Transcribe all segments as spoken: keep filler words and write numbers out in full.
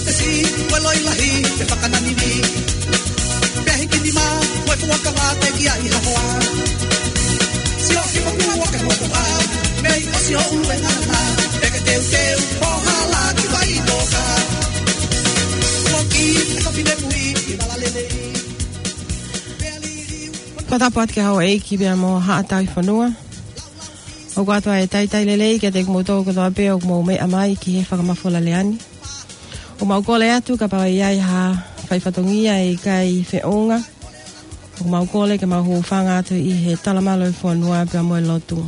Te si, ko e loi lahi, te fakananini. Pea hiki nima, ko e fuakava te kia i hahoa. Sio ki mo kua waka mo kua. Mei o sio ulu e ngana. Peke teu teu, o hala ki vai toka. Ko ki, e ka pine pui, i vala lelei. Pea li liu. Ko tapu atu ki he houʻeiki pea mo Haʻa Tauhi Fonua. ʻOku ʻoatu ʻa e talitali lelei kiate kimoutolu kotoa pē ʻoku mou meʻa mai ki he fakamafola lea ni. ʻOku mau kole atu kapau ʻe ʻi ai ha fai fatongia ʻe ʻikai feʻunga, ʻoku mau kole ke mau hūfanga atu ʻi he talamalu ʻo e fonua pea mo e lotu.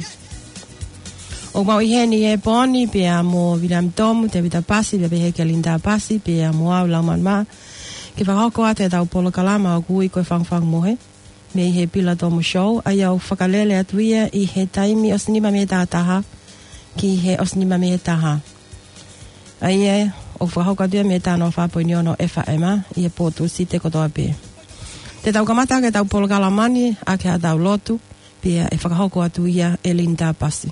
ʻOku mau ʻi heni he pō ni pea mo Viliami Tomu, Tevita Pasi, pea pehē kia Linda Pasi, pea mo au Laumanu Mā, ke fakahoko atu ʻetau polokalama ʻoku ui ko e Fangufangu Mohe, mei he Pila Tomu Show, ʻa ia ʻoku fakalele atu ia ʻi he taimi ʻosi nima mei he taha taha, ki he ʻosi nima mei he taha. ʻA ia ʻoku fakahoko atu ia mei he taha noa fā poini ono F M, ʻi he pō Tūsite kotoa pē. Te tau kamata ʻaki ʻetau polokalama ni ʻaki haʻatau lotu, pea ʻe fakahoko atu ia ʻe Linda Pasi.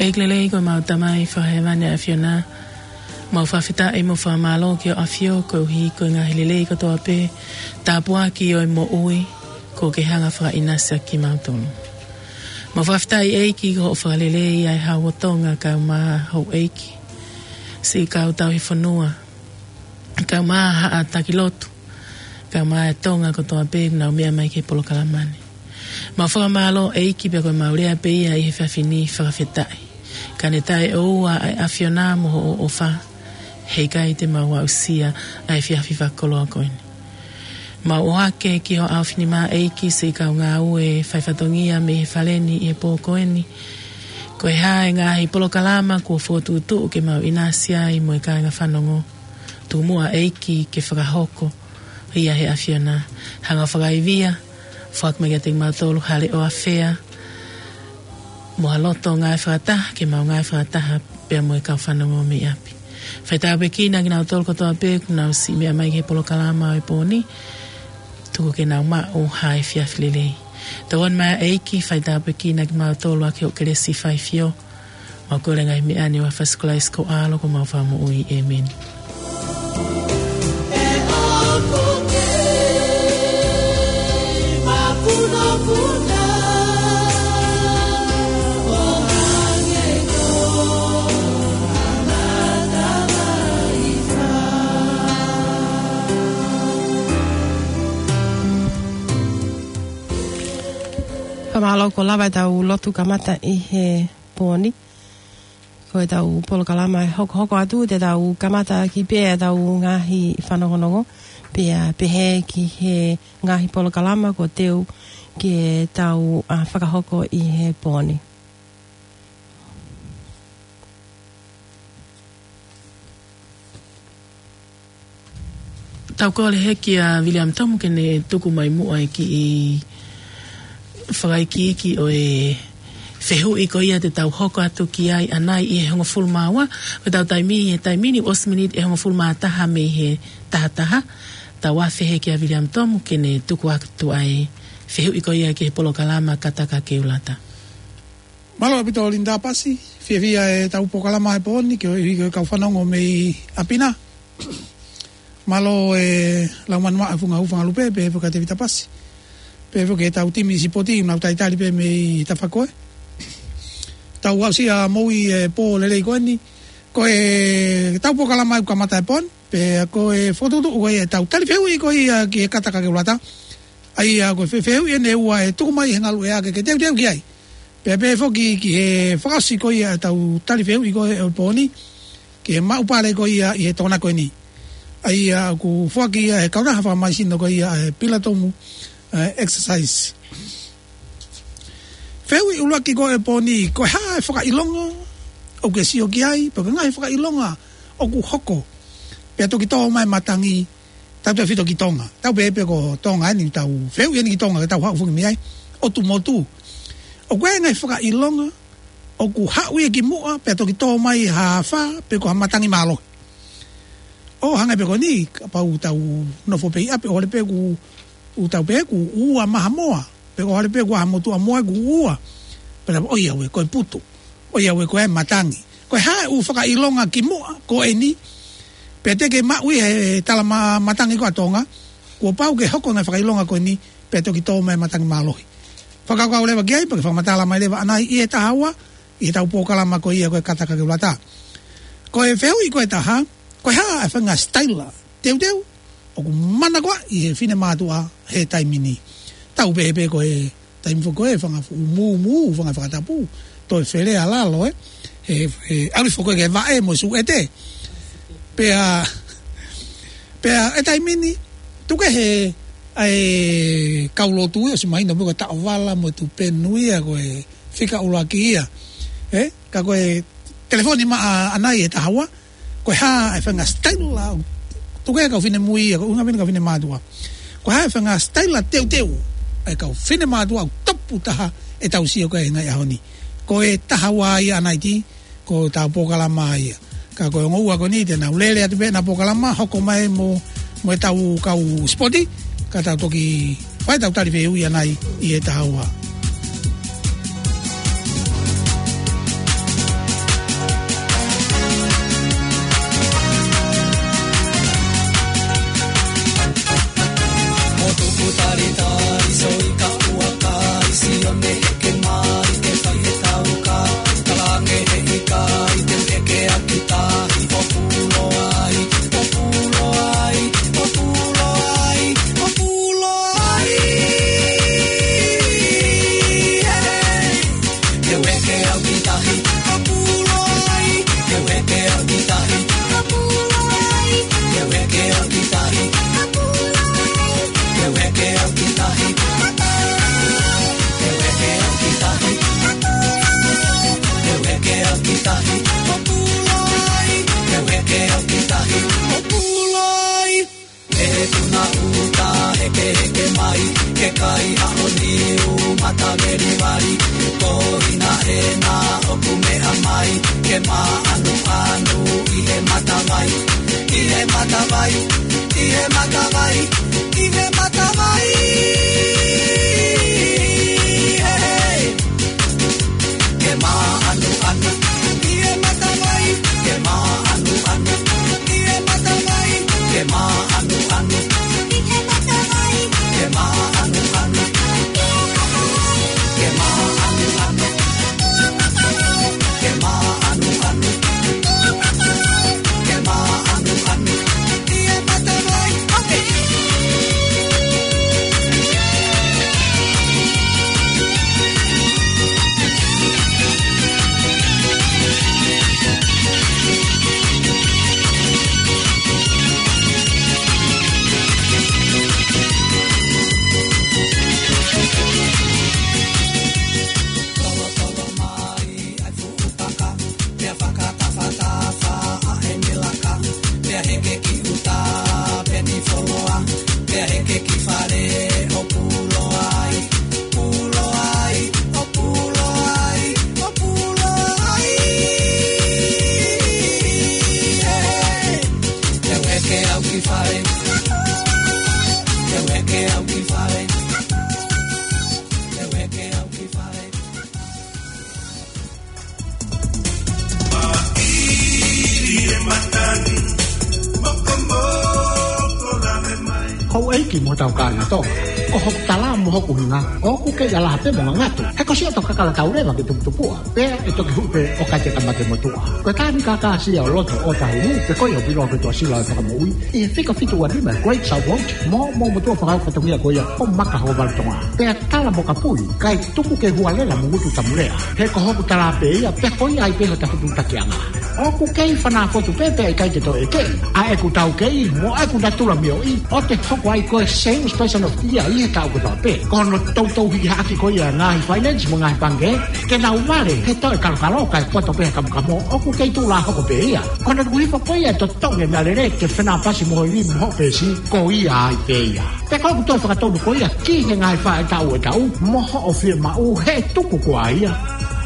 ʻEiki lelei ko ʻemau Tamai Fakahēvani ʻa e ʻAfiona, mau fakafetaʻi mo fakamālō ki hoʻo ʻAfio koeʻuhi ko e ngaahi lelei kotoa pē, tāpuaki ʻo e moʻui, kuo ke hanga ʻo fakaʻinasi ʻaki kimautolu. Mau fakafetaʻi ʻEiki ko hoʻo fakalelei ʻa e Hau ʻo Tonga kaeʻumaʻā houʻeiki, siʻi kau tauhi fonua, kaeʻumaʻā haʻa taki lotu, kaeʻumaʻā e Tonga kotoa pē ʻoku nau meʻa mai ki he polokalama ni. Mau fakamālō ʻEiki pea ko ʻemau lea pē ia ʻi he efiafi ni fakafetaʻi. Ka ne taʻeʻoua ʻa e ʻAfiona mo hoʻo ʻofa, heʻikai te mau aʻusia ʻa e efiafi fakakoloa ko eni. Mau ʻohake ki ho ʻaofinima ʻEiki siʻi kau ngāue fai fatongia mei he fale ni ʻi he pō ko eni. Ko e hā e ngaahi polokalama kuo fokotuʻutuʻu ke mau ʻinasi ai mo e kāinga fanongo, tuku muʻa ʻEiki ke fakahoko ia ʻe he ʻAfiona. Hanga ʻo fakaivia, foaki mai kiate kimautolu ha leʻo ʻafea, mo ha loto ngāue fakataha, ke mau ngāue fakataha pea mo e kau fanongo mei ʻapi. Fai tāpuekina kinautolu kotoa pē ʻoku nau siʻi meʻa mai ki he polokalama ʻo e pō ni, tuku ke nau maʻu ha efiafi lelei. Tauange mai ʻEiki, fai tāpuekina kimautolu ʻaki hoʻo kelesi faifio. Mau kole ngaahi meʻa ni ʻi he huafa ʻo Sīsū Kalaisi ko ho ʻAlo ko homau Fakamoʻui. ʻĒmeni. Fakamālō, kuo lava ʻetau lotu kamata ʻi he pō ni. Ko ʻetau polokalama ʻe hokohoko atu, te tau kamata ʻaki pē ʻetau ngaahi fanongonongo, pea pehē ki he ngaahi polokalama kuo teu ke tau, ā, fakahoko ʻi he pō ni. Tau kole hē kia Viliami Tomu ke ne tuku mai muʻa e kiʻi fakaikiiki ʻo e fehuʻi ko ia te tau hoko atu ki ai ʻanai ʻi he hongofulu mā ua. Ko ʻetau taimi, he taimi ni ʻosi miniti ʻe hongofulu mā taha mei he taha taha. Tau afe hē kia Viliami Tomu ke ne tuku atu ʻa e fehuʻi ko ia ki he polokalama Kataka Keulata. Mālō ʻaupito Linda Pasi, fiefia ʻetau polokalama he pō ni, ke ʻoiauē ki he kau fanongo mei ʻapi na. Mālō e lau manumaʻa e funga hū Fanga Lupe, pehē foki kia Tevita Pasi. Pehē foki ki heʻetau timi sipoti, ʻoku nau talitali pē mei Tafakoe. Tau aʻusia moʻoni e pō lelei ko eni. Ko ʻetau polokalama ʻoku kamata he pō ni, pea ko e fokotuʻutuʻu ko ia ʻetau tali fehuʻi ko ia ki he kata kakeulata. ʻA ia ko e fe-, fehuʻi eni ʻe ua ʻe tuku mai he ngaluʻea ke ke teuteu ki ai. Pea pehē foki ki he fakaʻosi ko ia ʻetau tali fehuʻi ko ia he pō ni, ki he maʻu pale ko ia ʻi he Tokonaki ko eni. ʻA ia ʻoku foaki ia ʻe he kautaha fakamaisino ko ia ʻa e Pilatomu, ʻa e Exercise. Fehuʻi ʻuluaki ko ia he pō ni, ko e hā e fakaʻilonga ʻoku ke sio ki ai, pe ko e ngaahi fakaʻilonga ʻoku hoko, pea toki tō mai e matangi, tautautefito ki Tonga. Tau pehē pē ko Tonga eni, tau fehuʻi eni ki Tonga, ke tau haʻu foki mei ai. ʻOtu motu. ʻOku ʻi ai e ngaahi fakaʻilonga ʻoku haʻu ia ki muʻa, pea toki tō mai ha afā, pe ko ha matangi mālohi. ʻO hangē pē ko eni, kapau tau nofo pē ʻi ʻapi, ʻo hale pē ʻoku, ʻoku tau pehē ʻoku ua mahamoa, pe ko e hale pē ʻoku ʻi ai ha motuʻa moa ʻoku ua. Pea ʻoiauē, ko e putu. ʻOiauē, ko e matangi. Ko e hā e ʻū fakaʻilonga ki muʻa ko eni, pea te ke maʻu ia he tala ma-, matangi ko ia ʻa Tonga, kuo pau ke hoko e ngaahi fakaʻilonga ko eni, pea toki tō mai e matangi mālohi. Fakakaukau leva ki ai, pea ke fakamatala mai leva ʻanai ʻi he taha ua, ʻi heʻetau polokalama ko ia ko e kata kakeulata. Ko e fehuʻi ko e taha, ko e hā e faʻahinga sitaila teuteu ʻoku manakoaʻi ʻe he finemātuʻa he taimi ni. Tau pehē pē ko e taimi foki ko e fanga fuʻu mūmū, fanga fakatapu, toe felea lalo, ē. He, he ʻalu foki ko e ke vaʻe mo e suʻete. Pea, pea e taimi ni, tuku kehe ʻa e kau lotu ia, ʻosi mahino pē ko e taʻovala mo e tupenu ia, ko e fika ʻuluaki ia. Ē? Ka ko e telefoni mai ʻanai he taha ua, ko e hā e faʻahinga sitaila, tuku kehe kau finemui ia, ko e ʻuhinga pē eni kau finemātuʻa. Ko e hā e faʻahinga sitaila teuteu ʻa e kau finemātuʻa ʻoku tupu taha ʻetau sio ki ai he ngaahi ʻaho ni. Ko e taha ua ia ʻanai, ko ʻetau polokalama ia. Ka ko e ongo ua ko eni te nau lele atu pē ʻenau polokalama, hoko mai mo, mo ʻetau kau sipoti, ka tau toki fai ʻetau tali fehuʻi ʻanai ʻi he taha ua. Mo tuku talitali, sio ʻi ka ua kai, sio ne eke mai, ke fai e tauka, talange he ika, ʻi te eke ʻaki tahi, ʻo pulo ai, ʻo pulo ai, ʻo pulo ai, ʻo pulo ai. Hey! Ke eke au ki tahi, ʻo pulo ai. Ke eke au ki tahi, ʻo pulo ai. Ke eke au ki tahi, ʻo pulo ai. Ke eke au ki tahi, ʻo pulo ai. Ke eke au ki tahi, ʻo pulo ai. Ke eke au ki tahi, ʻo pulo ai. E tuna uta hekeheke mai, ke kai ʻaho niu matavelivali, ko ʻIna ʻEna ʻoku meʻa mai, ke māʻanuʻanu ʻi he matavai, ʻi he matavai, ʻi he matavai, ʻi he matavai. He, he. Ke māʻanuʻanu ʻi he matavai, ke māʻanuʻanu ʻi he matavai, ke māʻanuʻanu ʻi he matavai, ke māʻanuʻanu, ke māʻanuʻanu, ke māʻanuʻanu, ke māʻanuʻanu ʻi he matavai. Okay. Ki mo tau kāinga Tonga. Ko hoku tala mo hoku hinga, ʻoku kei ʻalaha pē mo ngangatu. He ko siʻoto kakala tau leva ke tuputupuʻa. Pea ʻe toki huʻu pē ʻo kai te kamate motuʻa. Ko e tani kākāsia ʻo loto ʻo Tahuhu, pe ko ia ʻoku ʻiloa ko e Tuʻasila ʻo e Fakamoʻui, ʻi he fika fitu ua nima Great South Road, mo, mo motuʻa fakafatongia ko ia ʻo Maka Hoku Valu Tonga. Pea tala mo ka pui, kae tuku ke hualela mo ngutu tamulea. He ko hoku tala pē ia, pea ko ia ai pē hota fetuʻutakiʻanga. ʻOku kei fanā fotu pē pea ʻikai ke toe ʻeke. ʻA ʻeku taukei, mo ʻeku natula mioʻi, ʻo te hoko ai ko e Sales Person of the Year ʻi he taʻu kotoa pē. Ko hono toutou hiki hake ko ia ngaahi finance mo ngaahi pangikē, ke nau vale he toe kalokalo kae poto pē he kamokamo, ʻoku kei tuʻulā hoko pē ia. Ko hono tuku hifo ko ia e totongi e meʻalele ke fenāpasi mo ho ivi mo hoʻo peesi, ko ia ai pē ia. Pea ko ʻeku toe fakatonu ko ia ki he ngaahi faʻahitaʻu ʻo e taʻu, mo hoʻo fiemaʻu he tuku ko ia.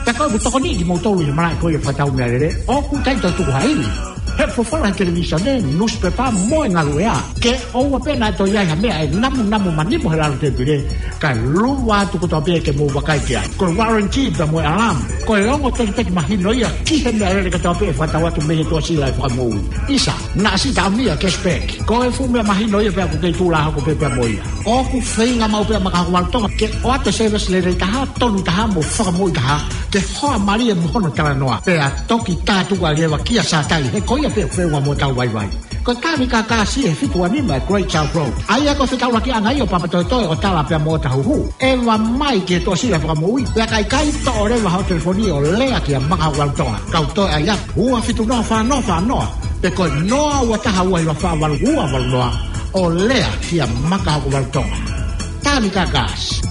Pea ko ʻeku tokoni kimoutolu ʻi he malaʻe ko ia fakatau meʻalele, ʻoku ʻikai toe tuku ha ivi. He folofola he televīsone, nusipepa mo e ngaluʻea. Ke ʻoua pē naʻa toe ʻi ai ha meʻa ʻe namunamu manimo he lalo tēpile, kae luva atu kotoa pē ke mou vakai ki ai. Ko e warranty pea mo e alarm, ko e ongo tekiteki mahino ia ki he meʻalele kotoa pē ʻe fakatau atu mei he Tuʻasila ʻo e Fakamoʻui. ʻIsa, naʻa si taʻamia cashback. Ko e fuʻu meʻa mahino ia pea ʻoku kei tuʻulā hoko pē pea mo ia. ʻOku feinga maʻu pē ʻa Maka Hoku Valu Tonga ke ʻoatu e service lelei taha, tonu taha mo fakamoʻui taha, ke hoa mālie mo hono talanoa. Pea toki tātuku leva kia Satai, he ko ia pē ʻoku feʻunga mo hotau vaivai. Ko e tani kākāsia ʻi he fitu ua nima Great South Road. ʻA ia ko e fetaulakiʻanga ia ʻo Papatoetoe, ʻo Tala pea mo Tahuhu. ʻEva mai ki he Tuʻasila ʻo e Fakamoʻui, pea ka ʻikai, toʻo leva hoʻo telefoni ʻo lea kia Maka Hoku Valu Tonga. Kau toe ʻai atu, ua fitu noa fā noa fā noa, pe ko e noa ua taha ua hiva fā valu ua valu noa, ʻo lea kia Maka Hoku Valu Tonga. Tani kākāsia.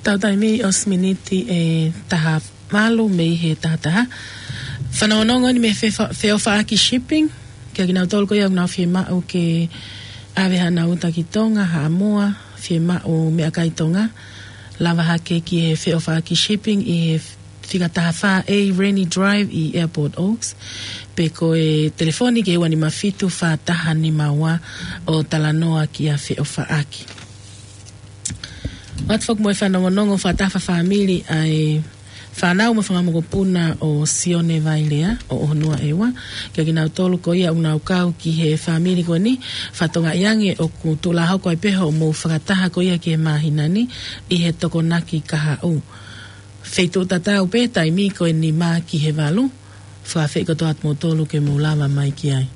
Tau taimi ʻosi miniti ʻe taha valu mei he taha taha. Fanongonongo ni mei he fefa-, Feʻofaʻaki Shipping. Kia kinautolu ko ia ʻoku nau fiemaʻu ke ʻave haʻanau uta ki Tonga, Haʻamoa, fiemaʻu meʻakai Tonga, lava hake ki he Feʻofaʻaki Shipping ʻi he fika taha fā A Rennie Drive ʻi Airport Oaks, pe ko e telefoni ki he ua nima fitu fā taha nima ua ʻo talanoa kia Feʻofaʻaki. ʻOatu foki mo e fanongonongo fakataha fakafāmili ʻa e fānau mo e fanga mokopuna ʻo Sione Vailea ʻo ʻOhonua ʻEua. Kia kinautolu ko ia ʻoku nau kau ki he fāmili ko eni, fakatokangaʻi ange ʻoku tuʻulā hoko ai pē hoʻomou fakataha ko ia ki he māhina ni ʻi he Tokonaki Kahaʻu. Feituʻu tatau pē taimi ko e nima ki he valu. Fakaafeʻi kotoa atu moutolu ke mou lava mai ki ai.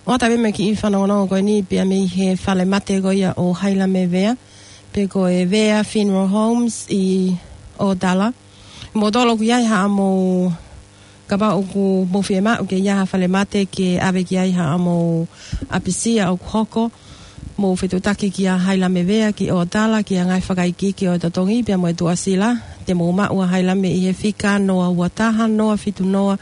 ʻOatu pē mo e kiʻi fanongonongo ko eni pea mei he falemate ko ia ʻo Hailame Vea, pe ko e Vea Funeral Homes ʻi ʻOtala. Moutolu ʻoku ʻi ai haʻamou, kapau ʻoku mou fiemaʻu ke ʻi ai ha falemate ke ʻave ki ai haʻamou ʻapisia ʻoku hoko, mou fetuʻutaki kia Hailame Vea ki ʻOtala, ki he ngaahi fakaikiiki ʻo e totongi pea mo e tuʻasila, te mou maʻu ʻa Hailame ʻi he fika noa ua taha, noa fitu noa,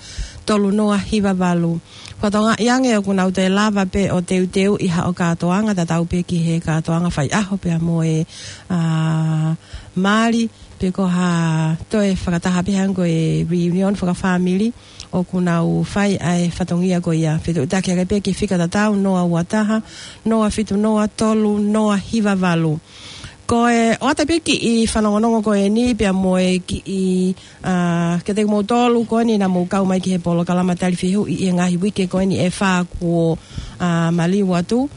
tolu noa hiva valu. Fakatokangaʻi ange ʻoku nau toe lava pē ʻo teuteuʻi haʻo kātoanga, tatau pē ki he kātoanga faiʻaho pea mo e, ʻa, mali, pe ko ha toe fakataha pē hangē ko e reunion fakafāmili, ʻoku nau fai ʻa e fatongia ko ia. Fetuʻutaki hake pē ki he fika tatau, noa ua taha, noa fitu noa, tolu noa hiva valu. Ko e ʻoatu pē kiʻi fanongonongo ko eni pea mo e kiʻi, ʻa, kiate kimoutolu ko eni naʻa mou kau mai ki he polokalama tali fehuʻi ʻi he ngaahi uike ko eni ʻe fā kuo, ʻa, maliu atu.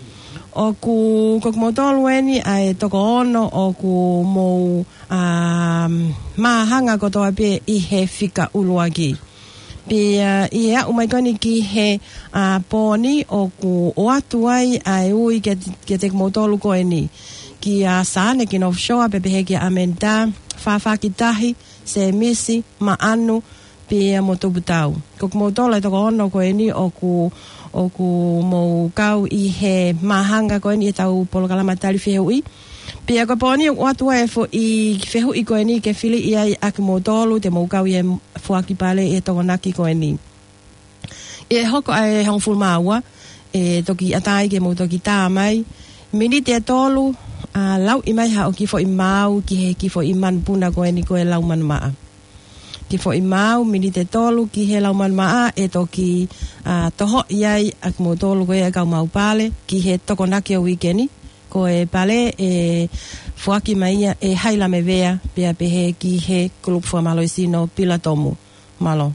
ʻOku, ko kimoutolu eni ʻa e toko ono ʻoku mou, ʻa, māhanga kotoa pē ʻi he fika ʻuluaki. Pea ʻi he aʻu mai ko eni ki he, ʻa, pō ni ʻoku ʻoatu ai ʻa e ui kiate, kiate kimoutolu ko eni. Kia Sane ki North Shore, pea pehē kia ʻAmenitā, Fafaki Tahi, Semisi, Maʻanu, pea mo Tuputau. Ko kimoutolu ʻa e toko ono ko eni ʻoku, ʻoku mou kau ʻi he māhanga ko eni ʻi heʻetau polokalama tali fehuʻi. Pea ko e pō ni ʻoku ʻoatu ai e foʻi fehuʻi ko eni ke fili ai ʻa kimoutolu te mou kau ʻi he foaki pale ʻi he Tokonaki ko eni. ʻI he hoko ʻa e hongofulu mā ua, ʻe toki ʻatā ai ke mou toki tā mai. Miniti ʻe tolu, ʻa, lauʻi mai haʻo kiʻi foʻi maau ki he kiʻi foʻi manupuna ko eni ko e lau manumaʻa. Kiʻi foʻi maau, miniti ʻe tolu ki he lau manumaʻa, ʻe toki, ʻa, tohoʻi ai ʻa kimoutolu ko ia ʻa e kau maau pale ki he Tokonaki ʻo e uike ni. Ko e pale ʻe foaki mai ia ʻe Haila Mevea, pea pehē ki he kulupu fakamālohisino Pilatomu. Mālō.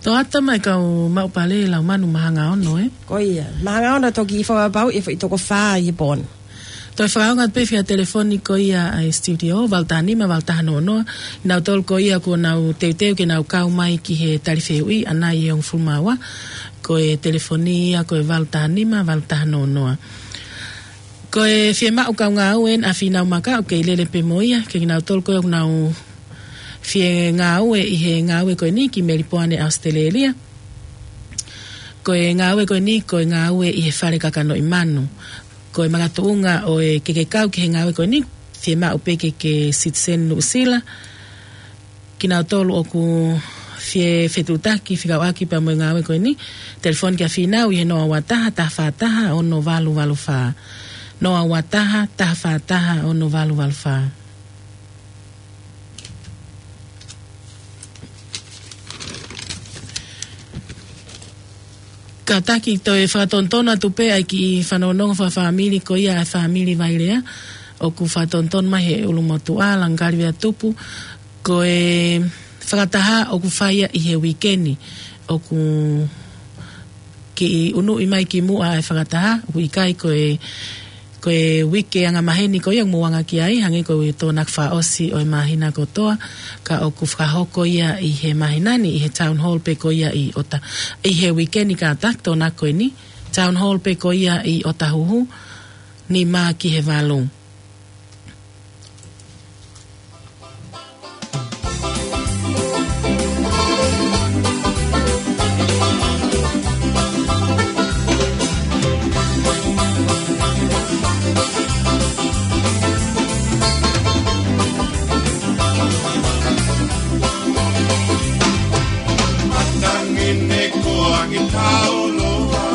Toʻatasi mai kau maʻu pale lau manu Mahangaono, ē? Ko ia. Mahangaono toki fakapapauʻi e foʻi toko fā ʻi he pō ni. Toe fakaongo atu pē fia telefoni ko ia ʻi studio, valu taha nima, valu taha noa noa. Nautolu ko ia kuo nau teuteu ke nau kau mai ki he tali fehuʻi, ʻanai ʻe hongofulu mā ua. Ko e telefoni ia ko e valu taha nima, valu taha noa noa. Ko e fiemaʻu kau ngāue ʻa Fīnau Maka, ʻoku kei lele pē mo ia, ke kinautolu ko ē ʻoku nau fie ngāue ʻi he ngāue ko eni ki Melipoane, ʻAositelēlia. Ko e ngāue ko eni, ko e ngāue ʻi he fale kakanoʻi manu. Ko e makatuʻunga ʻo e ke ke kau ki he ngāue ko eni, fiemaʻu pē ke ke citizen Nuʻusila. Kinautolu ʻoku fie fetuʻutaki fekauʻaki pea mo e ngāue ko eni, telefoni kia Fīnau ʻi he noa ua taha, taha fā taha, ono valu valu fā. Noa ua taha, taha fā taha, ono valu valu fā. Kātaki toe fakatonutonu atu pē ʻa e kiʻi fanongonongo fakafāmili ko ia ʻa e fāmili Vailea, ʻoku fakatonutonu mai he ʻulumotuʻa, Langakaliveatupu, ko e fakataha ʻoku fai ia ʻi he uike ni, ʻoku kiʻi unuʻi mai ki muʻa e fakataha, ʻoku ʻikai ko e, ko e uike angamaheni ko ia ʻoku mou anga ki ai, hangē ko e tokonaki fakaʻosi ʻo e māhina kotoa, ka ʻoku fakahoko ia ʻi he māhina ni, ʻi he town hall pē ko ia ʻi ʻOta, ʻi he uike ni kātaki tokonaki ko eni, town hall pē ko ia ʻi ʻOtahuhu, nima ki he valu. Matangini kuangi tauloa,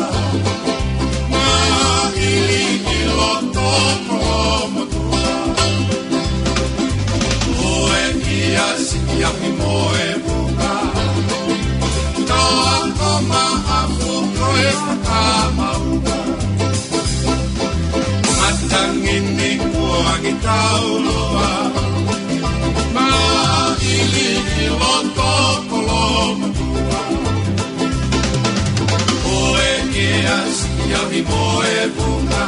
maʻili ʻi loto kolomo. Ue ia siʻi ahi mo e puka. Toa ko maʻafu ko e fakamauka. Matangini kuangi tauloa. Maʻili ʻi loto kolomo. Ko e ke asi ahi mo e vunga.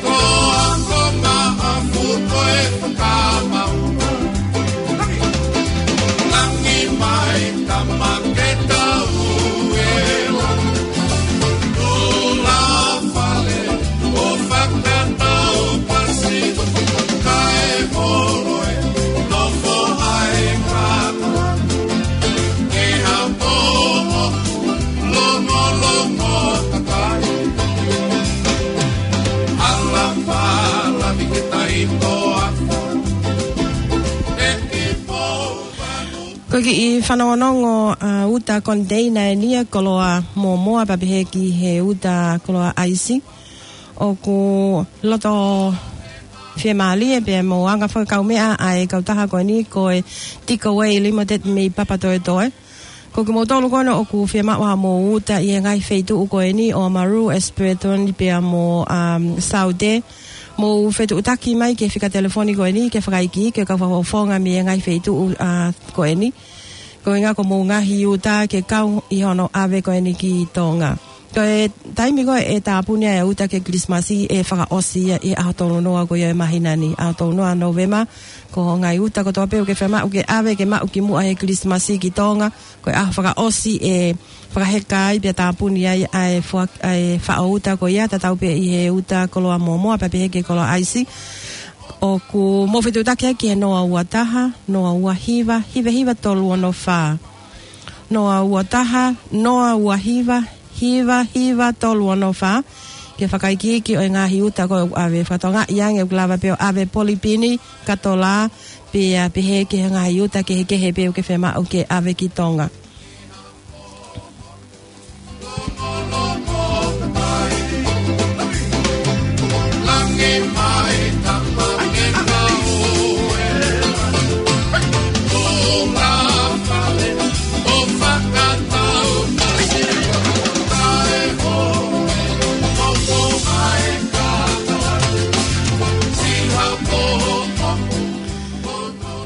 Ko a ko maʻafu ko e fakamauka. Langi mai tama ke tau e la. Tula fale. ʻO fakatau pasi, kae holo e nofo ai kata. Ke hapo, longo, longo, takai. Ala pala mi ke tai toa. Ko e kiʻi fanongonongo ʻa e uta koniteina ʻeni ʻa e koloa mōmoa pea pehē ki he uta koloa ʻaisi. ʻOku loto fiemālie pea mo anga fakakaumeʻa ʻa e kautaha ko eni ko e Takeaway Limited mei Papatoetoe. Ko kimoutolu ko ena ʻoku fiemaʻu haʻamou uta ʻi he ngaahi feituʻu ko eni ʻo Oamaru, Espluton pea mo, um, Saute. Mou fetuʻutaki mai ki he fika telefoni ko eni ke fakaikiiki e kau fakafofonga mei he ngaahi feituʻu, uh, ko eni. Ko e ʻuhinga ko hoʻomou ngaahi uta ke kau ʻi hono ʻave ko eni ki Tonga. Ko e taimi ko ē ʻe tāpuni ai e uta ki he Kilisimasi ʻe fakaʻosi ia ʻi he ʻaho tolu noa ko ia ʻo e māhina ni, ʻaho tolu noa Nōvema, ko hoʻo ngaahi uta kotoa pē ʻoku ke fiemaʻu ke ʻave ke maʻu kimuʻa he Kilisimasi ki Tonga, ko e ʻaho fakaʻosi ʻe fakaheka ai pea tāpuni ai ʻa e fua-, ʻa e faʻo uta ko ia, tatau pē ʻi he uta koloa mōmoa pea pehē ki he koloa ʻaisi. ʻOku mou fetuʻutaki ai ki he noa ua taha, noa ua hiva, hiva hiva tolu ono fā. Noa ua taha, noa ua hiva, hiva hiva tolu ono fā. Ke fakaikiiki ʻo e ngaahi uta ko ē ʻoku ʻave fakatokangaʻi ange ʻoku lava pē ʻo ʻave polipini, katola, pea pehē ki he ngaahi uta kehekehe pē ʻoku ke fiemaʻu ke ʻave ki Tonga.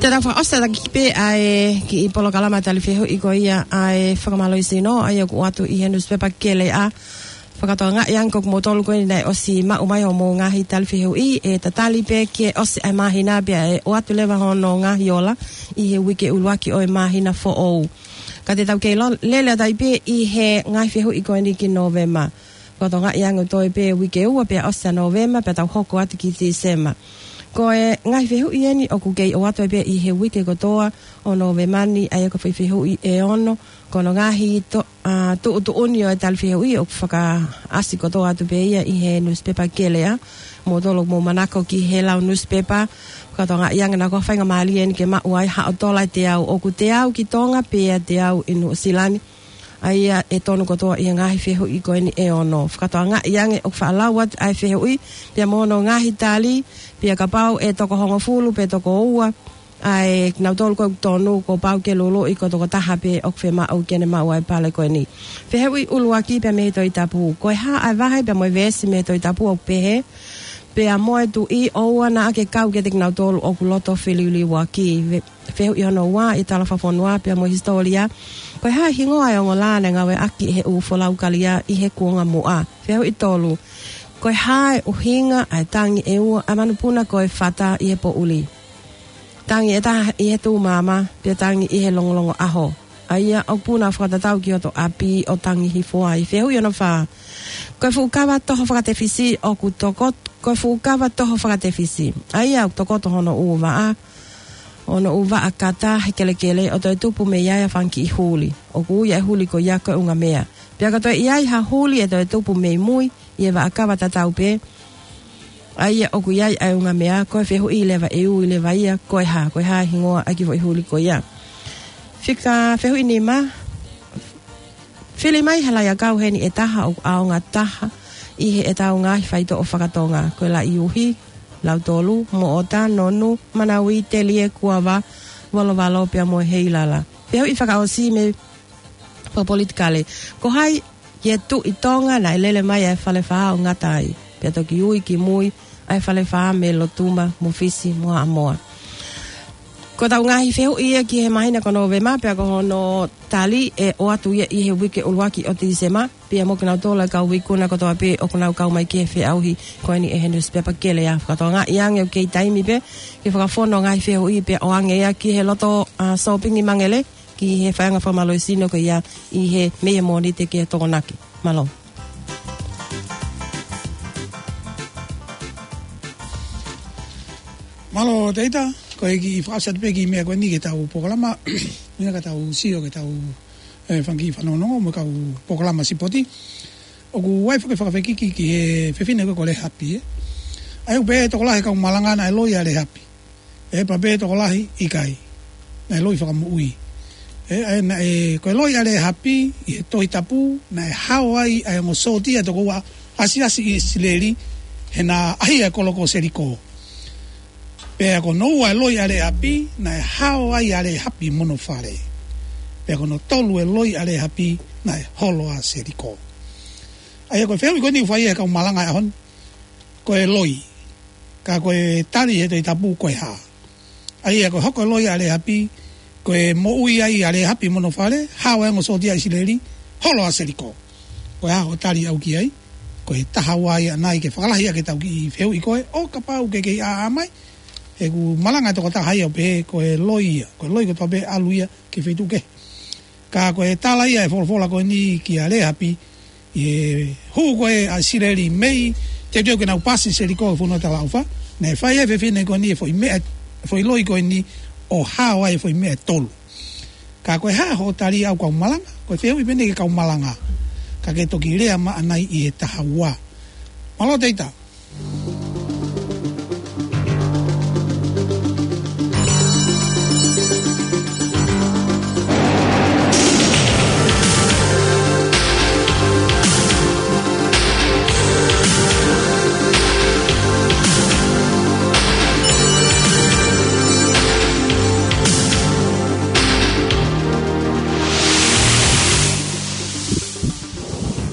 Te tau fakaʻosi ʻaki pē ʻa e kiʻi polokalama tali fehuʻi ko ia ʻa e fakamālohisino, ʻa ia ʻoku ʻoatu ʻi he nusipepa Keleʻa. Fakatokangaʻi ange ko kimoutolu ko eni naʻe ʻosi maʻu mai hoʻomou ngaahi tali fehuʻi, ʻe tatali pē ki he ʻosi ʻa e māhina pea ʻe ʻoatu leva hono ngaahi ola ʻi he uike ʻuluaki ʻo e māhina foʻou. Ka te tau kei lo-, lele atu ai pē ʻi he ngaahi fehuʻi ko eni ki Nōvema. Fakatokangaʻi ange ʻoku toe pē uike ua pea ʻosi ʻa Nōvema pea tau hoko atu ki Tīsema. Ko e ngaahi fehuʻi eni ʻoku kei ʻoatu ai pē ʻi he uike kotoa ʻo Nōvema ni, ʻa ia ko e foʻi fehuʻi ʻe ono. Ko hono ngaahi to-, ʻa, tuʻutuʻuni ʻo e tali fehuʻi ʻoku fakaʻasi kotoa atu pē ia ʻi he nusipepa Keleʻa. Kimoutolu ʻoku mou manako ki he lau nusipepa, fakatokangaʻi ange naʻa ko e faingamālie eni ke maʻu ai haʻo tola ʻe teau, ʻoku teau ki Tonga pea teau ʻi Nuʻusila ni. ʻA ia ʻe tonu kotoa ʻi he ngaahi fehuʻi ko eni ʻe ono. Fakatokangaʻi ange ʻoku faʻa lau atu ʻa e fehuʻi, pea mo hono ngaahi tali, pea kapau ʻe toko hongofulu pe toko ua ʻa kinautolu ko ē ʻoku tonu, kuo pau ke luluʻi ko e tokotaha pē ʻoku fiemaʻu ke ne maʻu ʻa e pale ko eni. Fehuʻi ʻuluaki pea mei he Tohi Tapu. Ko e hā ʻa e vahe pea mo e veesi mei he Tohi Tapu ʻoku pehē: Pea mo e tuʻi, ʻoua naʻa ke kau kiate kinautolu ʻoku loto feliuliuaki. Ve-, Fehuʻi hono ua, ʻi he tala fakafonua pea mo e hisitōlia, ko e hā e hingoa ʻo e ongo lā naʻe ngāueʻaki ʻe he ʻū folau kalia ʻi he kuonga muʻa? Fehuʻi tolu, ko e hā e ʻuhinga ʻa e tangi ʻe ua ʻa e manupuna ko e fata ʻi he poʻuli? Tangi ʻe taha ʻi he tuʻumaama, pea tangi ʻi he longolongo ʻaho, ʻa ia ʻoku puna fakatatau ki hoto ʻapi ʻo tangi hifo ai. Fehuʻi hono fā, ko e fuʻu kava toho fakatefisi ʻoku tokot-, ko e fuʻu kava toho fakatefisi, ʻa ia ʻoku tokoto hono ʻū vaʻa, hono ʻū vaʻa kata he kelekele ʻo toe tupu mei ai ʻa e fanga kiʻi huli. ʻOku ui ʻa e huli ko ia ko e ʻungamea. Pea ka toe ʻi ai ha huli ʻe toe tupu mei mui ʻi he vaʻa kava tatau pē, ʻa ia ʻoku ʻi ai ʻa e ʻungamea. Ko e fehuʻi leva ʻe ui leva ia, ko e hā, ko e hā e hingoa ʻa e kiʻi foʻi huli ko ia? Fika, fehuʻi nima, fili mai ha laʻi ʻakau heni ʻe taha ʻoku ʻaonga taha ʻi heʻetau ngaahi faitoʻo fakatonga. Ko e laʻi uhi, lautolu, moʻota, nonu, manauī, telie, kuava, volovalo pea mo e heilala. Fehuʻi fakaʻosi mei fakapolitikale. Ko hai ʻi he Tuʻi Tonga naʻe lele mai ʻa e Falefā ʻo ngata ai, pea toki ui ki mui ʻa e Falefā mei Lotuma mo Fisi mo Haʻamoa? Ko ʻetau ngaahi fehuʻi ia ki he māhina ko Nōvema, pea ko hono tali ʻe ʻoatu ia ʻi he uike ʻuluaki ʻo Tīsema, pea mo kinautolu ʻa e kau ikuna kotoa pē ʻoku nau kau mai ki he feʻauhi ko eni ʻe he nusipepa Keleʻa. Fakatokangaʻi ange ʻoku kei taimi pē ke fakafonu ngaahi fehuʻi pea ʻoange ia ki he loto, ʻa, sōpingi Mangele, ki he faiʻanga fakamālohisino ko ia ʻi he, mei he Mōnite ki he Tokonaki. Mālō. Mālō Teita, ko e kiʻi fakaʻosi atu pē kiʻi meʻa ko eni ki heʻetau polokalama, ina ka tau sio ki heʻetau, ʻe, fanga kiʻi fanongonongo mo e kau polokalama sipoti. ʻOku ʻi ai e foʻi fakafekiki ki he fefine ko ē ko Lēhapi, ē. ʻA ia ʻoku pehē ʻe he tokolahi ʻo e kau malanga naʻe loi ʻa Lēhapi. ʻE, pea pehē ʻe he tokolahi ʻikai. Naʻe loi fakamoʻui. ʻE, ʻa ia naʻe, ko e loi ʻa Lēhapi ʻi he Tohi Tapu, naʻe hao ai ʻa e ongo sōtia ʻe toko ua ʻo e ʻasiʻasi ʻIsileli, he naʻa ʻaʻahi ʻa e kolo ko Seliko. Pea ko hono ua e loi ʻa Lēhapi, naʻe hao ai ʻa Lēhapi mo hono fale. Pea ko hono tolu e loi ʻa Lēhapi, naʻe holo ʻa Seliko. ʻA ia ko e fehuʻi ko eni ʻoku fai ʻe he kau malanga he ʻaho ni, ko e loi. Ka ko e tali ʻe he Tohi Tapu ko e hā? ʻA ia ko e hoko e loi ʻa Lēhapi, ko e moʻui ai ʻa Lēhapi mo hono fale, hao e ongo sōtia ʻIsileli, holo ʻa Seliko. Ko e hā hoʻo tali ʻaʻau ki ai? Ko e taha ua ia ʻanai ke fakalahi ʻaki ʻetau kiʻi fehuʻi ko ē, ʻo kapau ʻoku ke kei ʻā mai, he ʻoku malanga e tokotaha ia ʻo pehē ko e loi ia, ko e loi kotoa pē ʻalu ia ki he feituʻu kehe. Ka ko e tala ia ʻa e folofola ko eni kia Lēhapi, ʻi he hū ko ē ʻa ʻIsileli mei, teuteu ke nau paasi Seliko he fonua talaʻofa, naʻe fai ʻe he fefine ko eni e foʻi meʻa, foʻi loi ko eni ʻo hao ai e foʻi meʻa ʻe tolu. Ka ko e hā hoʻo tali ʻaʻau kau malanga, ko e fehuʻi pē eni ki he kau malanga. Ka ke toki lea mai ʻanai ʻi he taha ua. Mālō Teita.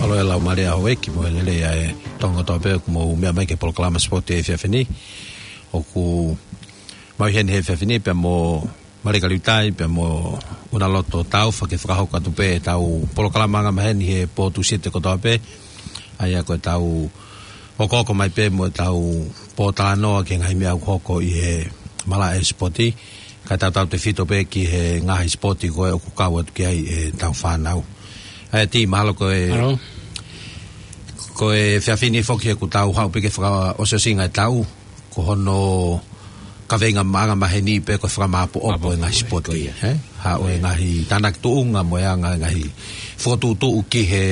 Mālō e laumālie ʻa houʻeiki mo e lelei ʻa e toko taha pē ʻoku mou meʻa mai ki he polokalama sipoti he efiafi ni. ʻOku Mau ʻi heni he efiafi ni pea mo Malika Liutai, pea mo ʻUnaloto Taufa ke fakahoko atu pē ʻetau polokalama anga maheni he pō Tūsite kotoa pē. ʻA ia ko ʻetau hokohoko mai pē mo ʻetau pōtalanoa ki he ngaahi meʻa ʻoku hoko ʻi he malaʻe sipoti. Kae tautautefito pē ki he ngaahi sipoti ko ē ʻoku kau atu ki ai ʻetau fānau. ʻA ia Tī, mahalo ko e, Halo. Ko e efiafi ni foki he kuo tau haʻu pē ki he fakaʻosiʻosinga ʻetau, ko hono kaveinga anga maheni pē ko e fakamāʻopoʻopo e ngaahi sipoti, ko ia. Ē? Haʻu e ngaahi tānaki tuʻunga mo e anga e ngaahi fokotuʻutuʻu ki he,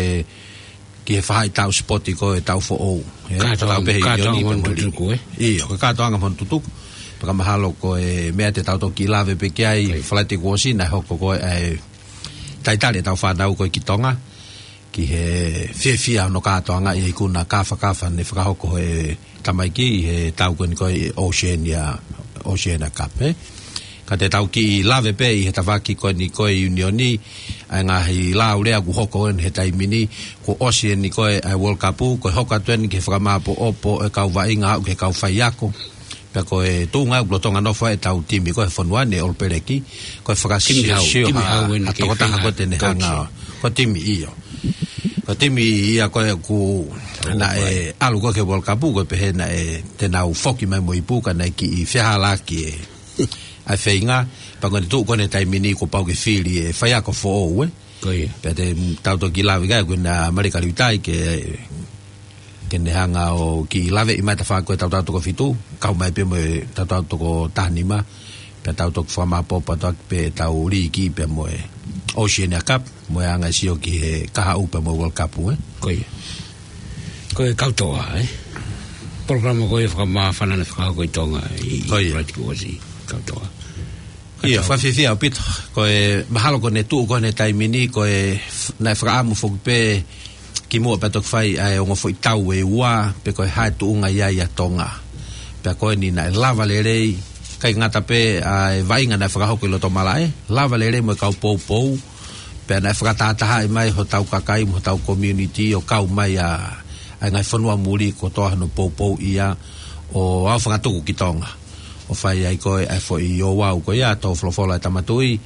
ki he faʻahitaʻu sipoti ko ē ʻetau foʻou. Ē? Kātoanga, kātoanga mo hono tutuku, ē? ʻIo, ko e kātoanga mo hono tutuku. Pea ka mahalo ko e meʻa te tau toki lave pē ki ai, ko ia. Falaite kuo ʻosi naʻe hoko ko ē ʻa e talitali ʻetau fānau ko ē ki Tonga ki he fiefia hono kātoangaʻi e ikuna kāfakafa ne fakahoko he tamaiki ʻi he tau ko eni ko ē Oceania, Oceania Cup, ē? Ka te tau kiʻi lave pē ʻi he tafaʻaki ko eni ko ē ʻiunioni, ʻa e ngaahi laulea kuo hoko eni he taimi ni, kuo ʻosi eni ko ē ʻa e World Cup, ko e hoko atu eni ki he fakamāʻopoʻopo e kau vaʻinga aʻu ki he kau faiako. Pea ko e tuʻunga ʻoku lolotonga nofo ai ʻetau timi ko ē he fonua ni, All Blacks, ko e fakasiosio ʻa e tokotaha ko ē te ne hanga. Ko e timi, ʻio. Ko e timi ia ko ē ʻoku naʻe ʻalu ko ē ki he World Cup, ko e pehē naʻe te nau foki mai mo e ipu ka naʻe kiʻi fehālaaki e, ʻa e feinga, pea ko ʻene tuʻu ko ē he taimi ni kuo pau ke fili e faiako foʻou, ē? Ko ia. Pea te tau toki lave ki ai, ko ena Malika Liutai ke, ke ne hanga ʻo kiʻi laveʻi mai e tafaʻaki ko ē ʻetau taʻu toko fitu, kau mai pē mo e taʻu toko taha nima, pea tau toki fakamāʻopoʻopo atu pē ʻetau līki pea mo e Oceania Cup, mo e anga e sio ki he kahaʻu pea mo e World Cup, ē? Ko ia. Ko e Kautoa, ē? Polokalama ko ē fakamāfana naʻe fakahoko ʻi Tonga ʻi, ko ia, Falaite kuo ʻosi, Kautoa. ʻIo, fakafiefia ʻaupito. Ko e mahalo ko ʻene tuʻu ko ē he taimi ni, ko e f-, naʻe fakaʻamu foki pē kimuʻa pea toki fai ʻa e ongo foʻi tau ʻe ua, pe ko e hā e tuʻunga ia ʻa Tonga. Pea ko eni naʻe lava lelei, ʻikai ngata pē ʻa e vaʻinga naʻe fakahoko ʻi loto malaʻe, lava lelei mo e kau poupou, pea naʻe fakatahatahaʻi mai hotau kakai mo hotau community ʻo kau mai ʻa, ʻa e ngaahi fonua muli kotoa hono poupou ia ʻo aofangatuku ki Tonga. ʻO fai ai ko ē ʻa e foʻi ouau ko ia, tō folofola ʻa e Tama Tuʻi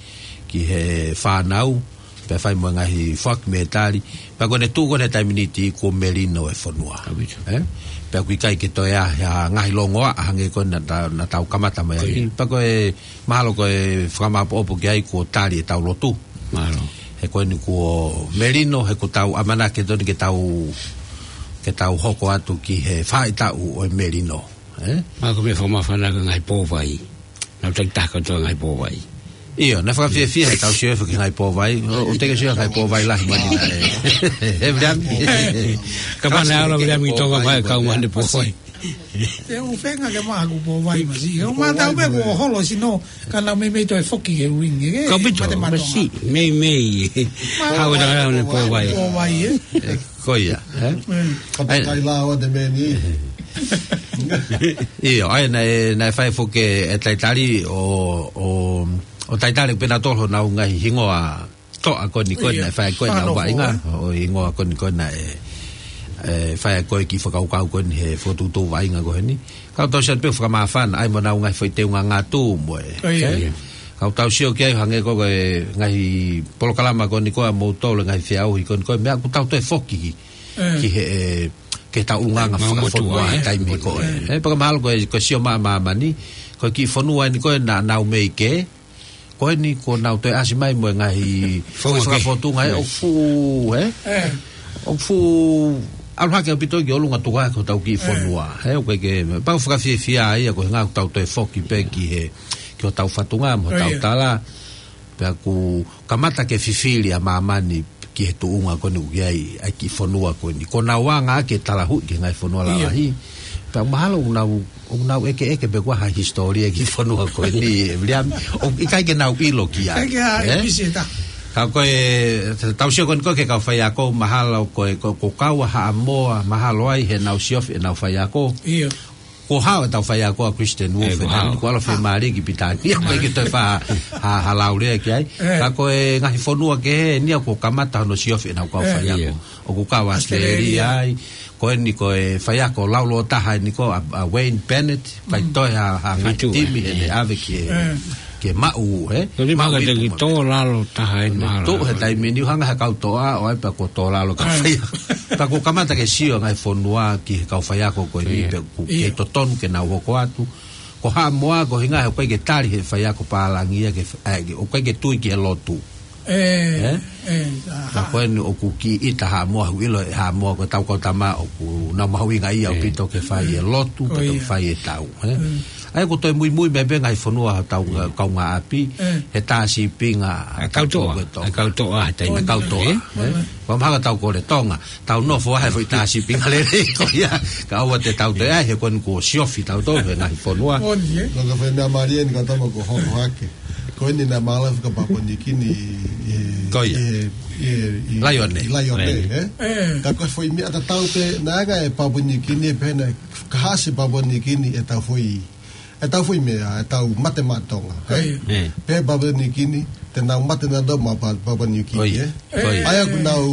ki he fānau, pea fai mo e ngaahi foaki mētali, pea ko ʻene tuʻu ko ē he taimi ni Tī kuo melino e fonua. ʻAupito. Ē? Pea ʻoku ʻikai ke toe ʻi ai ha ngaahi longoaʻa hangē ko ē naʻa ta-, naʻa tau kamata mai ai. Ko ia. Pea ko e mahalo ko e fakamāʻopoʻopo ki ai kuo tali ʻetau lotu. Mahalo. He ko eni kuo melino, he kuo tau ʻamanaki atu eni ke tau, ke tau hoko atu ki he faʻahitaʻu ʻo e melino. Ē? Mahalo ko e meʻa fakamāfana ko e ngaahi pō vai. Naʻa tau taki taha kotoa e ngaahi pō vai. ʻIo, naʻe fakafiefia heʻetau sio hifo ki he ngaahi pō vai. ʻO, ʻoku teʻeki ke sio ki he ngaahi pō vai lahi mai ni naʻe. He Viliami. Kapau naʻe ʻalu ʻa Viliami ki Tonga mai, kau mai ʻene pō vai. Te u feinga ke maʻu haʻaku pō vai masiʻi. ʻOku mātau pē kuo holo sino, ka naʻa ku meimei toe foki ki he uingi, ē? ʻAupito, mate mate masiʻi, meimei. Haʻu e tangata ʻo ne pō vai. Pō vai, ē? Ko ia, ē? Mm. Ka ʻai, takai lā ʻo te meni. ʻIo, ʻa ia naʻe, naʻe fai foki e talitali ʻo, ʻo, ʻo talitali pē nautolu honau ngaahi hingoa toʻa ko eni ko ē, ʻio, naʻe fai ko ē ʻenau vaʻinga, ʻo e hingoa ko eni ko ē naʻe, ē, fai ko ē e kiʻi fakakaukau ko eni he fokotuʻutuʻu vaʻinga ko eni. Ka ʻoku tau sio atu pē ʻoku fakamāfana ai mo ʻenau ngaahi foʻi teunga ngatu mo e. ʻIo. Ē? Ka ʻoku tau sio ki ai hangē ko e ngaahi polokalama ko eni ko ē ʻamoutolu, ngaahi feʻauhi ko eni ko ē, meʻa ʻoku tau toe foki ki, ē, ki he, ē, ki heʻetau ʻulungaanga fakafonua, ē, he taimi ko ē. Ē. Ē, pea mahalo ko e, ko e sio mai ʻa māmani, ko e kiʻi fonua eni ko ē naʻa nau mei kē, ko eni kuo nau toe ʻasi mai mo e ngaahi foʻi fakafotunga, ē, ʻoku fuʻu, ē? Ē. ʻOku fuʻu ʻalu hake ʻaupito ki ʻolunga, tuku hake hotau kiʻi fonua. Ē, ʻoku ʻikai ke, pea ʻoku fakafiefia ia ko e ʻuhinga ʻoku tau toe foki pē ki he, ki hotau fatunga mo hotau tala. Pea ʻoku kamata ke fifili ʻa māmani ki he tuʻunga ko eni ʻoku ʻi ai ʻa e kiʻi fonua ko eni. Kuo nau anga ʻaki e talahuʻi ki he ngaahi fonua lalahi. Pea mahalo ʻoku nau, ʻoku nau ʻekeʻeke pē kuo ʻi ai ha hisitōlia e kiʻi fonua ko eni, ʻe Viliami. ʻOku ʻikai ke nau ʻilo ki ai. ʻIkai ke ʻi ai, ē? Ka ko e, tau sio ko eni ko ē ki he kau faiako, mahalo ko e, ko, ko Kaua Haʻamoa, mahalo ai heʻenau siofi ʻenau faiako. ʻIo. Kuo hao ʻetau faiako ʻa Christian Wolf, ē, kuo hao. Kuo ʻalu ʻo fiemālie ki Pilitānia, ʻikai ke toe fai ha, ha, ha laulea ki ai. Ē. Ka ko e ngaahi fonua kehe eni ia kuo kamata hono siofi ʻenau kau faiako. ʻIo. ʻOku kau ʻAositelēlia ai, Ko eni ko e faiako laulōtaha eni ko ē ʻa, ʻa Wayne Bennett, faitoʻo ha, ha ngaahi timi he ʻave ki he, ki he maʻu, ē? Ko e lima maʻu ka te ipu ki mo tō lalo taha eni mahalo. Tuʻu he taimi ni ʻoku hanga he kau toʻa ʻo ʻai pea kuo tō lalo ka faiako. Pea kuo kamata ke sio ngaahi fonua ki he kau faiako ko eni pea ʻoku kei totonu ke nau hoko atu. Ko Haʻamoa ko e hinga he ʻoku ʻikai ke tali he faiako pālangi ia ke, ʻoku ʻikai ke tui ki he lotu. ʻE, ʻe, ka ko eni ʻoku kiʻi ʻita Haʻamoa, ʻoku ʻilo ʻe Haʻamoa ko e tau kau tama ʻoku nau mahuʻinga ia ʻaupito ke fai e lotu, ka ke fai e tau, ē? ʻA ia ʻoku toe muimui mai pē ngaahi fonua ʻo tau kaungāʻapi, he tā sīpinga ʻa e kau toʻa, ʻa e kau toʻa, he taimi ʻa e kau toʻa, ē? Ko mahalo tau kole Tonga, tau nofo ʻa he foʻi tā sīpinga lelei ko ia, ka ʻoua te tau toe ʻai, he ko eni kuo siofi tautolu he ngaahi fonua. Ka ko e foʻi meʻa mālie eni ka tama ko hoko hake. Ko eni naʻe mālōlō fika Papua New Guinea ʻi, ʻi, ʻi Laione. ʻI Laione, ē? Ka ko e foʻi meʻa tatau pē, naʻe ʻai ʻe Papua New Guinea pē naʻe kaha ʻa Papua New Guinea ʻetau foʻi, ʻetau foʻi meʻa, ʻetau mate maʻa Tonga, ē? Pehē Papua New Guinea, te nau mate nautolu maʻa Pa-, Papua New Guinea, ē? ʻA ia ʻoku nau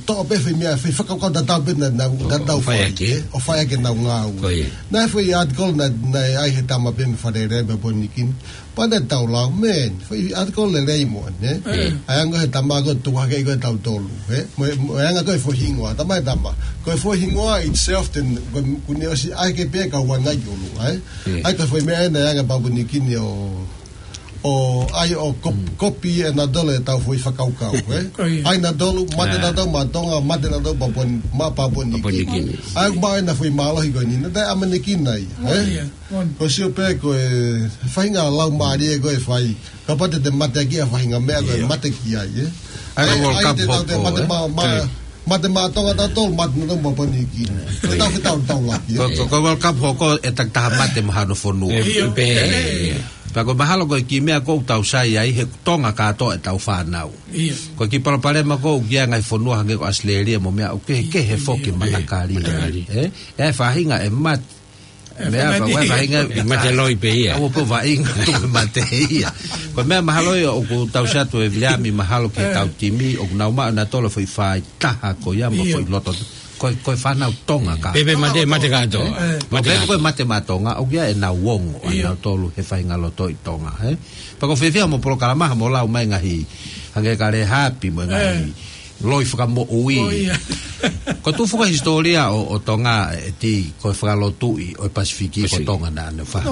toʻo pē foʻi meʻa, foʻi fakakaukau tatau pē naʻa nau, naʻa nau fai, ē? ʻO fai ʻaki ʻenau ngāue. Naʻe foʻi article naʻe, naʻe ʻai he tama pē mei Fale Alea Papua New Guinea. Pea naʻe tau lau, man, foʻi article lelei mo eni, ē? ʻA ia ʻoku he tama ko ē tuku hake ko ē tautolu, ē? Mo, mo e anga ko ē foʻi hingoa, tama e tama. Ko e foʻi hingoa itself, then, ko e kuo ne ʻosi ʻai ke pē kau anga ki ʻolunga, ē? ʻA ia ko e foʻi meʻa ena e anga Papua New Guinea ʻo, ʻo ʻai ʻo kop-, kopi ʻe nautolu ʻetau foʻi fakakaukau, ē? ʻAi nautolu, mate nautolu maʻa Tonga, mate nautolu Papua, maʻa Papua New Guinea. ʻA ia ʻoku maʻu ena foʻi mālohi ko eni, naʻe taʻeʻamanekina ia, ē? Ko e sio pē ko e faʻahinga lau mālie ko e fai. Kapau te te mate ʻaki ʻa e faʻahinga meʻa ko e mate ki ai, ē? ʻA ia ko e World Cup hoko, ē? Mate maʻa, maʻa, mate maʻa Tonga tautolu, mate nautolu maʻa Papua New Guinea. Ko e tau fetau tau laki, ē? Ko, ko, ko e World Cup hoko ʻe takitaha mate maʻa hano fonua. ʻIo. Pea ko e mahalo ko e kiʻi meʻa ʻoku tau sai ai he Tonga kātoa ʻetau fānau. Ko e kiʻi palopalema ko ē ʻoku ʻi ai ngaahi fonua hangē ko ʻAositelēlia mo meʻa ʻoku kehekehe foki matakali. Ē? ʻE faʻahinga ʻe mate. Meʻa fa-, ʻe faʻahinga ʻe mate loi pē ia. ʻOku pē faʻahinga tuku mate ia. Ko e meʻa mahalo ia ʻoku tau sio atu ʻe Viliami mahalo ki heʻetau timi, ʻoku nau maʻu nautolu foʻi fai taha ko ia mo foʻi loto. Ko e, ko e fānau Tonga ka. Pea mate, mate kātoa. Mate kātoa. Ko e mate maʻa Tonga, ʻoku ʻi ai ʻenau ongo, ʻa nautolu he faʻahinga loto ʻi Tonga, ē? Pea ʻoku fiefia mo polokalama ha mo lau mai ngaahi, hangē ka lehaapi mo e ngaahi loi fakamoʻui. Ko e tuʻu foki e hisitōlia ʻo, ʻo Tonga ʻe ti ko e fakalotuʻi ʻo e Pasifiki ko Tonga naʻa ne fai.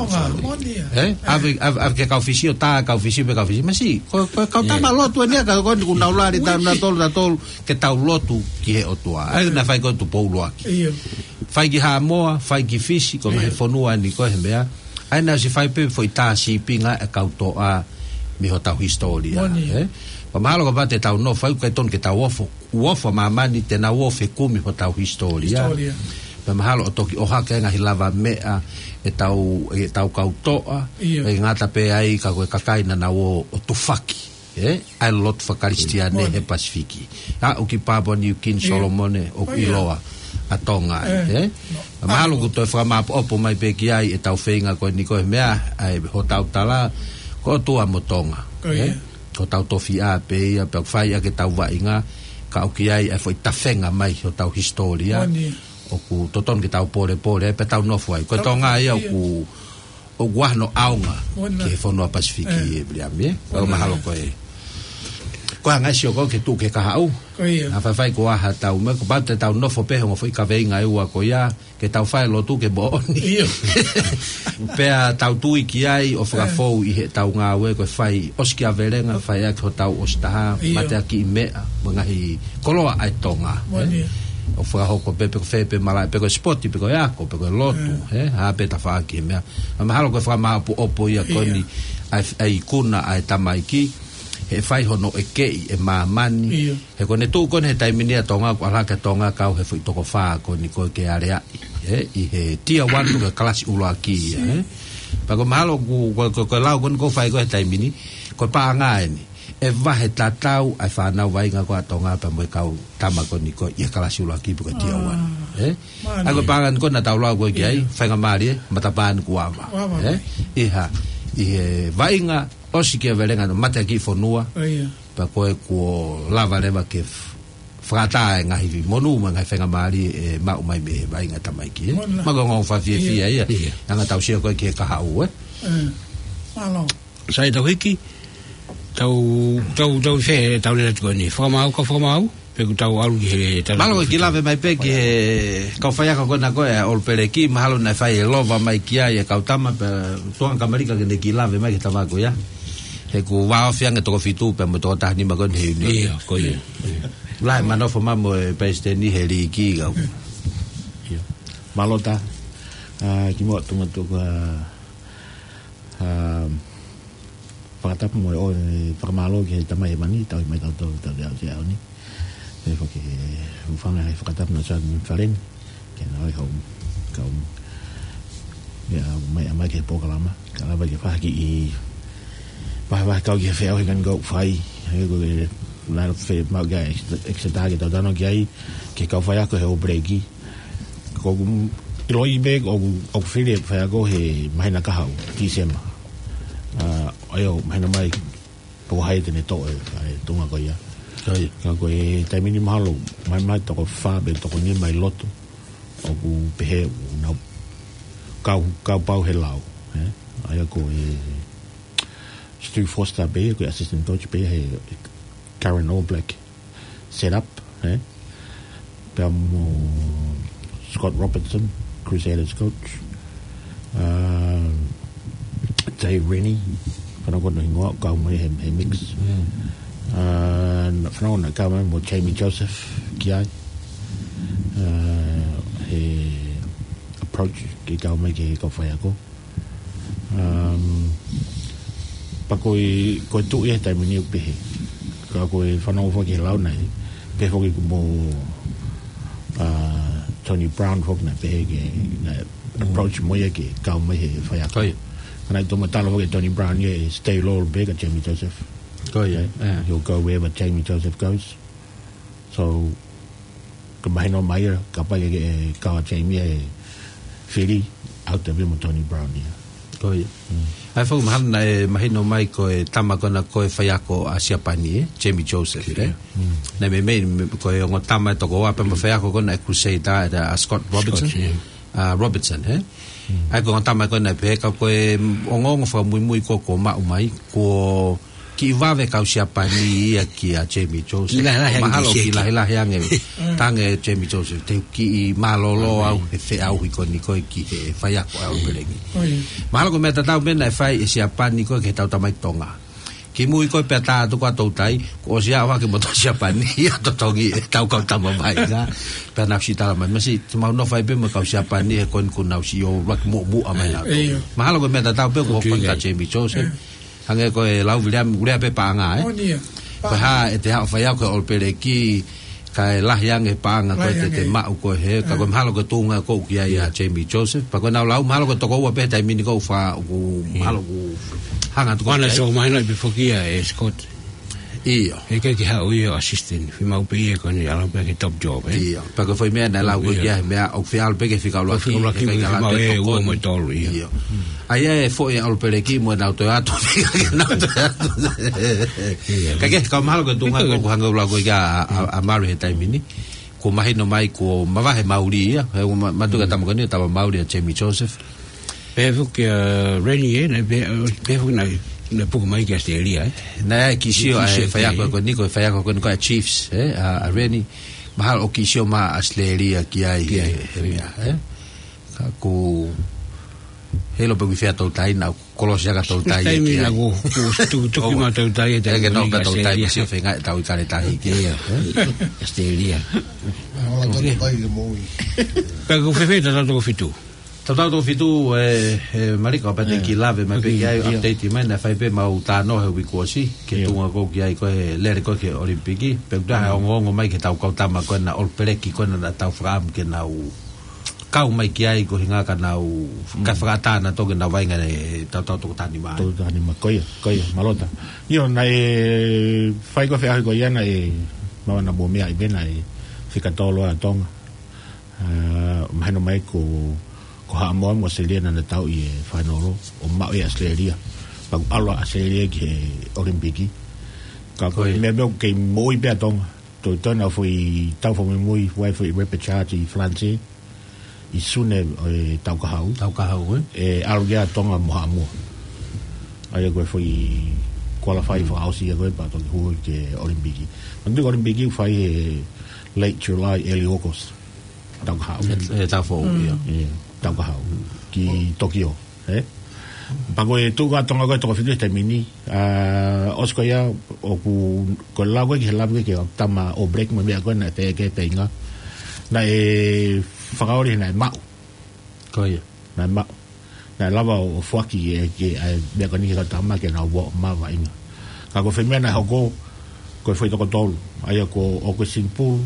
Ē? ʻAve, ʻave, ʻave ki he kau Fisi ʻo tā kau Fisi pē kau Fisi. Masi, ko, ko e kau tama lotu eni ka ko eni ʻoku nau lali tautolu, tautolu, ke tau lotu ki he ʻOtua. ʻA ia naʻe fai ko e Tupou ʻUluaki. Fai ki Haʻamoa, fai ki Fisi, ko e ngaahi fonua eni ko e he meʻa. ʻA ia naʻe ʻosi fai pē foʻi tā sīpinga e kau toʻa mei hotau hisitōlia, ē? Pea mahalo kapau te tau nofo ai ʻoku ʻikai tonu ke tau ofo, ʻoku ofo ʻa māmani te nau ofo he kumi hotau hisitōlia. Pea mahalo ʻo toki ʻohake ngaahi lavameʻa ʻetau, ʻetau kau toʻa, ʻe ngata pē ai ka ko e kakai naʻa nau ō ʻo tufaki. Ē, ʻa e lotu fakakalisitiane he Pasifiki. Aʻu ki Papua New Guinea, Solomone, ʻoku ʻiloa ʻa Tonga ai, ē? Mahalo ʻoku toe fakamāʻopoʻopo mai pē ki ai ʻetau feinga ko eni ko e meʻa, ʻa e hotau tala, ko e ʻOtua mo Tonga, ē? Ko hotau tofiʻa pē ia, pea ʻoku fai ʻaki ʻetau vaʻinga, ka ʻoku ʻi ai ʻa e foʻi tafenga mai hotau hisitōlia, ʻoku totonu ke tau polepole, pea tau nofo ai. Ko e Tonga ia ʻoku ʻoku ʻi ai hano ʻaonga ki he fonua Pasifiki ʻe Viliami, ē? Pea mahalo ko e. Ko e anga e sio ko ē ke tuʻu ki he kahaʻu. Naʻa faifai ko e hā ʻetau meʻa, kapau te tau nofo pē he ongo foʻi kaveinga ʻe ua ko ia, ke tau fai lotu ke moʻoni. Pea tau tui ki ai ʻo fakafou ʻi heʻetau ngāue ko e fai ʻosikiavelenga, fai ʻaki hotau ʻosi taha, mateakiʻi meʻa, mo e ngaahi koloa ʻa e Tonga, ē? ʻO fakahoko pē, pe ko fē pē malaʻe, pe ko e sipoti, pe ko e ako, pe ko e lotu, ē? Hā pē tafaʻaki e meʻa. Pea mahalo ko e fakamāʻopoʻopo ia ko eni, ʻa e, ʻa e ikuna, ʻa e tamaiki, he fai hono ʻekeʻi e māmani. He ko ʻene tuʻu ko eni he taimi ni ʻa Tonga, ʻoku ʻalu hake ʻa Tonga kau he foʻi toko fā ko eni ko ē ke aleaʻi, ē? ʻI he tier one ko e kalasi ʻuluaki ia, ē? Pea ko e mahalo ko, ko, ko, ko e lau ko eni ʻoku fai ko ē he taimi ni, ko e paʻanga eni. ʻE vahe tatau ʻa e fānau vaʻinga ko ē ʻa Tonga pea mo e kau tama ko eni ko ē ʻi he kalasi ʻuluaki pe ko e tier one. Ē? ʻA ia ko e paʻanga eni ko ē naʻa tau lau ko ē ki ai, faingamālie, matapā eni kuo ava. Ē? ʻI ha, ʻi he vaʻinga, ʻosikiavelenga, mateakiʻi fonua, pea ko ē kuo lava leva ke f-, fakaʻatā e ngaahi monū mo e ngaahi faingamālie ʻe maʻu mai mei he vaʻinga tamaiki, ē. Mālō. Mako ngau fafiefia ia. Anga tau sio ko ē ki he kahaʻu, ē. Mālō. Sai tau hiki, tau, tau, tau fē, tau lea atu ko eni. Fakamaau, ka fakamaau, pe ʻoku tau ʻalu ki he tala. Mālō, ko e kiʻi lave mai pē ki he kau faiako ko ena ko ē, ʻa ʻOlupeleki, mahalo naʻe fai e lova mai ki ai e kau tama, pea tuanga Kamalika ke ne kiʻi lave mai ki he tama ko ia. He kuo vāofi ange toko fitu pea mo e toko taha nima ko eni he ʻiunioni. Ia, ko ia. Lahi e manofo mai mo e palesiteni he liiki kau. Ia. Mālō ʻa, ʻa, kimuʻa tuma tuku, ʻa, ʻa, fakatapu mo e ʻofa, ʻe, fakamālō ki he Tamai Hēvani, tauhi mai tautolu, tau te au te au ni. Pea foki he hūfanga he fakatapu na Sāni Faleni, ke na ʻofa hau, kau. Ia, mai, mai ki he polokalama, ka lava ke fai ha kiʻi, fai, fai kau ki he feʻauhi ko eni ʻoku fai, he ko e, na fe, mau kia, Exeter ke tau talanoa ki ai, ki he kau faiako he ʻOlupeleki. Ko ʻeku ʻiloʻi pē, ʻoku, ʻoku fili e faiako he māhina kahaʻu, Tīsema. ʻA, ʻa ia ʻoku mahino mai, pe ko hai te ne toʻo e, ʻa e tuʻunga ko ia. Ka ko e taimi ni mahalo, mai mai toko fā pe toko nima ʻi loto, ʻoku pehē ʻoku nau kau, kau pau he lao, ē? ʻA ia ko e Stu Foster pē, ko e assistant coach pē he current All Black setup, ē? Pea mo Scott Robertson, Crusaders coach. ʻA, Jay Rennie, fanongo hono hingoa, kau mai he, he mix. ʻA, fanongo naʻe kau mai mo Jamie Joseph ki ai. ʻA, he approach ke kau mai ki he kau faiako. Um, pea ko e, ko e tuʻi he taimi ni ʻoku pehē. Ka ko e fanongo foki he lau naʻe pehē foki ko mo, ʻa, Tony Brown foki naʻe pehē ke, naʻe approach mo ia ke kau mai he faiako. Ka naʻe toki tala foki Tony Brown ia ʻe stay loyal pē kia Jamie Joseph. He'll go wherever Jamie Joseph goes. So, ka mahino mai ia, kapau ʻe kau ʻa Jamie he fili, ʻalu atu pē mo Tony Brown ia. ʻA ia foki mahalo naʻe mahino mai ko e tama ko ena ko e faiako ʻa Siapani, ē, Jamie Joseph, ē. Naʻe meimei, me, ko e ongo tama ʻe toko ua pē mo e faiako ko ena ʻa e Crusader, ʻa Scott Robertson. ʻA Robertson, ē. ʻA ia ko e ongo tama ko ena pē ka ko e ongoongo fakamuimui ko ē kuo maʻu mai, kuo kiʻi vave kau Siapani ia kia Jamie Joseph. Kiʻi lahilahi ange mahalo kiʻi lahilahi ange. Tange Jamie Joseph, te u kiʻi mālōlō au he feʻauhi ko eni ko ē ki he faiako ʻa ʻOlupeleki. Mahalo ko e meʻa tatau pē naʻe fai ʻe Siapani ko ē ki heʻetau tamaiki Tonga. Kimui ko ē pea tā atu ko ē toutai, kuo ʻosi ʻalu hake mo e tau Siapani ia totongi ʻetau kau tama mai ka. Pea nau ʻosi tala mai, masiʻi, te mau nofo ai pē mo e kau Siapani he ko eni kuo nau ʻosi ʻuluaki muʻomuʻa mai nautolu. Mahalo ko e meʻa tatau pē kuo hoko kia Jamie Joseph. Hangē ko e lau Viliami, ʻoku lea pē paʻanga, ē? Ko e hā ʻete haʻu faiako he ʻOlupeleki, kae lahi ange paʻanga ko ē te te maʻu ko ē he, ka ko e mahalo ko e tuʻunga ko ē ʻoku ʻi ai ʻa Jamie Joseph. Pea ko ʻenau lau, mahalo ko e toko ua pē he taimi ni ʻoku fa, ʻoku mahalo ʻoku hanga atu ko ē. Ana so mahino pē foki ia ʻe Scott. ʻIo. He ʻikai ke haʻu ia ʻo assistant, fiemaʻu pē ia ko eni ʻalu pē ki he top job, ē? ʻIo. Pea ko e foʻi meʻa naʻe lau ko ē ki ai, meʻa ʻoku fie ʻalu pē ki he fika ʻuluaki, fika ʻuluaki, he ʻikai ke ʻalu ʻe ua mo e tolu, ʻio. ʻA ia e foʻi ʻa ʻOlupeleki mo ʻenau toe atu, ʻenau toe atu. Ka ke, ka mahalo ko e tuʻunga ko ē ʻoku hanga ʻo lau ko ē kia ʻa, ʻa, ʻa Mari he taimi ni. Kuo mahino mai kuo mavahe mauli ia, he ʻoku ma, mātuʻaki tama ko eni, tama mauli ʻa Jamie Joseph. Pehē foki ʻa Rennie, ē, naʻe pehē, pehē foki naʻe, naʻe puke mai ki ʻAositelēlia, ē? Naʻe kiʻi sio ʻa e faiako ko eni, ko e faiako ko eni ko e Chiefs, ē, ʻa, ʻa Rennie. Mahalo ʻoku kiʻi sio mai ʻAositelēlia ki ai, ki ai, he, he meʻa, ē? Ka ʻoku heiʻilo pē ʻoku ʻi fē ʻa toutai, naʻa ku kolosi ʻa toutai ia ki ai. Taimi naʻa ku, ku tukutuku mai toutai, ʻe ke nofo pē toutai, ʻAositelēlia. Sio feinga ʻetau ʻi kale tahi ki ai, ē? ʻAositelēlia. Pea ʻoku fēfē ʻetau toko fitu? Tau tau toko fitu, ē, ē, Malika, ʻo pate kiʻi lave mai pē ki ai, update mai, naʻe fai pē mau talanoa he uike kuo ʻosi, ki he tuʻunga ko ē ki ai ko e lele ko ē ki he ʻOlimipiki, pea ʻoku ʻi ai e ongoongo mai ki heʻetau kau tama ko ena ʻOlupeleki ko ena naʻa tau fakaʻamu ke nau kau mai ki ai ko e ʻuhinga ka nau, ka fakaʻatā nautolu ke nau vaʻinga he tautau toko taha nima. Toko taha nima, ko ia, ko ia, mālō ʻa. ʻIo, naʻe fai ko e feʻauhi ko ia naʻe, mau ana mo meʻa ʻi pē naʻe fika tolu ʻa Tonga. ʻA, mahino mai ko, ko Haʻamoa mo ʻAositelēlia naʻa na tauʻi e fainolo, ʻo maʻu ʻe ʻAositelēlia. Pea kuo ʻalu ʻa ʻAositelēlia ki he ʻOlimipiki. Ka ko e meʻa pē ʻoku kei moʻui pē ʻa Tonga. Ko e toe naʻa foʻi tau fakamuimui, ʻoku ʻi ai foʻi repechage ʻi Falanisē, ʻi Sune ʻo e taʻu kahaʻu. Taʻu kahaʻu, ē? ʻE ʻalu ki ai Tonga mo Haʻamoa. ʻA ia ko e foʻi qualify fakaʻosi ia ko ē pea toki hū ki he ʻOlimipiki. Manatuʻi ko e ʻOlimipiki ʻoku fai he late July, early August. Taʻu kahaʻu. ʻE, ʻe taʻu foʻou, ia. Ia, taʻu kahaʻu. Ki Tokyo. Ē? Pea ko e tuʻu ko ē ʻa Tonga ko e toko fitu he taimi ni, ʻa, ʻosi ko ia, ʻoku, ko e lau ko ē ki he lave ko ē ki he tama All Black mo e meʻa ko ē naʻe fai ki he feinga. Naʻe fakaoli naʻe maʻu. Ko ia. Naʻe maʻu. Naʻe lava ʻo, ʻo foaki e, ke, ʻa e meʻa ko eni ki he kau tama ke nau ō ʻo maʻu vaʻinga. Ka ko e foʻi meʻa naʻe hoko, ko e foʻi toko tolu. ʻA ia ko ʻAuckland Pulu,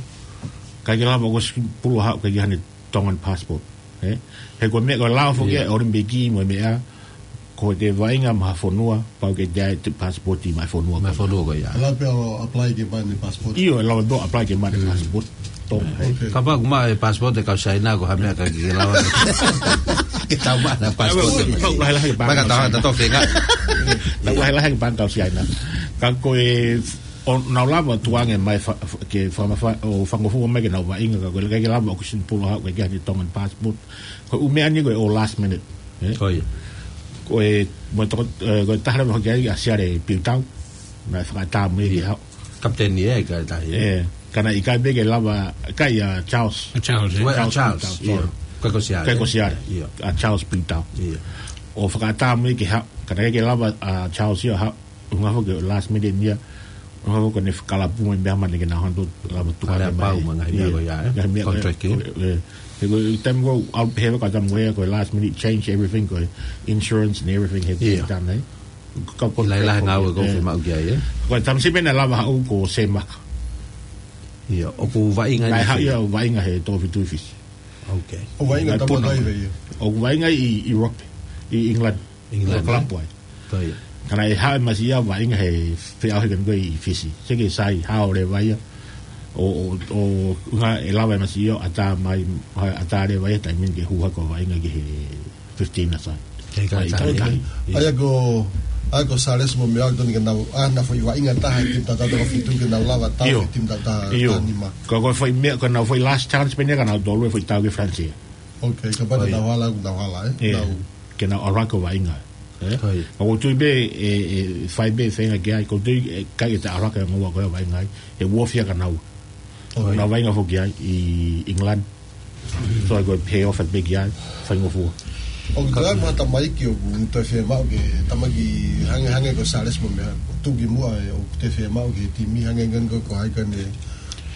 ʻikai ke lava ʻAuckland Pulu ʻo haʻu ʻikai ke ʻi ai haʻane Tongan passport. Ē? He ko e meʻa ko e lao foki ia ʻa e ʻOlimipiki mo e meʻa, ko e vaʻinga maʻa ha fonua, pau ke ʻi ai e passport maʻa e fonua ko ia. Maʻa e fonua ko ia. ʻE lava pē ʻo apply ke maʻu haʻane passport? ʻIo, ʻe lava pē ʻo apply ke maʻu haʻane passport. Tonga, ē. Ok. Kapau ʻoku maʻu e passport ʻa e kau Siaina ko e hā e meʻa ʻikai ke lava ke tau maʻu haʻane passport. Pau, pau, lahi, lahi, pau, pau, pau, pau, pau, pau, pau, lahi, lahi, pau, kau Siaina. Ka ko e, ʻoku nau lava tuʻunga mai fa-, fa-, ke fakamafa-, ʻo fakangofua mai ke nau vaʻinga, ka ko e ʻikai ke lava ʻAuckland Pulu ʻo haʻu ʻikai ke ʻi ai haʻane Tongan passport. Ko e ʻū meʻa ni ko e ʻo last minute. Ē? Ko ia. Ko e, mo e toko, ē, ko e taha leva hoki ai ʻa Siale Piutau. Naʻe fakaʻatā mai ke haʻu. Kapiteni ē, ka e tahi ē. Ē, ka naʻe ʻikai pē ke lava, ʻikai ʻa Charles. ʻA Charles, ē? Ko e ʻa Charles Charles, Piutau, io. Sorry. Ko e ko Siale. Ko e ko Siale. Io. ʻA Charles Piutau. Io. ʻO fakaʻatā mai ke haʻu, ka naʻe ʻikai ke lava ʻa Charles ia ʻo haʻu. ʻUhinga foki last minute ia, ʻuhinga foki ko ʻene fakalapu mo e meʻa mane ke nau hanga ʻo lava tuʻunga mai. Kale pau mo e ngaahi meʻa ko ia, ē? Ngaahi meʻa ko ia. Contract, ē? Ē, ē, he ko e taimi ko ē ʻalu pē he kau tama ko ia, ko e last minute change everything, ko e insurance and everything he pē taimi, ē? Ka ko e lahi lahi ngāue ko ē, ē, fiemaʻu ki ai, ē? Ko e tama siʻi pē naʻe lava haʻu ko Semaka. Ia, ʻoku vaʻinga naʻe haʻu ia ʻo vaʻinga he toko fitu ʻi Fisi. Ok. ʻOku vaʻinga tama puna. ʻOku vaʻinga ʻi, ʻi rugby, ʻi England. England, ē? Ko e club ai. Ko ia. Ka naʻe haʻu e masiʻi ia ʻo vaʻinga he feʻauhi ko eni ko ē ʻi Fisi. Seke sai hao leva ia. ʻO, ʻo, ʻo, ʻuhinga ʻe lava e masiʻi ia ʻo ʻatā mai, ʻatā leva ia taimi ni ke hū hake ʻo vaʻinga ki he fifteen a side. He ka ʻikai ke taha. ʻIkai ke taha. ʻA ia ko, ʻa ia ko Sales mo e meʻa ʻoku totonu ke nau, ʻa, nau foʻi vaʻinga taha he timi taʻu taha toko fitu ke nau lava tau he timi taʻu taha nima. Ko, ko e foʻi meʻa, ko ʻenau foʻi last chance pē eni ia ka nau tolu e foʻi tau ki Falanisē. Ok, kapau te nau hala, nau hala, ē? Ē, nau ke nau ʻalu hake ʻo vaʻinga, ē? Ko ia. Ka ʻoku ou tui pē, ʻe, ʻe fai pē feinga ki ai, ʻoku ou tui ʻe ʻikai ke ta ʻalu hake ʻo ngoua ko ē ʻo vaʻinga ai, ʻe uofia ka nau. Ko ia. Nau vaʻinga foki ai ʻi England. So ko e pay off pē ki ai, faingofua. ʻOku tala mo ha tamaiki ʻoku toe fiemaʻu ke tamaiki hangē, hangē ko Sales mo e meʻa, tuki muʻa ē ʻoku toe fiemaʻu ke timi hangē ngan ko, ko hai ka ne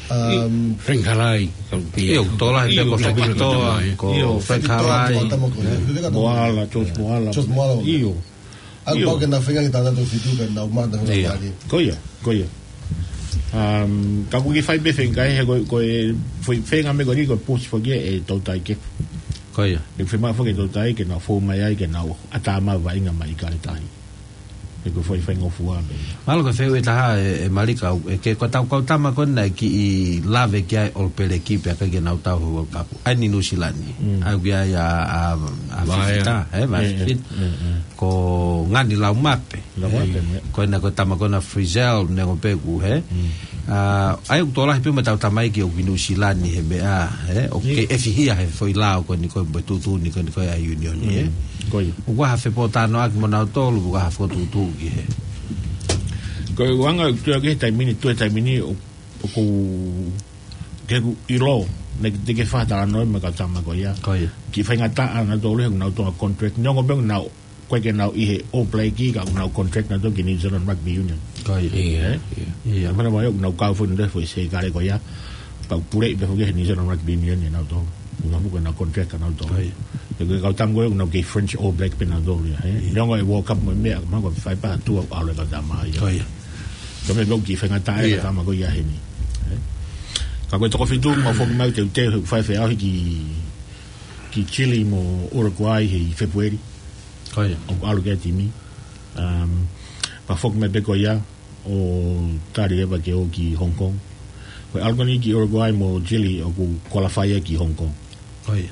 Um, Frank Halai, ka ʻio, ʻio, tō lahi pē ko Frank Toa, ko Frank Halai. Moala, George Moala. George Moala. ʻIo. ʻA ia pau ke nau feinga ke tau nau tau fitu ka nau mata. ʻIo. Ko ia, ko ia. Um, ka ʻoku ke fai pē feinga he ko, ko e, fai feinga mai ko eni ko e push foki ʻe Toutai Kefu. Ko ia. ʻE fiemaʻu foki ʻe Toutai ke nau fou mai ai ke nau ʻatā mai vaʻinga mai ʻIkale Tahi. He ko e foʻi faingofua pē. Mahalo ko e fehuʻi ʻe taha ē, ē Malika, ʻe ke ko e tau kau tama ko eni naʻe kiʻi lave ki ai ʻOlopeleki pea ʻikai ke nau tau he World Cup. ʻA eni Nuʻusila ni. Mm. ʻA ia ʻoku ʻi ai ʻa, ʻa, ʻa Vaea. Fifita, ē, Vaea Fifita. Ko Ngani Laumape. Laumape, ē. Ko ena ko e tama ko ena Frizzell, neongo pē ʻoku, hē? Mm. ʻA, ʻa ia ʻoku tō lahi pē mo e tau tamaiki ʻoku ʻi Nuʻusila ni he meʻa, hē? ʻOku ke ʻefihia he foʻi lao ko eni ko e mo e tuʻutuʻuni ko eni ko e ʻa e union, hē? Mm. Ko ia. ʻOku ʻi ai ha fepōtalanoaʻaki mo nautolu, ʻoku ʻi ai ha fokotuʻutuʻu ki hē? Ko e anga ʻoku tuʻu ki he taimi ni, tuʻu he taimi ni, ʻo, ʻoku ke ku ʻilo, naʻe ʻikai te ke fakatalanoa mo e kau tama ko ia. Ko ia. Kiʻi faingataʻa nautolu he ʻoku nau tō he contract. Neongo pē ʻoku nau ʻikai ke nau ʻi he All Black ka ʻoku nau contract nautolu ki he New Zealand Rugby Union. Ko ia. ʻIo, ē? ʻIo. ʻIo. Mana mai ʻoku nau kau foʻi nde foʻi sekale ko ia. Pea ʻoku puleʻi pē foki he New Zealand Rugby Union ʻia nautolu. ʻOku nau foki nau contract kia nautolu. Ko ia. He ko e kau tama ko ia ʻoku nau kei French All Black pē nautolu ia, ē? ʻIo. Neongo e World Cup mo e meʻa, mahalo ko e fai pē ha tuʻa ʻalu e kau tama ia. Ko ia. Ko e meʻa pē ʻoku kiʻi faingataʻa e kau tama ko ia heni. Ē? Ka ko e toko fitu, mau foki mai teuteu, he ʻoku fai feʻauhi ki ki Chile mo Uruguay he ʻi Fēpueli. Ko ia. ʻOku ʻalu ki ai e timi. Um, pea foki mai pē ko ia ʻo tali leva ke ō ki Hong Kong. Ko e ʻalu ko eni ki Uruguay mo Chile ʻoku qualify ia ki Hong Kong. Ko ia.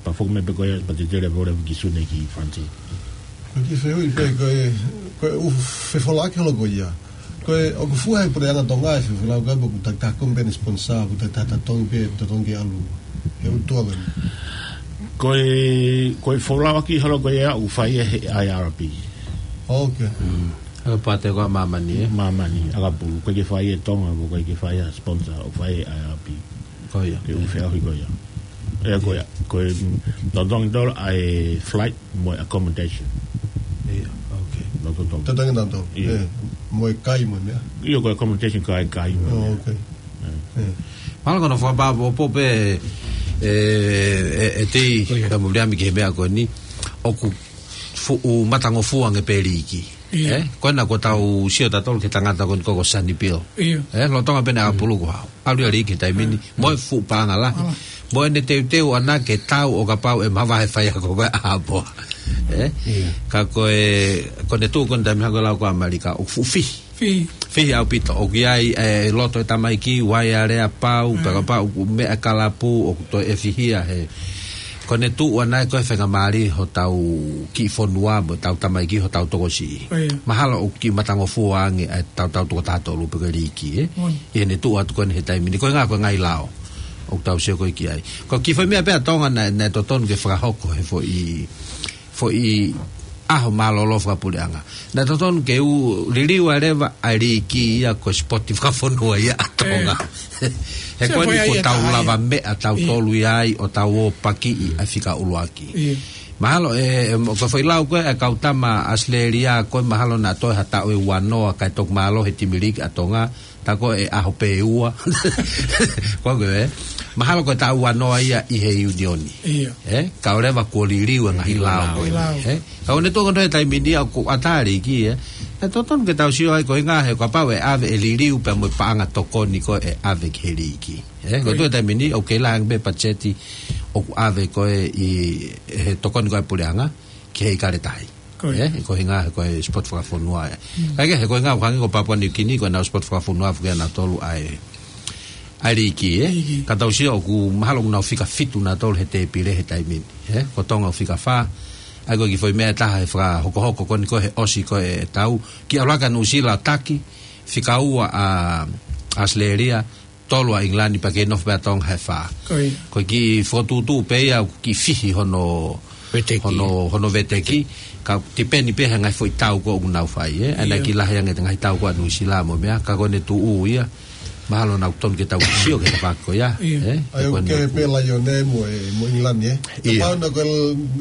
Pea foki mai pē ko ia, pea te tele pē leva ki Sune ki Falanisē. Ko e kiʻi fehuʻi pē ko e, ko e ʻū fefolaʻaki holo ko ia. Ko e, ʻoku fua he puleʻanga Tonga e fefulau ka ʻoku taki taha company sponsor, ʻoku taki taha totongi pē, totongi ke ʻalu he ʻū tournament. Ko e, ko e folauʻaki holo ko ia ʻoku fai ʻe he I R B. Ok. Mm. He pate ko ē māmani, ē? Māmani, ʻakapulu. ʻOku ʻikai ke fai ʻe Tonga, ʻoku ʻikai ke fai ʻe ha sponsor, ʻoku fai ʻe he I R B. Ko ia. Ke ʻū feʻauhi ko ia. ʻE, ko ia. Ko e, mm, totongi tolo ʻa e flight mo e accommodation. Ia, ok. Totongi. Totongi tolo. Ia. ʻE, mo e kai mo e meʻa. Ia, ko e accommodation kai, kai mo e meʻa. Oh, ok. ʻE. ʻE. Mālō ko hono fakapāpōpō pē, ʻe, ʻe, ʻe tei, ko ia, ka mo liami ki he meʻa ko eni. ʻOku fuʻu matangofua ange pē liiki. Ia. ʻE, ko ena ko ʻetau sio tautolu ki he tangata ko eni ko, ko Sonny Bill. Ia. ʻE, lolotonga pē ʻene ʻakapulu ko hau. ʻAlu ia liiki he taimi ni. Mo e fuʻu paʻanga lahi. Mo ʻene teuteu ʻana ke tau ʻo kapau ʻe mavahe faiako ko ē ʻa Haʻamoa. ʻE? Ia. Ka ko e, ko ʻene tuʻu ko eni taimi hako lau ko ē ʻAmelika, ʻoku fuʻu fihi. Fihi. Fihi ʻaupito, ʻoku ʻi ai e loto e tamaiki, uaiale ʻa Pau, pea kapau ʻoku meʻa kalapu, ʻoku toe ʻefihia he. Ko ʻene tuʻu ʻana ko e faingamālie hotau kiʻi fonua, mo ʻetau tamaiki, hotau tokosiʻi. Ko ia. Mahalo ʻoku kiʻi matangofua ange ʻetau, tau toko taha tolu pe ko e liiki, ē? Moʻoni. ʻI heʻene tuʻu atu ko eni he taimi ni, ko e ngaahi, ko e ngaahi lao ʻoku tau sio ko ē ki ai. Ko e kiʻi foʻi meʻa pē ʻa Tonga naʻe, naʻe totonu ke fakahoko he foʻi, foʻi ʻaho mālōlō fakapuleʻanga. Naʻe totonu ke ʻū liliu ʻa e leva ʻa e liiki ia ko e sipoti fakafonua ia ʻa Tonga. ʻE. He ko eni ko ʻetau lavameʻa tautolu ia ai ʻo tau ō pakiʻi ʻa e fika ʻuluaki. Ia. Mahalo ʻe, ʻe, ko e foʻi lau ko ē ʻa e kau tama ʻAositelēlia ko ē mahalo naʻa toe ha taʻu ʻe ua noa kae toki mālōlō he timi liiki ʻa Tonga, tā ko ē ʻaho pē ʻe ua. Ko ē, mahalo ko e taʻu ua noa ia ʻi he ʻiunioni. Ia. ʻE, kae ʻoua leva kuo liliu e ngaahi lao ko ē. Lao. ʻE, ka ʻoku ne tuʻu ko ē he taimi ni ʻoku ʻatā e liiki, ē. ʻE totonu ke tau sio ai ko e ngaahi he kapau ʻe ʻave e liliu pea mo e paʻanga tokoni ko ē ʻave ki he liiki. ʻE, ko e tuʻu he taimi ni ʻoku kei lahi ange pē patiseti ʻoku ʻave ko ē ʻi he tokoni ko ē ʻa e puleʻanga ki he ʻIkale Tahi. Ko ia. ʻE, ko e ʻuhinga he ko e sipoti fakafonua ia. Mm. Kae kehe, ko e ʻuhinga ʻoku hangē ko Papua New Guinea, ko ʻenau sipoti fakafonua foki ʻanautolu ʻa e, ʻa e liiki, ē? Liiki. Ka tau sio ʻoku mahalo ʻoku nau fika fitu nautolu he tēpile he taimi ni, ē? Ko Tonga ʻoku fika fā, ʻa ia ko e kiʻi foʻi meʻa ʻe taha he fakahokohoko ko eni ko ē he ʻosi ko ē ʻetau kiʻi ʻalu hake ʻa Nuʻusila ʻo taki, fika ua ʻa, ʻa ʻAositelēlia, tolu ʻa ʻIngilani pea kei nofo pē ʻa Tonga he fā. Ko ia. Ko e kiʻi fokotuʻutuʻu pē ia ʻoku kiʻi fihi hono, veteki, hono, hono veteki. Ka tipeni pē he ngaahi foʻi tau ko ē ʻoku nau fai, ē? ʻA ia naʻe kiʻi lahi ange e ngaahi tau ko ē ʻa Nuʻusila mo e meʻa, ka ko ʻene tuʻu ia. Mahalo naʻa totonu ke tau sio ki he tafaʻaki ko ia, ē? ʻA ia ʻoku kehe pē Laione mo e, mo ʻIngilani, ē? Ia. Kapau naʻe ko ē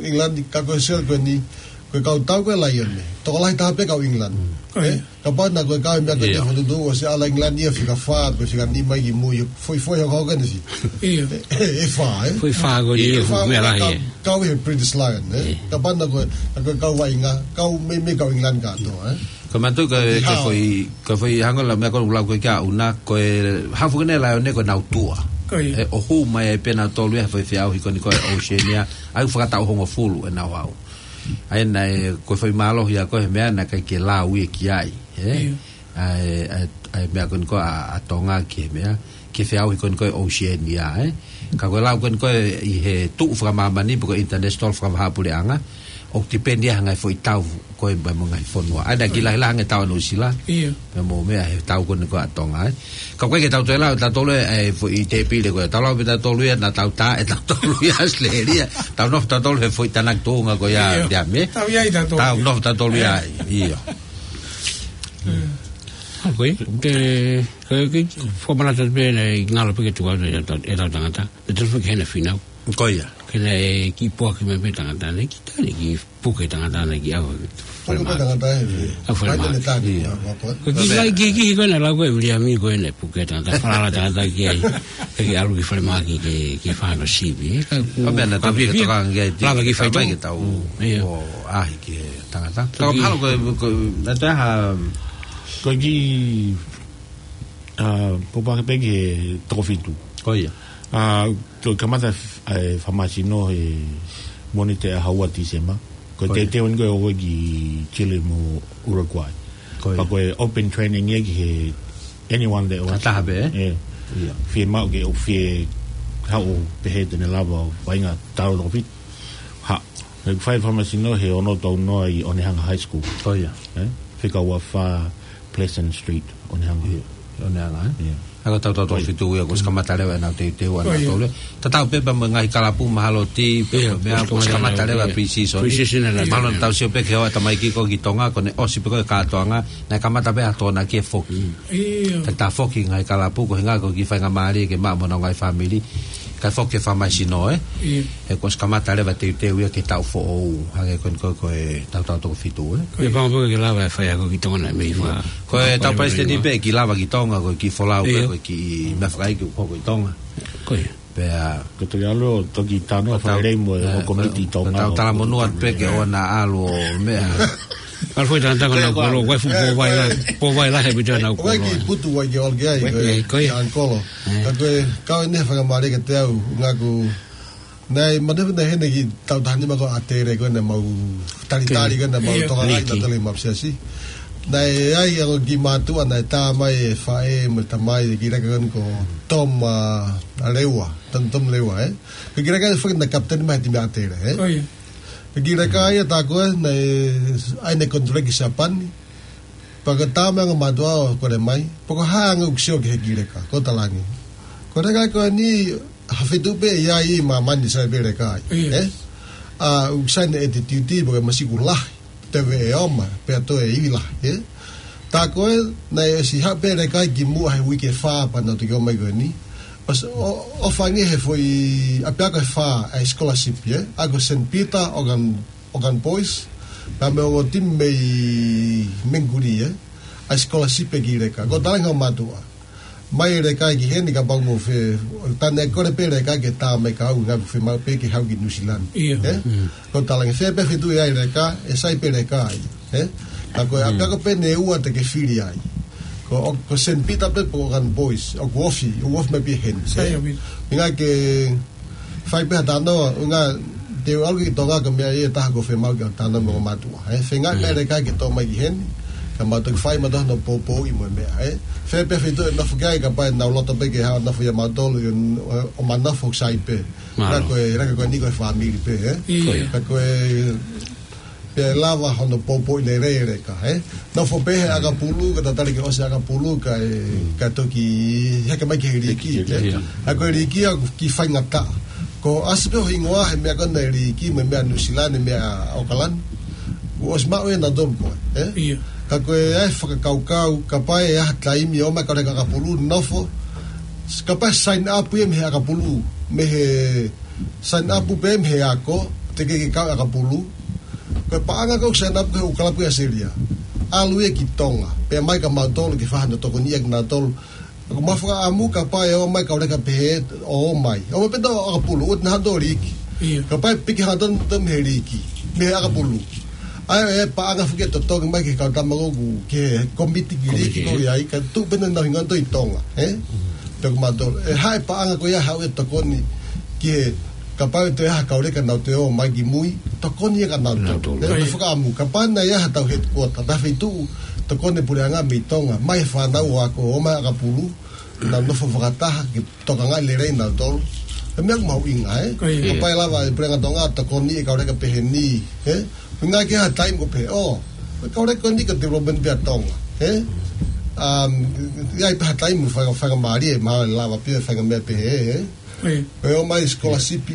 ʻIngilani, ka ko e sio ko eni, ko e kau tau ko ē Laione. Tokolahi taha pē kau ʻIngilani. Mm. Ko ia. Ē? Kapau naʻe ko e kau meʻa ko ē, ia, fokotuʻutuʻu ʻosi ʻalu ʻa ʻIngilani ia fika fā, pe fika nima ki mui, foʻi, foʻi hoko hoko eni si. Ia. ʻE, ʻe fā, ē? Foʻi fā ko eni, ia, ʻe fā, meʻa lahi, kau, ē, kau he British Lion, ē? Ia. Kapau naʻe ko e, naʻe ko e kau vaʻinga, kau meimei kau ʻIngilani kātoa, ē? Ko e mātuʻa ko e, ko e foʻi, ko e foʻi hangē ko e lau meʻa ko ē ʻoku lau ko ē kia ʻUna, ko e hafu ko eni Laione ko ʻenau tua. Ko ia. Ē, ʻo hū mai ai pē nautolu ia he foʻi feʻauhi ko eni ko ē Oceania, ʻa ia ʻoku fakataʻu hongofulu ʻenau haʻu. ʻA ia naʻe, ko e foʻi mālohi ia ko ē he meʻa naʻe ʻikai ke lau ia ki ai, ē? Ia. ʻA e, ʻa e, ʻa e meʻa ko eni ko ē ʻa, ʻa Tonga ki he meʻa, ki he feʻauhi ko eni ko ē Oceania, ē? Ka ko e lau ko eni ko ē ʻi he tuʻu fakamāmani, pe ko e international fakavahaʻapuleʻanga, ʻoku tipeni ia he ngaahi foʻi tau ko ē pea mo e ngaahi fonua. ʻA ia naʻe kiʻi lahilahi ange e tau ʻa Nuʻusila. Ia. Pea mo e meʻa he tau ko eni ko ē ʻa Tonga, ē? Ka ʻoku ʻikai ke tau toe lau ʻe tautolu ʻa e foʻi tēpile ko ē. Tau lau pē tautolu ia, naʻa tau tā ʻe tautolu ia ʻAositelēlia. Tau nofo tautolu he foʻi tānaki tuʻunga ko ia, ia, Liami, ē? Tau ʻi ai tautolu. Tau nofo tautolu ia, ia. Mm. ʻA ko ē, ke, ke, ke, fakamanatu pē naʻe ngalo pē ke tuku atu ʻetau, ʻetau tangata. Naʻe tau fakahenga finau. Ko ia. Ke naʻe kiʻi puke mai pē tangata, naʻe kiʻi tali kiʻi puke tangata naʻe kiʻi ʻave. Puke pē tangata ē. ʻA e falemahaki. Ia. Ko e kiʻi kiʻi kiʻi ko ē naʻe lau ko ē ʻe Viliami ko ē naʻe puke tangata, falala tangata ki ai. Ke kiʻi ʻalu ki falemahaki ke, ke fai hono sivi, ē. Ka ko e meʻa naʻa tau fiefia. Lava ke fai tau. Mm, ia. ʻO ʻaʻahi ki he tangata. Ka ko e mahalo ko e, ko e, naʻe toe ʻi ai ha, ko e kiʻi, ʻa, pōpoaki pē ki he toko fitu. Ko ia. ʻA, toe kamata f-, ʻa e fakamāsino he Mōnite ʻaho ua Tīsema. Ko e, ko ia, teuteu eni ko ē ʻo e ki Chile mo Uruguay. Ko ia. Pea ko e open training ia ki he anyone that wants. Ka taha pē, ē? Ē. Ia. Fiemaʻu ke ʻoku fie haʻu pehē te ne lava ʻo vaʻinga taʻu toko fitu. Haʻu. Naʻe fai e fakamāsino he ono tau noa ʻi ʻOnehunga High School. Ko ia. Ē? Fika ua fā, Pleasant Street, ʻo ne hanga. ʻIo, ʻo ne hanga, ē? ʻIo. ʻA ia ko e tautau toko fitu ia, kuo ʻosi kamata leva ʻenau teuteu ʻanautolu. Tatau pē pea mo e ngaahi kalapu mahalo ti, pea mo e meʻa, kuo ʻosi kamata leva e pre-season. Pre-season ʻanautolu. Mahalo naʻa tau sio pē ki he ʻaho ʻa e tamaiki ko ē ki Tonga, ko ʻene ʻosi pē ko ē e kātoanga, naʻe kamata pē ʻa e tokonaki ʻo foki. ʻIo. Ka ta foki ngaahi kalapu, ko e ʻuhinga ko e kiʻi faingamālie ke maʻu mo honau ngaahi fāmili, kae foki ke fakamaʻu sino, ē? ʻIo. He kuo ʻosi kamata leva e teuteu ia ki he taʻu foʻou, hangē ko eni ko e, ko e tautau toko fitu, ē? Meʻapango pē ke lava e faiako ki Tonga naʻe mei fā. Ko e tau palesiteni pē ke lava ki Tonga, ko e kiʻi folau pē, ko e kiʻi meʻa fakaʻeiki ʻoku hoko ʻi Tonga. Ko ia. Pea ko e toki ʻalu ʻo toki talanoa fakalelei mo e, ʻo e komiti ʻi Tonga. Tau talamonū atu pē ke ʻoua naʻa ʻalu ʻo meʻa. ʻAlu foʻi tangata ko ʻenau kolo, ko e fuʻu pō vai lahi, pō vai lahi ʻaupito ʻenau kolo. Ko e kiʻi putu vai ke ʻalu ki ai, ko e, ko e, ko e ʻalu kolo. Ka ko e, ka ko e ʻuhinga faingamālie kiate au, ʻuhinga ko e, naʻe, manatu naʻe ʻi heni kiʻi tau taha nima ko ʻAtele ko ē naʻa mau talitali ko ē naʻa mau tokangaʻi naʻa tau lele maʻu siasi. Naʻe ʻi ai ʻa e kiʻi mātuʻa naʻe tā mai e faʻē mo e tamai e kiʻi leka ko eni ko Tom, ʻa, ʻa Leua, Tom, Tom Leua, ē? Ko e kiʻi leka ʻe foki naʻe kapiteni mai he timi ʻAtele, ē? Ko ia. Ko e kiʻi leka ia tā ko ē naʻe ʻai ʻene konituleki ʻi Siapani. Pea ko e tā mai ʻa e ongo mātuʻa ʻo kole mai, pe ko e hā ʻa e ʻuhinga ʻoku sio ki he kiʻi leka, ko e talange. Ko e leka ko eni, ha feituʻu pē ʻi ai ʻi māmani sai pē leka ai, ʻio, ē? ʻA, ʻoku sai ʻene attitude, pe ko e masiku lahi, teve e oma, pea toe ivi lahi, ē? Tā ko ē, naʻe ʻosi haʻu pē leka ai kimuʻa he uike ʻe fā pea nau toki ō mai ko eni. ʻOsi, ʻo, ʻo fanga he foʻi ʻapiako ʻe fā, ʻa e scholarship, ē? ʻA ia ko Saint Peter, Okan, Okan Boys, pea mo e ongo timi mei Mengkuli, ē? ʻA e scholarship e kiʻi leka. Ko e talange ʻa e mātuʻa. Mai e leka ki heni kapau mo fe, tā naʻe kole pē leka ke tā mai ka ʻuhinga ʻoku fiemaʻu pē ke haʻu ki Nuʻusila. ʻIo. Ē? Mm. Ko e talange fē pē feituʻu ʻe ʻi ai e leka, ʻe sai pē leka ai. Ē? Ka ko e ʻapiako pē ʻe ua te ke fili ai. Ko, ko Saint Peter pē pe ko Okan Boys, ʻoku ofi, ʻoku ofi mai pē heni. Sai, ē? ʻIo, ʻio. ʻUhinga ke fai pē ha talanoa, ʻuhinga te u ʻalu ki Tonga ko e meʻa ia ʻe taha ʻoku fiemaʻu ke talanoa mo e mātuʻa, ē? Feinga pē leka ke tō mai ki heni, ka mau toki fai mautolu hono poupouʻi mo e meʻa, ē? Fē pē feituʻu ʻe nofo ki ai, kapau ʻe nau loto pē ke haʻu ʻo nofo ʻia mautolu, ʻo, ʻo ma nofo sai pē. Ka ko e, ka ko eni ko e fāmili pē, ē? ʻIo. Ka ko e pea lava hono poupouʻi lelei e leka, ē? Nofo pē he ʻakapulu, ka tatali ke ʻosi ʻakapulu, kae, kae toki heke mai ki he liiki, ē? ʻIo. ʻA ia ko e liiki ʻoku kiʻi faingataʻa. Ko e ʻasi pē ho hingoa he meʻa ko ena e liiki, mo e meʻa Nuʻusila, mo e meʻa ʻAokalani. Kuo ʻosi maʻu ʻe nautolu ko ē, ē? ʻIo. Ka ko e ʻai e fakakaukau, kapau ʻe ʻi ai ha taimi ʻomai e kau leka ʻakapulu, nofo. Kapau ʻe sign up ia mei he ʻakapulu, mei he sign up pē mei he ako, teʻeki ke kau ʻakapulu. Ko e paʻanga ko ē sign up ko ē ʻoku kalapu ʻi ʻAositelēlia. ʻAlu ia ki Tonga. Pea mai kia mautolu ke fai hano tokoniʻi ʻaki nautolu. Ko ʻema fakaʻamu kapau ʻe ō mai e kau leka pehē ʻo ō mai. ʻO ō mai pē ʻo ʻakapulu, ʻoua te nau haʻu ʻo liiki. ʻIo. Kapau ʻe piki hano tonu mei he liiki, mei he ʻakapulu. ʻA ia ʻe paʻanga foki e totongi mai ki he kau tama ko ē, ki he komiti ki he liiki ko ē ʻi ai, kae tuʻu pē ʻenau hingoa ʻi Tonga, ē? Pea ko mautolu, ʻe haʻu e paʻanga ko ia haʻu e tokoni ki he kapau ʻe toe ʻi ai ha kau leka naʻa nau toe ō mai ki mui, tokoni ia kia nautolu. Nautolu. Ē, ʻo fakaʻamu, kapau naʻe ʻi ai haʻatau headquarter, pe ha feituʻu tokoni puleʻanga mei Tonga, mai e fānau ʻo ako ʻo ō mai ʻakapulu, nau nofo fakataha, ke tokangaʻi lelei nautolu. Ko e meʻa ʻoku mahuʻinga, ē? Ko ia. Kapau ʻe lava e Puleʻanga Tonga ʻo tokoniʻi e kau leka pehē ni, ē? Meʻa ke ʻi ai ha taimi ko e pehē, ʻo, e kau leka ko eni ko e development pē ʻa Tonga, ē? Um, ʻi ai pē ha taimi fai, faingamālie, mahalo ʻe lava pē fai ha meʻa pehē, ē? Ko ia. Ko e ō mai scholarship,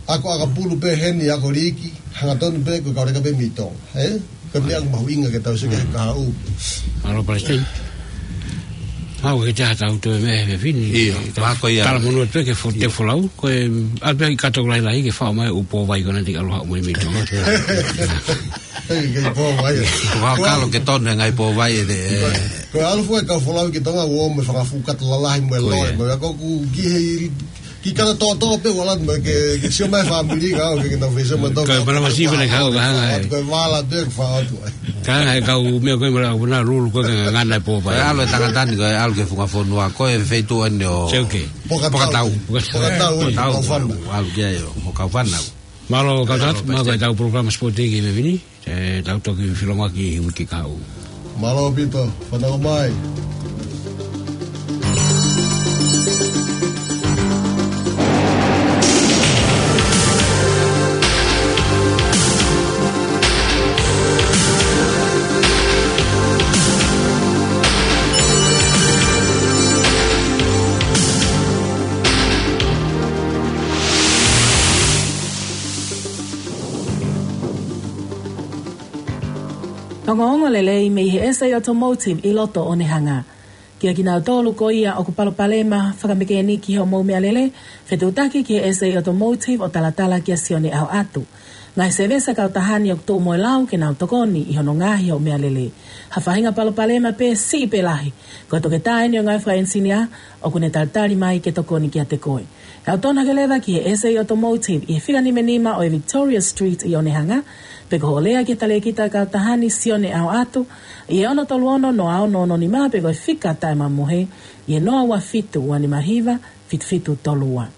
ako ʻakapulu pē heni, ako liiki, hangatonu pē ko e kau leka pē mei Tonga, ē? Ko e meʻa ʻoku mahuʻinga ke tau sio ki he kahaʻu. Mālō, Palesiteni. Haʻu ke te haʻu atu e meʻa he fefine. ʻIo, tau, ma ko ia. Talamonū atu pē ke fo-, te folau, ko e ʻalu pē ki he kato lahilahi ke faʻo mai e ʻū pō vai ko ena te ke ʻalu haʻu mo ia mei Tonga. Hei, ke pō vai. Ko e kalo ke tonu e ngaahi pō vai ē, ē. Ko e ʻalu foki e kau folau ki Tonga, ʻoku ō mo e fanga fuʻu kato lalahi mo e loe, mo e ako ʻoku ki he Ki he kato toʻotoʻo pē ʻoku ʻalu atu mo ia ke, ke sio mai e fāmili ka ʻoku ke, ke nau fai sio mai tau. Ko e mana masi pē naʻe kau ka hanga ē. Ko e vala pē ʻoku faʻo atu ai. Ka hanga ʻe he kau meʻa ko ē mo e lau na lulu ko ē ke ngangana e pō vai. Ko e ʻalu e tangata ni ko e ʻalu ki he funga fonua ko e feituʻu eni ʻo Seuke. Pokatau. Pokatau. Pokatau. Pokatau. ʻAlu ki ai ʻo, ʻo kau fānau. Mālō kau tangata, mālō ko e tau polokalama sipoti ki he fefine. Ē, tau toki filonga ki he uike kahaʻu. Mālō ʻaupito, fanongo mai. Ongoongo lelei mei he S A Automotive ʻi loto ʻo Onehunga. Kia kinautolu ko ia ʻoku palopalema fakamekēniki hoʻomou meʻalele, fetuʻutaki ki he S A Automotive ʻo talatala kia Sione ʻAhoʻatu. Ngaahi sēvesi kautaha ni ʻoku tuʻu mo e lau ke nau tokoni ʻi hono ngaohi hoʻo meʻalele. Ha faʻahinga palopalema pē siʻi pe lahi, ko e toketā eni ʻo e ngāue fakaʻenisinia ʻoku ne talitali mai ke tokoni kiate koe. Tau tonu hake leva ki he S A Automotive ʻi he fika nima nima ʻo e Victoria Street ʻi Onehunga, pe ko hoʻo lea ki he talēkita kautaha ni Sione ʻAhoʻatu ʻi he ono tolu ono noa ono ono nima pe ko e fika taʻemamohe ʻi he noa ua fitu ua nima hiva fitu fitu tolu ua.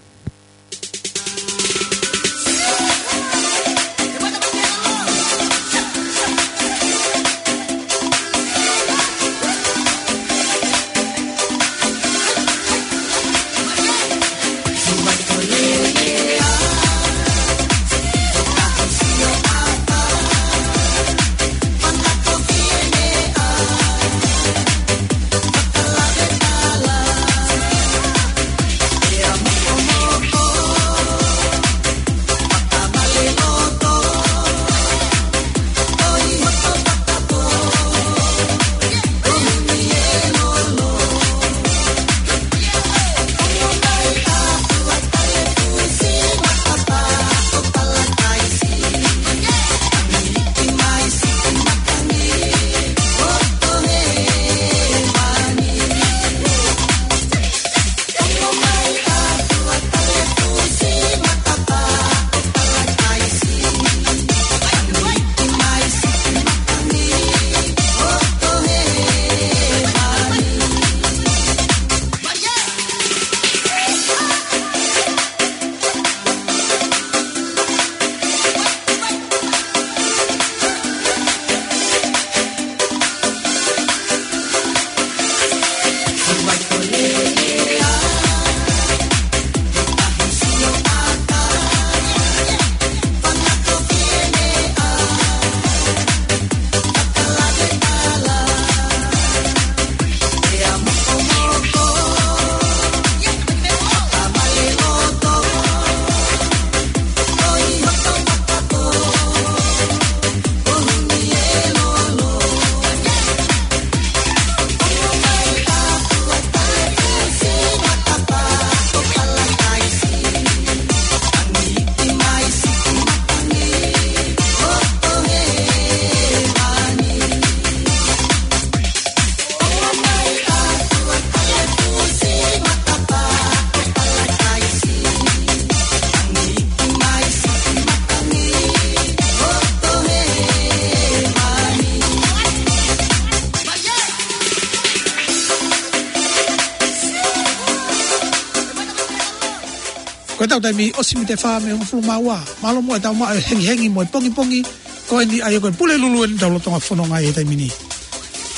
Ko ʻetau taimi ʻosi mita fā mei he hongofulu mā ua. Mālō muʻa ʻetau maʻu e hengihengi mo e pongipongi ko eni ʻa ia ko e Pulelulu eni ʻetau lolotonga fononga ʻi he taimi ni.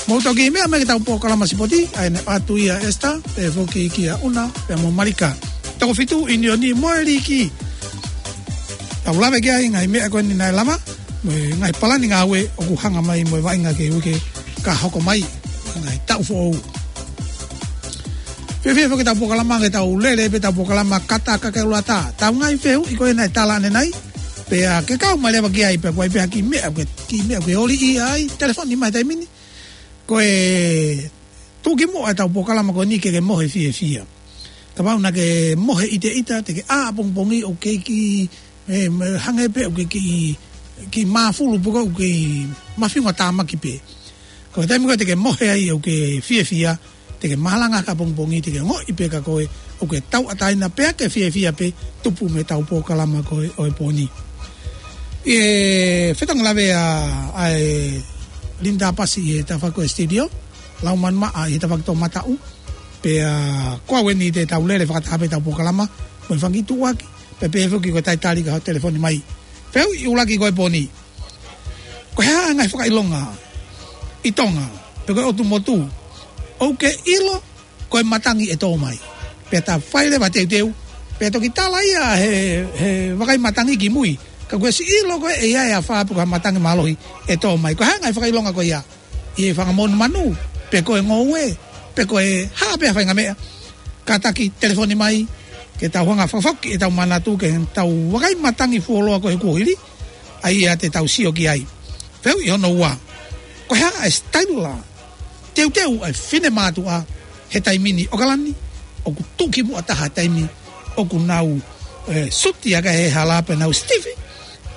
Mou toki meʻa mai ki heʻetau polokalama sipoti, ʻa ia naʻe ʻoatu ia ʻe Esther, pea foki kia ʻUna, pea mo Malika. Toko fitu, ʻIunioni mo e Līki. Tau lave ki ai ngaahi meʻa ko eni naʻe lava, mo e ngaahi palani ngāue ʻoku hanga mai mo e vaʻinga ki he uike ka hoko mai, ngaahi taʻu foʻou. Fiefia foki ʻetau polokalama, ke tau lele pē ʻetau polokalama Kata Kakaulata. Tau ngaahi fehuʻi ko ē naʻe tala ʻanenai, pea ke kau mai leva ki ai, pea ko e hā pē ha kiʻi meʻa, ke kiʻi meʻa ke ʻoliʻi ai, telefoni mai he taimi ni. Ko e tuʻukimuʻa ʻetau polokalama ko eni ke ke mohe fiefia. Kapau naʻa ke mohe ʻiteʻita, te ke ʻā ʻapongipongi ʻoku ke kiʻi, e, mo e hangē pē ʻoku ke kiʻi, kiʻi māfulu pe ko ē ʻoku ke kiʻi mafiunga tāmaki pē. Ko e taimi ko ē te ke mohe ai ʻoku ke fiefia, te ke malanga ki ʻapongipongi, te ke ongoʻi pē kia koe ʻoku ke tauʻatāina pea ke fiefia pē, tupu mei heʻetau polokalama ko ē ʻo e pō ni. ʻI he fetongi lave ʻa, ʻa e Linda Pasi ʻi he tafaʻaki ko ē studio, Laumanu Maʻa ʻi he tafaʻaki toʻomataʻu, pea ko au eni te tau lele fakataha pē ʻetau polokalama, mo e fanga kiʻi tuʻuaki, pea pehē foki ko e talitali ka ho telefoni mai. Fehuʻi ʻuluaki ko ē ʻo e pō ni. Ko e hā e ngaahi fakaʻilonga ʻi Tonga, pe ko e ʻotu motu, ʻoku ke ʻilo ko e matangi ʻe tō mai. Pea ta fai leva teuteu, pea toki tala ia he, he vakai matangi ki mui. Ka ʻoku ke siʻi ʻilo ko ē ʻe ʻi ai e afā pe ko ha matangi mālohi ʻe tō mai. Ko e hā e ngaahi fakaʻilonga ko ia ʻi he fanga monumanu, pe ko e ngoue, pe ko e hā pē ha faʻahinga meʻa. Kātaki telefoni mai, ke tau hanga ʻo fakafoki ʻetau manatu ki heʻetau vakai matangi fuoloa ko ē he kuohili, ʻa ia te tau sio ki ai. Fehuʻi hono ua. Ko e hā e sitaila teuteu ʻa e finemātuʻa he taimi ni ʻOkalani, ʻoku tuʻukimuʻa taha taimi ʻoku nau, e, suti ʻaki he hala pea nau sitifi,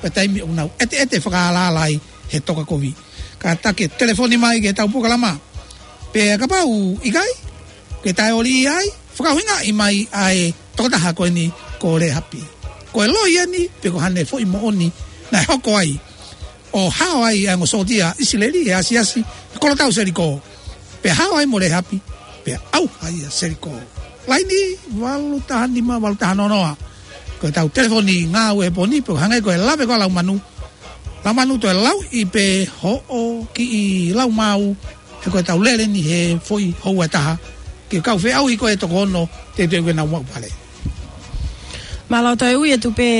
pea taimi ʻoku nau ʻeteʻete fakaalaala ai he toka kovi. Kātaki telefoni mai ki heʻetau polokalama. Pea kapau ʻikai, ke tae oli ai, fakaʻuhingaʻi mai ʻa e tokotaha ko eni ko Lehapi. Ko e loi eni, pe ko haʻane foʻi moʻoni naʻe hoko ai ʻo hao ai ʻa e ongo sōtia ʻIsileli he asiasi he kolotau Selikō. Pea hao ai mo Lehapi, pea ʻauha ia Selikō. Laini, valu taha nima, valu taha noa noa. Ko ʻetau telefoni ngāue he pō ni, pea hangē ko e lave ko ē ʻa Laumanu. Laumanu, toe lauʻi pē hoʻo kiʻi lau maau, he ko ʻetau lele ni he foʻi houa ʻe taha. Ke kau feʻauhi ko ē toko ono, teuteu ke nau maʻu pale. Mālō. Toe ui atu pē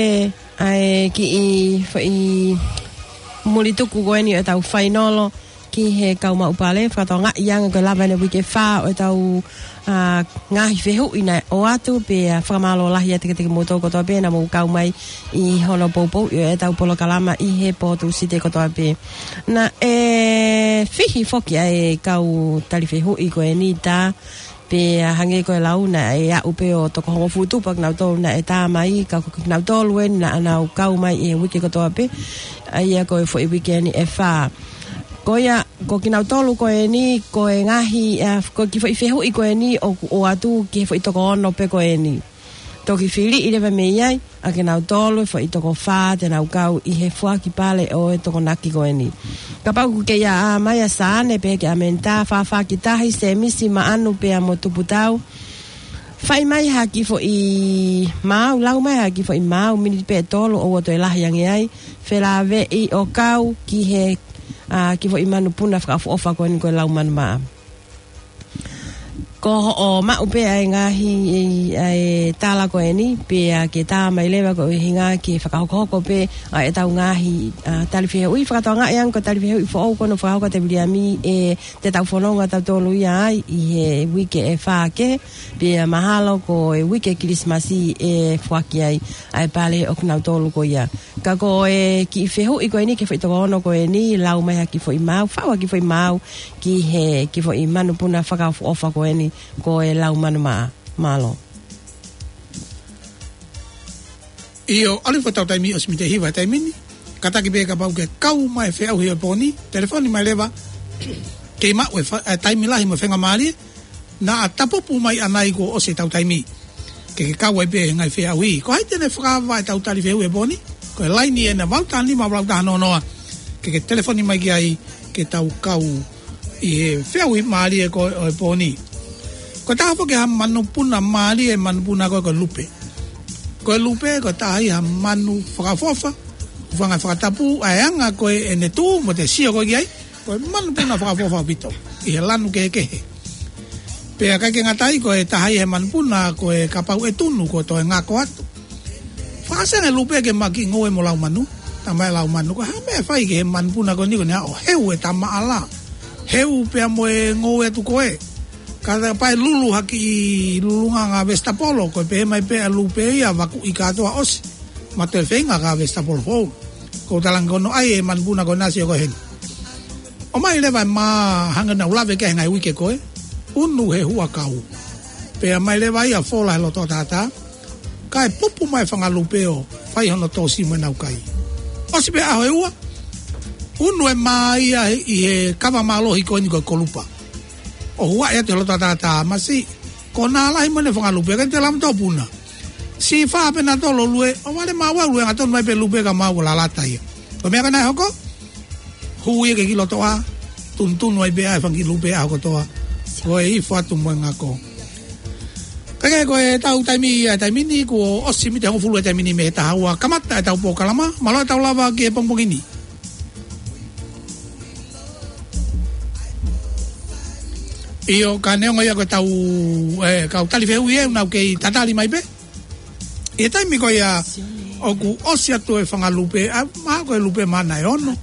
ʻa e kiʻi foʻi muli tuku ko eni ʻo ʻetau fainolo ki he kau maʻu pale, fakatokangaʻi ange ko e lava eni e uike ʻe fā ʻo ʻetau, a, ngaahi fehuʻi naʻe ʻoatu, pea fakamālō lahi atu kiate kimoutolu kotoa pē naʻa mou kau mai ʻi hono poupouʻi ʻo ʻetau polokalama ʻi he pō Tūsite kotoa pē. Naʻe fihi foki ʻa e kau tali fehuʻi ko eni, tā, pea hangē ko e lau naʻe aʻu pē ʻo toko hongofulu tupu ʻa kinautolu naʻe tā mai, ka ko kinautolu eni naʻa nau kau mai ʻi he uike kotoa pē, ʻa ia ko e foʻi uike eni ʻe fā. Ko ia, ko kinautolu ko eni, ko e ngaahi, a, ko e kiʻi foʻi fehuʻi ko eni ʻoku ʻoatu ki he foʻi toko ono pē ko eni. Toki filiʻi leva mei ai ʻa kinautolu e foʻi toko fā te nau kau ʻi he foaki pale ʻo e Tokonaki ko eni. Kapau ʻoku kei ʻā mai ʻa Sane pehē kia Menita, Fafaki Tahi, Semisi, Maʻanu pea mo Tuputau, fai mai ha kiʻi foʻi maau, lau mai ha kiʻi foʻi maau, miniti pē ʻe tolu ʻoua toe lahi ange ai, felāveʻi ʻo kau ki he, a, kiʻi foʻi manupuna fakaʻofoʻofa ko eni ko e Laumanu Maʻa. Ko hoʻo maʻu pē ʻa e ngaahi, ʻa e tala ko eni, pea ke tā mai leva ko e ʻuhinga ke fakahokohoko pē ʻa ʻetau ngaahi, a, tali fehuʻi, fakatokangaʻi ange ko e tali fehuʻi foʻou ko eni ʻoku fakahoko ʻe Viliami, ʻe te tau fononga tautolu ia ai ʻi he uike ʻe fā kehe, pea mahalo ko e uike Kilisimasi ʻe foaki ai ʻa e pale ʻo kinautolu ko ia. Ka ko e kiʻi fehuʻi ko eni ki he foʻi toko ono ko eni, lau mai ha kiʻi foʻi maau, faʻu ha kiʻi foʻi maau ki he kiʻi foʻi manupuna fakaʻofoʻofa ko eni, ko e Laumanu Maʻa. Mālō. ʻIo, ʻalu hifo ʻetau taimi ʻosi mei he hiva he taimi ni. Kātaki pē kapau ke kau mai feʻauhi ʻo e pō ni, telefoni mai leva. Kei maʻu e fa-, e taimi lahi mo e faingamālie, naʻa tapupu mai ʻanai kuo ʻosi ʻetau taimi. Ke ke kau ai pē he ngaahi feʻauhi. Ko hai te ne fakaava ʻetau tali fehuʻi he pō ni? Ko e laini ena, valu taha nima, valu taha noa noa. Ke ke telefoni mai ki ai ke tau kau ʻi he feʻauhi mālie ko ē ʻo e pō ni. Ko e taha foki ha manupuna mālie, manupuna ko ē ko e lupe. Ko e lupe, ko e taha ia ha manu fakaʻofoʻofa, hūfanga he fakatapu, ʻa e anga ko ē ʻene tuʻu mo ʻete sio ko ē ki ai, ko e manupuna fakaʻofoʻofa ʻaupito ʻi he lanu kehekehe. Pea ʻikai ke ngata ai, ko e taha ia he manupuna ko ē kapau ʻe tunu kuo toe ngako atu. Fakasene lupe ke maʻu kiʻi ngoue mo laumanu. Talamai ʻe Laumanu, ko e hā e meʻa ʻe fai ki he manupuna ko eni, ko ʻene ʻalu ʻo heu e tamaʻala, heu pea mo e ngoue atu ko ē. Ka ta pae lulu ha kiʻi lulunga ngaahi vesitapolo, ko e pehē mai pē ʻa e lupe ia, vakuʻi kātoa ʻosi. Ma toe feinga ka vesitapolo foʻou. Ko e talange ko ē ʻa e manupuna ko ena, sio ko ē heni. ʻOmai leva e mā, hangē naʻa ku lave ki ai he ngaahi uike ko ē. Unu he huʻakau. Pea ʻomai leva ia ʻo fola he loto ʻo tātā. Kae pupu mai e fanga lupe ʻo fai hono tōsi mo ʻenau kai. ʻOsi pē ʻaho ʻe ua, unu e mā ia ʻi he kava mālohi ko eni ko e kolupa. ʻO huaʻi atu he loto ʻo tātā, masiʻi. Ko e nā lahi mo ʻene fanga lupe, ʻikai te lama tō puna. Siʻi fā pē nautolu ʻo lue, ʻo vale mā ua lue, ʻanga tonu mai pē lupe ka maʻu ʻo lalata ia. Ko e meʻa ko ē naʻe hoko, hū ia ki he kiʻi loto ʻā, tunutunu ai pē ʻa e fanga kiʻi lupe ʻaho kotoa. Ko e hifo atu mo e ngako. Kae kehe, ko ʻetau taimi ia he taimi ni, kuo ʻosi miniti hongofulu he taimi ni mei he taha ua kamata ʻetau polokalama, mālō ʻetau lava ki he pongipongi ni. ʻIo, ka neongo ia ko ʻetau, e, kau tali fehuʻi ʻoku nau kei tatali mai pē. ʻI he taimi ko ia ʻoku ʻosi atu e fanga lupe, ʻa, mahalo ko e lupe mā naʻe ono.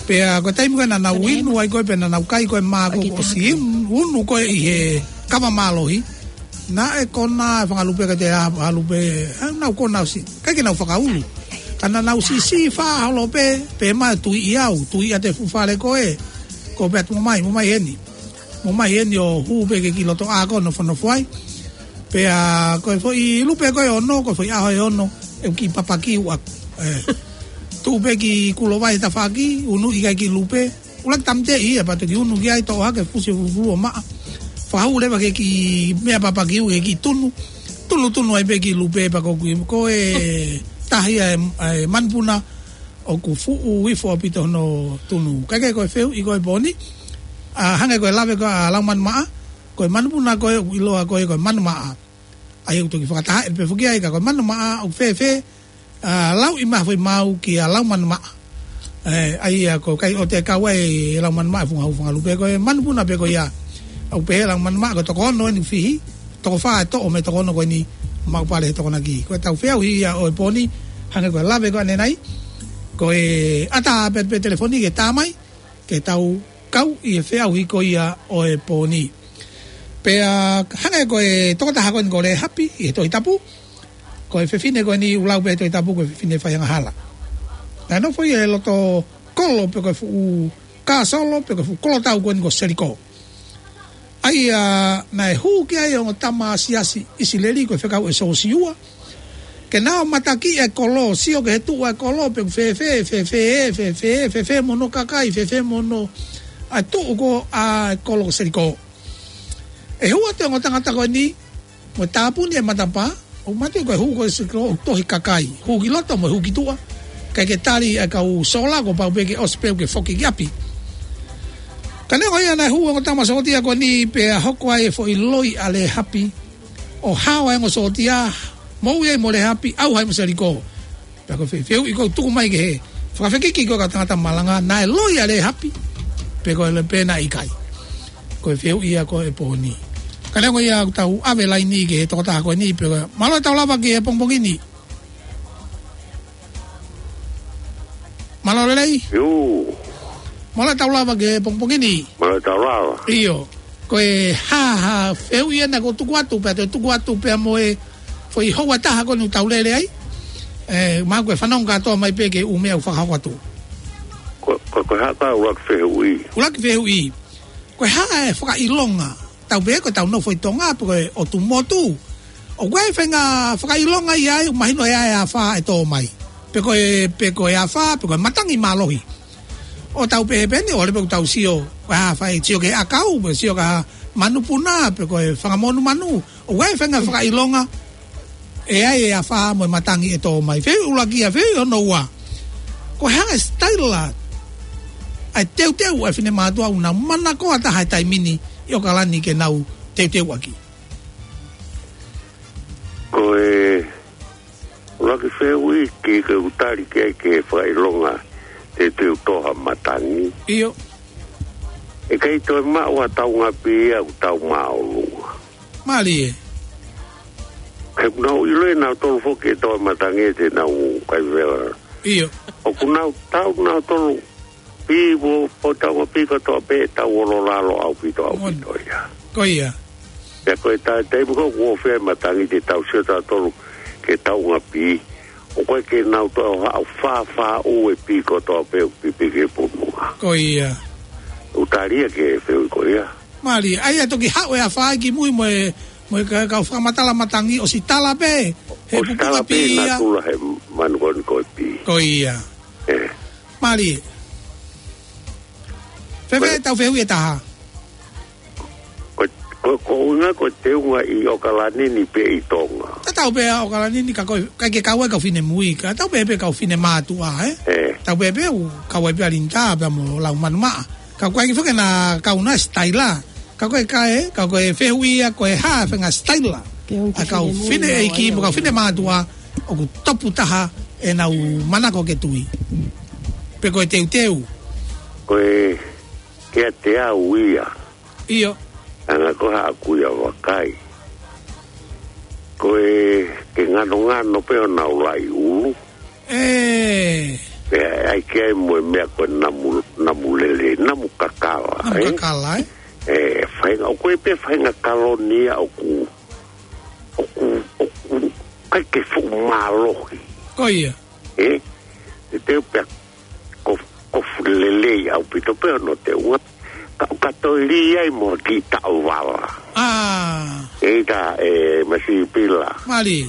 Pea ko e taimi ko ē naʻa nau inu ai ko ē, pea naʻa nau kai ko ē mā ko ē kuo ʻosi inu, inu ko ē ʻi he kava mālohi. Naʻe konā e fanga lupe ka te a, a lupe, ʻa, nau konā ʻosi. ʻIkai ke nau fakaulu. Ka naʻa nau siʻisiʻi fā holo pē, pea mā tuiʻi au, tuiʻi ʻa e fuʻu fale ko ē. Ko pea tuʻu mai, mo mai heni. Mo mai heni ʻo hū pē ki he kiʻi loto ʻā ko ē ʻo nofonofo ai. Pea ko e foʻi lupe ko ē ʻe ono, ko e foʻi ʻaho ʻe ono, ʻeku kiʻi papaki ʻaʻaku. ʻE. Tuʻu pē ki kulo vai tafaʻaki, unu ʻi he kiʻi lupe. ʻUluaki tāmateʻi ia, pea toki unu ki ai, toʻo hake, fusi fufulu ʻo maʻa. Fakahū leva ki he kiʻi meʻa papaki ʻaʻaku, ki he kiʻi tunu. Tunutunu ai pē kiʻi lupe pea ko e kui, ko e tahi ʻa e, ʻa e manupuna, ʻoku fuʻu ifo ʻaupito hono tunu. Kae kehe ko e fehuʻi ko ē ʻo e pō ni, ʻa, hangē ko e lave ko ē ʻa Laumanu Maʻa, ko e manupuna ko ē ʻoku ʻiloa ko ē ko e Manu Maʻa. ʻA ia ʻoku toki fakatahaʻi pē foki ai ka ko e Manu Maʻa ʻoku fēfē, ʻa, lauʻi mai ha foʻi maau kia Laumanu Maʻa. ʻE, ʻa ia ko e kai ʻoku kau ai ʻe Laumanu Maʻa e funga hū funga lupe ko e manupuna pē ko ia. ʻOku pehē ʻe Laumanu Maʻa ko e toko ono eni ʻoku fihi, toko fā e toʻo mei he toko ono ko eni maʻu pale he Tokonaki. Ko ʻetau fehuʻi ia ʻo e pō ni, hangē ko e lave ko ē ʻanenai, ko e ʻatā pē pē telefoni ke tā mai, ke tau kau ʻi he fehuʻi ko ia ʻo e pō ni. Pea hangē ko e tokotaha ko eni ko Lēhapi ʻi he Tohi Tapu, ko e fefine ko eni ʻoku lau pē he Tohi Tapu ko e fefine faiangahala. Naʻe nofo ia he loto kolo pe ko e fuʻu kāsolo pe ko e fuʻu kolotau ko eni ko Seliko. ʻA ia naʻe hū ki ai e ongo tama siasi ʻIsileli ko e fekau ʻe Siosiua, ke nau matakiʻi e kolo, sio ki he tuʻu ʻa e kolo pe ʻoku fēfē, fēfē, fēfē, fēfē mo hono kakai, fēfē mo hono ʻa e tuʻu ko ē ʻa e kolo ko Seliko. ʻE hū atu e ongo tangata ko eni, mo e tāpuni e matapā, ʻoku mātuʻaki ko e hū ko ē ʻa Seliko ʻoku tohi kakai. Hū ki loto mo e hū ki tuʻa. ʻIkai ke tali ʻe he kau sola, kuo pau pē ke ʻosi pē ke foki ki ʻapi. Ka neongo ia naʻe hū e ongo tama sōtia ko eni pea hoko ai e foʻi loi ʻa Lēhapi. ʻO hao ai e ongo sōtia, moʻui ai mo Lēhapi, ʻauha ai mo Seliko. Pea ko e fe-, fehuʻi ʻoku tuku mai ki he fakafekiki ko ē ʻa e kau tangata malanga, naʻe loi ʻa Lēhapi, pe ko e loi pe naʻe ʻikai. Ko e fehuʻi ia ko ē ʻo e pō ni. Ka neongo ia ʻoku tau ʻave laini ki he tokotaha ko eni, pea mālō e tau lava ki he pongipongi ni. Mālō lelei. Iu. Mālō e tau lava ki he pongipongi ni. Mālō e tau lava. ʻIo. Ko e hā, hā fehuʻi ena kuo tuku atu, pea toe tuku atu pea mo e foʻi houa ʻe taha ko eni ʻoku tau lele ai. ʻE, mahalo ko e fanongo kātoa mai pē ki he ʻū meʻa ʻoku fakahoko atu. Ko, ko, ko e hā ʻa e ʻuluaki fehuʻi? ʻUluaki fehuʻi. Ko e hā e fakaʻilonga? Tau pehē ko ʻetau nofo ʻi Tonga, pe ko e ʻotu motu, ʻoku ʻi ai e faʻahinga fakaʻilonga ia ai, ʻoku mahino ʻe ʻi ai e afā ʻe tō mai. Pe ko e, pe ko e afā, pe ko e matangi mālohi. ʻO tau pehē pē eni, ʻoua leva pē ʻoku tau sio, ʻa, fai sio ki he ʻakau, pe sio ki ha manupuna, pe ko e fanga monumanu. ʻOku ʻi ai e faʻahinga fakaʻilonga, ʻe ʻi ai e afā mo e matangi ʻe tō mai. Fehuʻi ʻuluaki ia, fehuʻi hono ua. Ko e hā e sitaila ʻa e teuteu ʻa e finemātuʻa ʻoku nau manakoa taha he taimi ni ʻi ʻAokalani ke nau teuteu ʻaki? Ko e ʻuluaki fehuʻi ki he ʻoku tali ki ai ki he fakaʻilonga teuteu tō ha matangi. ʻIo. ʻE ʻikai toe maʻu ha taungapi ia ʻoku tau māʻolunga. Mālie. He ʻoku nau ʻilo ʻe nautolu foki ʻe tō e matangi ʻe te nau kai vela. ʻIo. ʻOku nau tau nautolu pī ʻo, ʻo taungapi kotoa pē ʻe tau olo lalo ʻaupito ʻaupito ia. Ko ia. Pea ko e taimi ko ē ʻoku ʻofeina e matangi te tau sio tautolu ki he taungapi. ʻOku ʻikai ke nau toe ʻo haʻu fāfā ʻū e pī kotoa pē ʻoku pipiki he fonua. Ko ia. ʻOku tali ia ki he fehuʻi ko ia. Mālie, ʻa ia toki haʻu e afā ki mui mo e, mo e ka-, kau fakamatala matangi ʻosi tala pē, he ʻosi pupunga tala pē pī ia. Natula he manu ko eni ko e pī. Ko ia. ʻE. Mālie. Fēfē ʻetau fehuʻi ʻe taha? Ko, ko, ko e ʻuhinga ko e teunga ʻi ʻAokalani ni pe ʻi Tonga? Tatau pē ʻa ʻAokalani ni ka ko e, ʻikai ke kau ai e kau finemui, ka tau pehē pē kau finemātuʻa, ē? ʻE. Tau pehē pē ʻoku kau ai pē ʻa Linitā pea mo Laumanu Maʻa. Ka ko e kiʻi foki naʻa kau naʻe sitaila. Ka ko e kae, ka ko e fehuʻi ia ko e hā e faʻahinga sitaila ʻa e kau finemui fine ʻeiki mo e kau finemātuʻa ʻoku topu taha ʻenau manako ke tui. Pe ko e teuteu. Ko e kiate au ia. ʻIo. Anga ko haʻaku ia vakai. Ko e ke nganongano pē honau laʻi ʻulu. ʻE. Pea ʻai ke ʻai mo e meʻa ko e namu, namu lele, namu kakala, Namu ē? kakala, ē? ʻE, faʻahinga, ʻoku ʻi ai pē faʻahinga kaloni ia ʻoku, ʻoku, ʻoku, ʻikai ke fuʻu mālohi. Ko ia. ʻE? Te teu pea ko, ko fuʻu lelei ʻaupito pē hono teunga. Ka, ka toe lī ai mo ki taʻovala. ʻA. ʻEita, ʻe, Masi Pila. Mālie.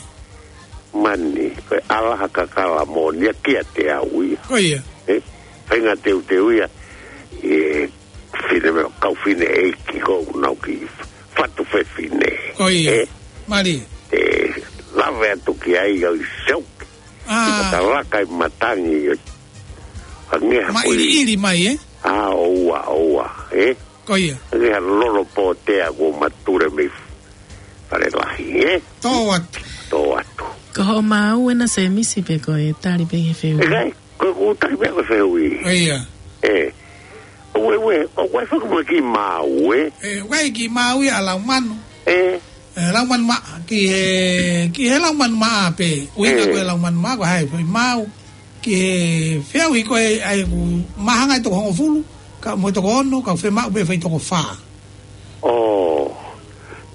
Mani, ko e ʻalaha kakala moʻoni ia kiate au ia. Ko ia. ʻE, faʻahinga teuteu ia. ʻE, fine meʻa, kau fineʻeiki ko ʻenau kiʻi fatu fefine. Ko ia. ʻE. Mālie. ʻE, lave atu ki ai au i seuki. ʻA. Ka talaka ʻi matangi. Ka ngeha ko ia. Maʻiliʻili mai, ē? ʻA, ʻoua, ʻoua, ē? Ko ia. Ngeha lolo pōtea kuo mature mei Fale Lahi, ē? Tō atu. Tō atu. Ko hoʻo maau ena Semisi pe ko e tali pē he fehuʻi? ʻE kai, ko, ko tali pē ko e fehuʻi. Ko ia. ʻE. ʻOue, ʻoue, ʻoue foki mo e kiʻi maau, ē? ʻE, ʻoue kiʻi maau ia ʻa Laumanu. ʻE. ʻE, Laumanu maʻa, ki he, ki he Laumanu maʻa pē. ʻUhinga ʻE. ko e Laumanu maʻa, ko hai, foʻi maau. Ki he fehuʻi ko ē ʻa ē ʻoku māhanga ʻe toko hongofulu, ka mo e toko ono, ka femaʻu pē fai toko fā. ʻO.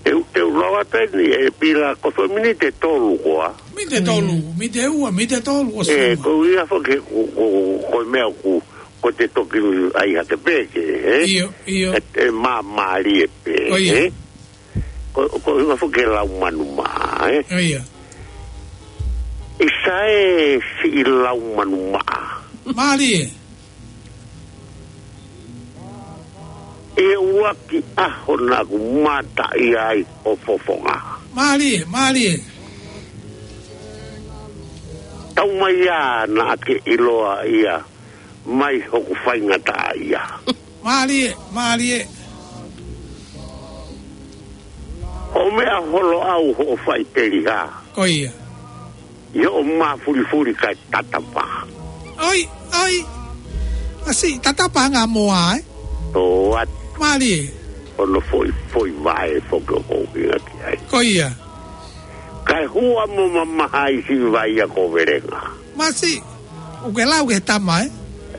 Te u, te u lau atu eni ʻe Pila ko e foʻi miniti ʻe tolu koā. Miniti ʻe tolu, Mm. miniti ʻe ua, miniti ʻe tolu, ʻosi ʻE, lima. Ko ia foki, ko, ko, ko e meʻa ʻoku, ko te toki ai hake pē ke, ē? ʻIo, ʻio. ʻE, ʻe māmālie pē, Ko ia. ē? Ko, ko, ko, ko e Laumanu maʻa, ē? Ko ia. ʻIsa ē siʻi Laumanu maʻa. Mālie. ʻI he ʻuluaki ʻaho naʻa ku mātaʻia ai ho fofonga. Mālie, mālie. Taumaiā naʻa ke ʻiloa ia mai hoku faingataʻaʻia. Mālie, mālie. ʻO meʻa holo au hoʻo faʻiteliha. Ko ia. ʻI hoʻo mafulifuli kae tatapa. ʻOi, ʻoi. Masi, tatapa anga moa, ē? Tō atu. Mālie. Hono foʻi, foʻi vaʻe foki ʻoku ou ʻuhinga ki ai. Ko ia. Kae hua mo mamaha ʻi siʻi vai ia ko Velenga. Masi, ʻoku ke lau ki he tama, ē?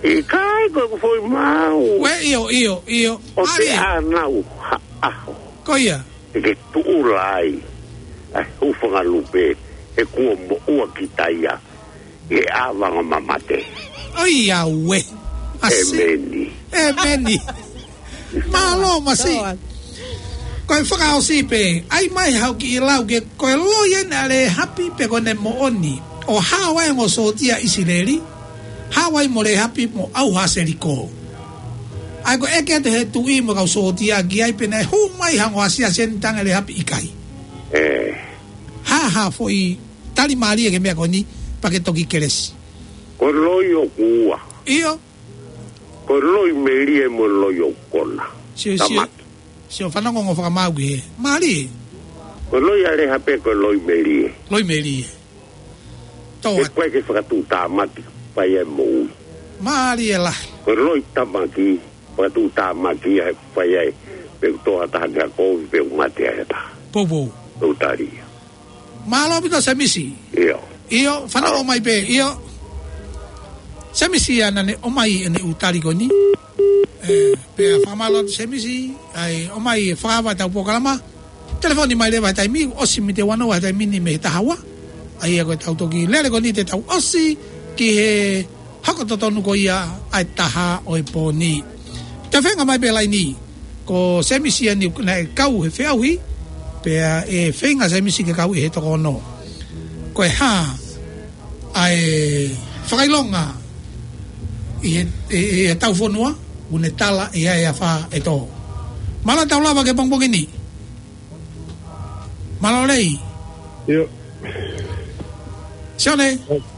ʻIkai ko ʻeku foʻi maau. ʻOue, ʻio, ʻio, ʻio. ʻO te Mālie. ʻanau ha ʻaho. Ko ia. ʻE ke tuʻula ai. ʻAi hūfanga lupe. ʻE kuo moʻua kita ia. ʻI he ʻāvanga mamate. ʻOiauē. Masi. ʻEmeni. ʻEmeni. Mālō Masi. Ko e fakaʻosi pē, ʻai mai haʻo kiʻi lau ke ko e loi ena ʻa Lēhapi pe ko ʻene moʻoni. ʻO hao ai hono sōtia ʻIsileli. Hao ai mo Lēhapi mo ʻauha Seliko. ʻAi ko e ʻeke atu he tuʻi mo e kau sōtia ki ai pe naʻe hū mai ha ongo asiasi eni tange Lēhapi ʻikai. ʻE. Hā ha foʻi tali mālie ki he meʻa ko eni pea ke toki kelesi. Ko e loi ʻoku ua. ʻIo. Ko e loi melie mo e loi ʻoku kona. Sio, sio. Tamaki. Sio fanongo hono fakamaau ki he. Mālie. Ko e loi ʻa Lēhapi ko e loi melie. Loi melie. Tō atu. ʻIkai ke fakatuʻutāmaki, fai ai moʻui. Mālie lahi. Ko e loi tamaki, fakatuʻutāmaki, ʻe fai ai. Pe ʻoku tō ha taha ni ha kovi, pe ʻoku mate ai ha taha. Poupou. Pe ʻoku tali ia. Mālō ʻaupito Semisi. ʻIo. ʻIo, fanongo mai pē, ʻio. Semisi ia naʻa ne ʻomai ʻene ʻū tali ko eni. ʻE, pea fakamālō atu Semisi, ʻai ʻomai fakaava ʻetau polokalama. Telefoni mai leva he taimi, ʻosi miniti ʻe uanoa he taimi ni mei he taha ua. ʻA ia ko ʻetau toki lele ko eni te tau ʻosi ki he hoko totonu ko ia ʻa e taha ʻo e pō ni. Te u feinga mai pē laini, ko Semisi eni naʻe kau he feʻauhi, pea ʻe feinga Semisi ke kau ʻi he toko ono. Ko e hā ʻa e fakaʻilonga ʻi he, ʻi, ʻi he tau fonua, ʻoku ne tala ʻe ʻi ai e afā ʻe tō. Mālō tau lava ki he pongipongi ni. Mālō Lei. ʻIo. Sione.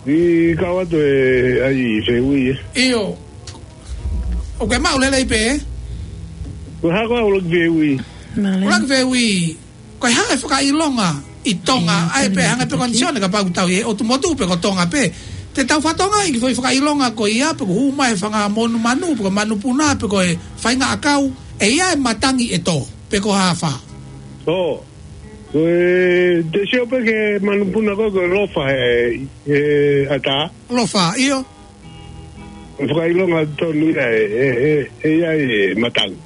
ʻI kau atu e ʻai fehuʻi, ē. ʻIo. ʻOku ke maʻu lelei pē, ē? Ko e hā ko ē ʻuluaki fehuʻi? Mālō. ʻUluaki fehuʻi. Ko e hā e fakaʻilonga ʻi Tonga, ʻai pē hangē pē ko eni Sione kapau ʻoku tau ʻi he ʻotu motu pe ko Tonga pē. Te tau fatonga ʻi he foʻi fakaʻilonga ko ia, pe ʻoku hū mai e fanga monumanu, pe ko e manupuna, pe ko e faʻahinga ʻakau, ʻe ʻi ai e matangi ʻe tō, pe ko e hā e afā. ʻO. Ko e, te sio pē ki he manupuna ko ē, ko e lofa he, he ʻatā. Lofa, ʻio. Fakaʻilonga tonu ia ʻe, ʻe, ʻe, ʻe ʻi ai e matangi.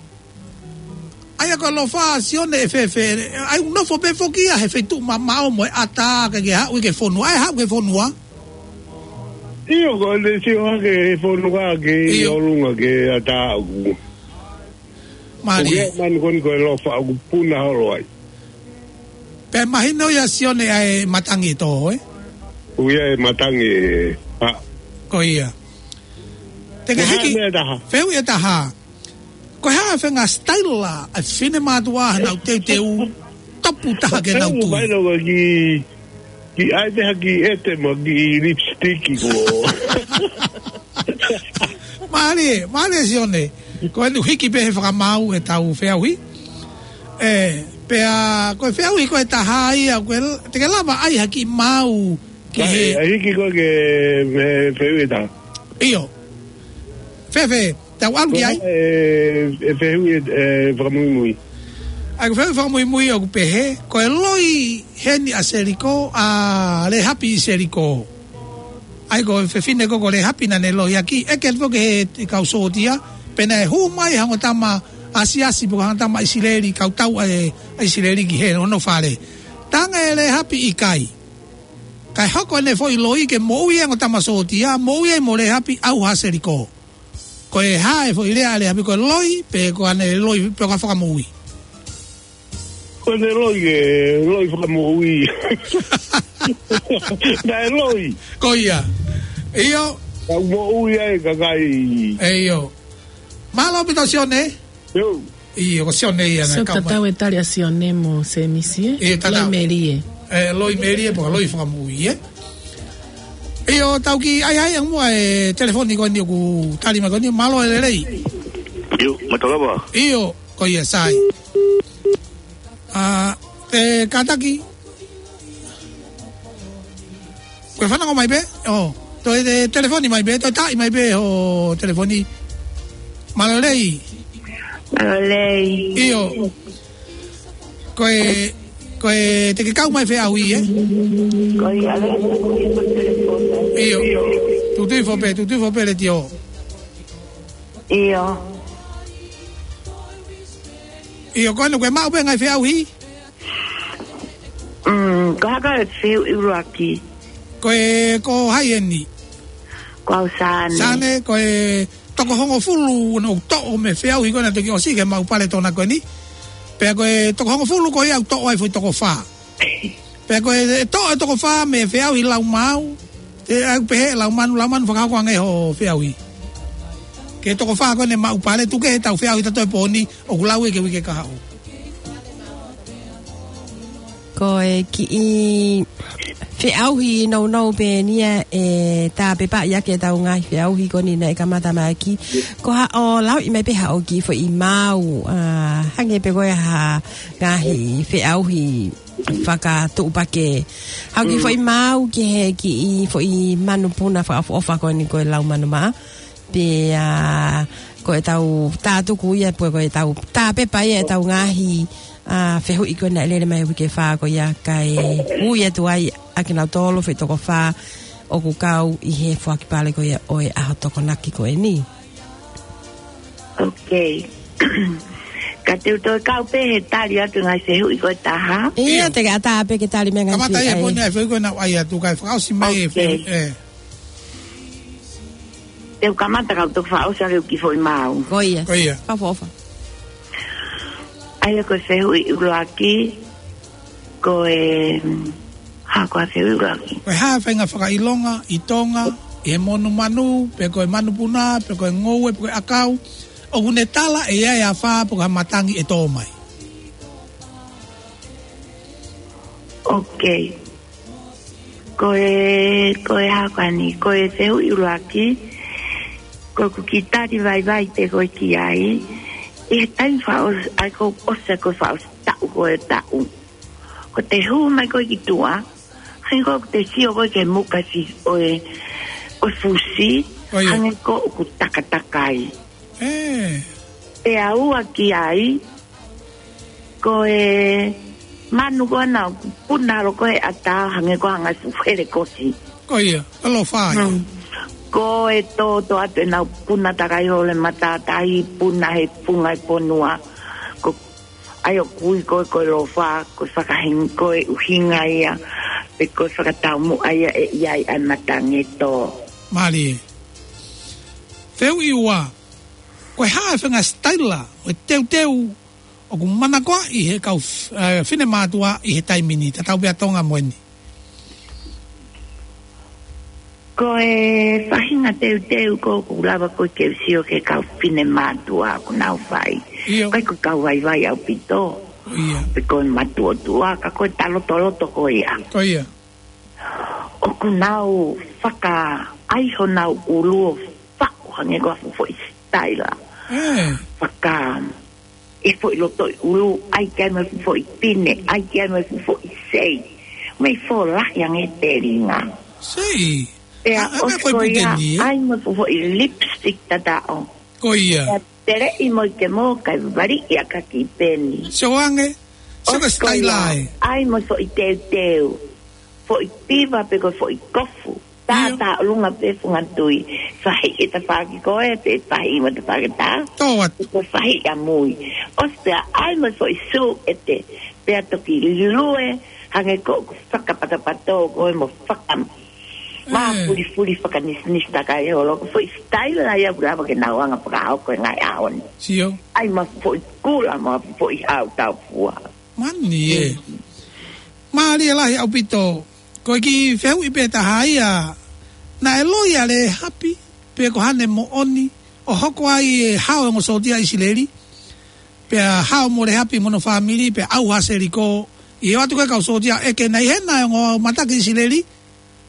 ʻA ia ko e lofa Sione ʻe fēfē, ʻai ʻoku nofo pē foki ia he feituʻu mamaʻo mo e ʻatā ka ke haʻu ki he fonua, ʻai haʻu ki he fonua. ʻIo, ko e te sio hake he fonua ki ʻIo. ʻolunga ki he ʻatā ʻoku. Mālie. Ko ia manu ko eni ko e lofa ʻoku puna holo ai. Pea mahino ia Sione ʻa e matangi ʻe tō, ē? Ko ia e matangi ʻe, ʻa. Ko ia. Te ke Ko e hā hiki, meʻa ʻe taha? Fehuʻi ʻe taha. Ko e hā e faʻahinga style ʻa e finemātuʻa ʻa ʻenau teuteu tapu taha ke nau Ko e tui? Vailo ko ki, ki ai te haki ʻete mo ki lipstick ko. Mālie, mālie Sione. Ko eni hiki pē he fakamaau ʻetau fehuʻi. ʻE, pea, ko e fehuʻi ko e taha ia, ko e, te ke lava ʻai ha kiʻi maau ki Ka, he ʻe, ʻe hiki ko ke me fehuʻi ʻe taha. ʻIo. Fēfē, tau ʻalu ki ai? ʻE, ʻe fehuʻi ʻe, ʻe fakamuimui. ʻAi, ko e fehuʻi fakamuimui ʻoku pehē, ko e loi heni ʻa Seliko, ʻa Lehapi ʻi Seliko. ʻAi, ko e fefine ko ko Lehapi naʻa ne lohiaki, ʻeke atu ki he kau sōtia, pea naʻe hū mai ha ongo tama asiasi pe ko ha ongo tama ʻIsileli, kau tau ʻa e, ʻa ʻIsileli ki he hono fale. Talaange ʻe Lehapi ʻikai. Kae hoko ʻene foʻi loi ke moʻui e ongo tama sōtia, moʻui ai mo Lehapi ʻauha ʻa Seliko. Ko e hā e foʻi lea ʻa Lehapi, ko e loi, pe ko ʻene loi, pe ko ha fakamoʻui? Ko ʻene loi, ʻe loi fakamoʻui. Naʻe loi. Ko ia. ʻIo. Ka moʻui ai kakai. ʻE ʻio. Mālō ʻaupito Sione. ʻIo. ʻIo, ko Sione ia naʻe So, kau mai. Tatau e tali ʻa Sione mo Semisi, ē? ʻIo, tatau. Loi melie. ʻE, loi melie, pe ko ha loi fakamoʻui, ē? ʻIo, tau kiʻi ʻai ʻai ange muʻa e telefoni ko eni ʻoku tali mai ko eni, mālō e lelei. ʻIo, mālō lava. ʻIo, ko ia sai. ʻA, ʻe, kātaki. Ko e fanongo mai pē, ʻo, toe te, telefoni mai pē, toe tali mai pē ʻo telefoni. Mālō e lelei. Mālō e lelei. ʻIo. Ko e, ko e te ke kau mai fehuʻi, ē? Ko ia le, ko ia ko telefoni. ʻIo. Tutuʻi foʻou pē, tutuʻi foʻou pē letiō. ʻIo. ʻIo, ko ena ko e maʻu pē ngaahi fehuʻi? Mm, ko e hā e fehuʻi ʻuluaki? Ko e, ko hai eni? Ko au Sane. Sane, ko e toko hongofulu naʻa ku toʻo mei he fehuʻi ko ena toki ʻosi ke maʻu pale tona ko eni. Pea ko e toko hongofulu ko ia ʻoku toʻo ai foʻi toko fā. Pea ko e toʻo e toko fā mei he fehuʻi lau maau. ʻE au pehē lau manu, lau manu fakahoko ange ho fehuʻi. Ke toko fā ko ena maʻu pale tuku ke tau fehuʻi tautolu he pō ni, ʻoku lau ia ki he uike kahaʻu. Ko e kiʻi fehuʻi nounou pē eni ia ʻe tāpepaʻi ʻaki ʻetau ngaahi fehuʻi ko eni naʻe kamata mai ʻaki. Ko haʻo lauʻi mai pē haʻo kiʻi foʻi maau, ʻa, hangē pē ko e hā ngaahi fehuʻi fakatuʻupakē. Haʻo kiʻi Mm. foʻi maau ki he kiʻi foʻi manu puna fakaʻofoʻofa ko eni ko e lau manu maʻa. Pea ko ʻetau tātuku ia, pe ko ʻetau tāpepa ia ʻetau ngaahi, ʻa, fehuʻi ko ena ʻe lele mai uike fā ko ia kae ui atu ai ʻa kinautolu foʻi toko fā ʻoku kau ʻi he foaki pale ko ia ʻo e ʻaho Tokonaki ko eni. Ok. Ka te u toe kau pē he tali atu ngaahi fehuʻi ko e taha. ʻIo, ʻIo. te ke ʻatā pē ke tali mai ngaahi Kamata ia fehuʻi. pō ni ʻa e fehuʻi ko ena ʻai atu kae fakaʻosi mai e Ok. fehuʻi, ʻe. Te u kamata kau toki fakaʻosi ʻaki e kiʻi foʻi maau. Ko ia. Ko ia. Fakaʻofoʻofa. ʻAi ko e fehuʻi ʻuluaki, ko e, hā ko e fehuʻi ʻuluaki? Ko e hā e faʻahinga fakaʻilonga ʻi Tonga, ʻi he monumanu, pe ko e manu puna, pe ko e ngoue, pe ko e ʻakau, ʻoku ne tala ʻe ʻi ai e afā, pe ko ha matangi ʻe tō mai. Ok. Ko e, ko e hā ko eni, ko e fehuʻi ʻuluaki, ko ʻeku kiʻi tali vaivai pē ko ē ki ai, ʻi he taimi fakaʻosi, ʻai ko ʻosi ko e fakaʻosi taʻu ko e taʻu. Ko te hū mai ko ē ki tuʻa, hangē ko te sio ko ē ki he muka si ʻo e, ʻo e fusi, ʻO ia. hangē ko ʻoku takatakai. ʻE. Pea ua ki ai, ko e manu ko ena ʻoku puna holo ko ē ʻatā hangē ko ha ngaahi fuʻu helekosi. Ko ia, ʻalofa ia. Mm. Ko e tōtō atu ʻenau puna takai holo e matātahi puna he funga e fonua. Ko ai ʻoku ui ko ē ko e lofa, ko e fakahinga ko e ʻuhinga ia, pe ko e fakataumuʻa ia ʻe ʻi ai ʻa e matangi ʻe tō. Mālie. Fehuʻi ua. Ko e hā e faʻahinga sitaila ʻo e teuteu ʻoku manakoaʻi he kau f-, ē, finemātuʻa ʻi he taimi ni, tatau pē ʻa Tonga mo eni? Ko e faʻahinga teuteu ko ē ʻoku lava ko ē ke u sio ki he kau finemātuʻa ʻoku nau fai. ʻIo. ʻIkai ko e kau vaivai ʻaupito. ʻIo. Pe ko e matuʻotuʻa, ka ko e talotoloto ko ia. Ko ia. ʻOku nau fakaʻai honau ʻulu ʻo faʻu hangē ko ha fuʻu foʻi sitaila. Ē. Faka-, ʻi he foʻi loto ʻulu, ʻai ki ai mo e fuʻu foʻi pine, ʻai ki ai mo e fuʻu foʻi sei. Mei fōlahi ange telinga. Sei. Pea ʻa, ʻa, ʻosi ko ia, puke ni, ē? ʻAi mo e fuʻu foʻi lipstick tataʻo. Ko ia. Pea teleʻi mo e kemo kae vali ia ka ki peni. Sio ange. Sio ka ʻosi ko ia, sitaila ē. ʻAi mo e foʻi teuteu. Foʻi piva pe ko e foʻi kofu. Tā, ʻio, tā ʻolunga pē funga tui. Faʻahi e tafaʻaki ko ē, pe faʻahi mo e tafaʻaki tā. Tō atu. Ko e faʻahi ʻamui. ʻOsi pea ʻai mo e foʻi sū ʻete. Pea toki lue, hangē ko ē ʻoku fakapatapatō ko ē mo faka-, mā, ē, fulifuli fakanisinisi takai holo. Ko e foʻi sitaila ia ʻoku lava ke nau anga fakahoko he ngaahi ʻaho ni. Sio. ʻAi mo e foʻi kula mo e foʻi hau tau fua. Mani ē. Mm. Mālie lahi ʻaupito. Ko e kiʻi fehuʻi pē taha ia, naʻe loi ʻa Lēhapi, pe ko haʻane moʻoni, ʻo hoko ai e hao e ongo sōtia ʻIsileli, pea hao mo Lēhapi mo hono fāmili, pea ʻauha Seliko, ʻi he ʻoatu ko ē kau sōtia ʻeke naʻe ʻi hena e ongo mataki ʻIsileli,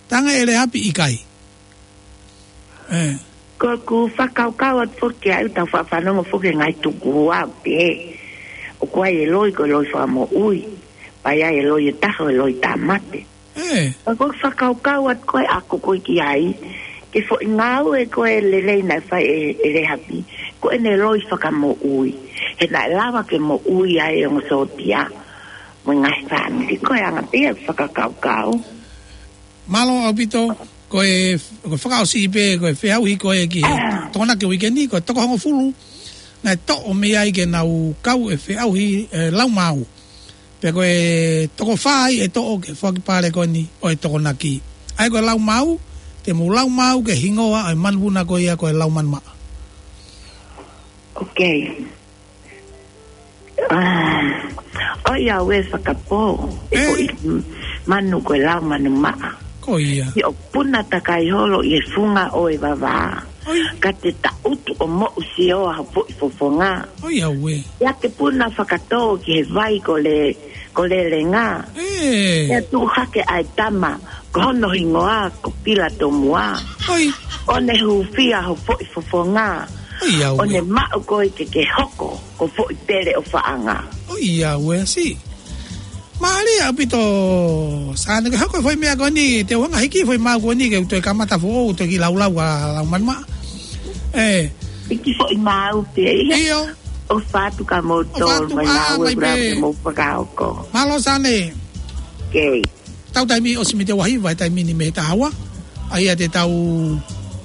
talaange ʻe Lēhapi ʻikai. Ē. Ko ʻeku fakakaukau atu foki ʻa e tau faʻa fanongo foki e ngaahi tukuhua pē. ʻOku ʻi ai e loi ko e loi fakamoʻui. Pea ʻi ai e loi ʻe taha ʻo e loi tāmate. Ē. Ka ko ʻeku fakakaukau atu ko ē ʻaku ko ē ki ai, ki he foʻi ngāue ko ē lelei naʻe fai ʻe, ʻe Lēhapi, ko ʻene loi fakamoʻui. He naʻe lava ke moʻui ai e ongo sōtia. Mo e ngaahi fāmili ko e anga pē ia ʻeku fakakaukau. Mālō ʻaupito, ko e, ko e fakaʻosi pē, ko e feʻauhi ko ē ki he Tokonaki uike ni, ko e toko hongofulu naʻe toʻo mei ai ke nau kau he feʻauhi, ē, laumāu. Pea ko e toko fā ia ʻe toʻo ki he foaki pale ko eni ʻo e Tokonaki. ʻA ia ko e laumāu, te mou laumāu ki he hingoa ʻo e manupuna ko ia ko e Laumanu Maʻa. Ok. Ah, ʻoiauē fakapō, ē, ko e manu ko e Laumanu Maʻa. Ko ia. ʻIo, puna takai holo ʻi he funga ʻo e vavā. ʻOi. Ka te taʻutu ʻo moʻusioa ha foʻi fofonga. ʻOiauē. ʻIa ke puna fakatō ki he vai ko Le, ko Lelenga. Ē. ʻIa tuʻu hake ʻa e tama, ko hono hingoa, ko Pilatomua. ʻOi. ʻO ne hūfia ho foʻi fofonga. ʻOiauē. ʻO ne maʻu koe ke ke hoko ko foʻi pele ʻofaʻanga. ʻOiauē, sī. Mālie ʻaupito, Sane, ke hoko foʻi meʻa ko eni, te u hanga hiki foʻi maau ko eni, ke u toe kamata foʻou, toe kiʻi laulau ʻa Laumanu Maʻa. Ē. Hiki foʻi maau pē ia. ʻIo. ʻOfa atu kia moutolu, ʻofa atu, mai ā, ngāue mai pē. Kura pē mo fakahoko. Mālō Sane. Ok. Tau taimi ʻosi mei he ua hiva he taimi ni mei he taha ua. ʻA ia te tau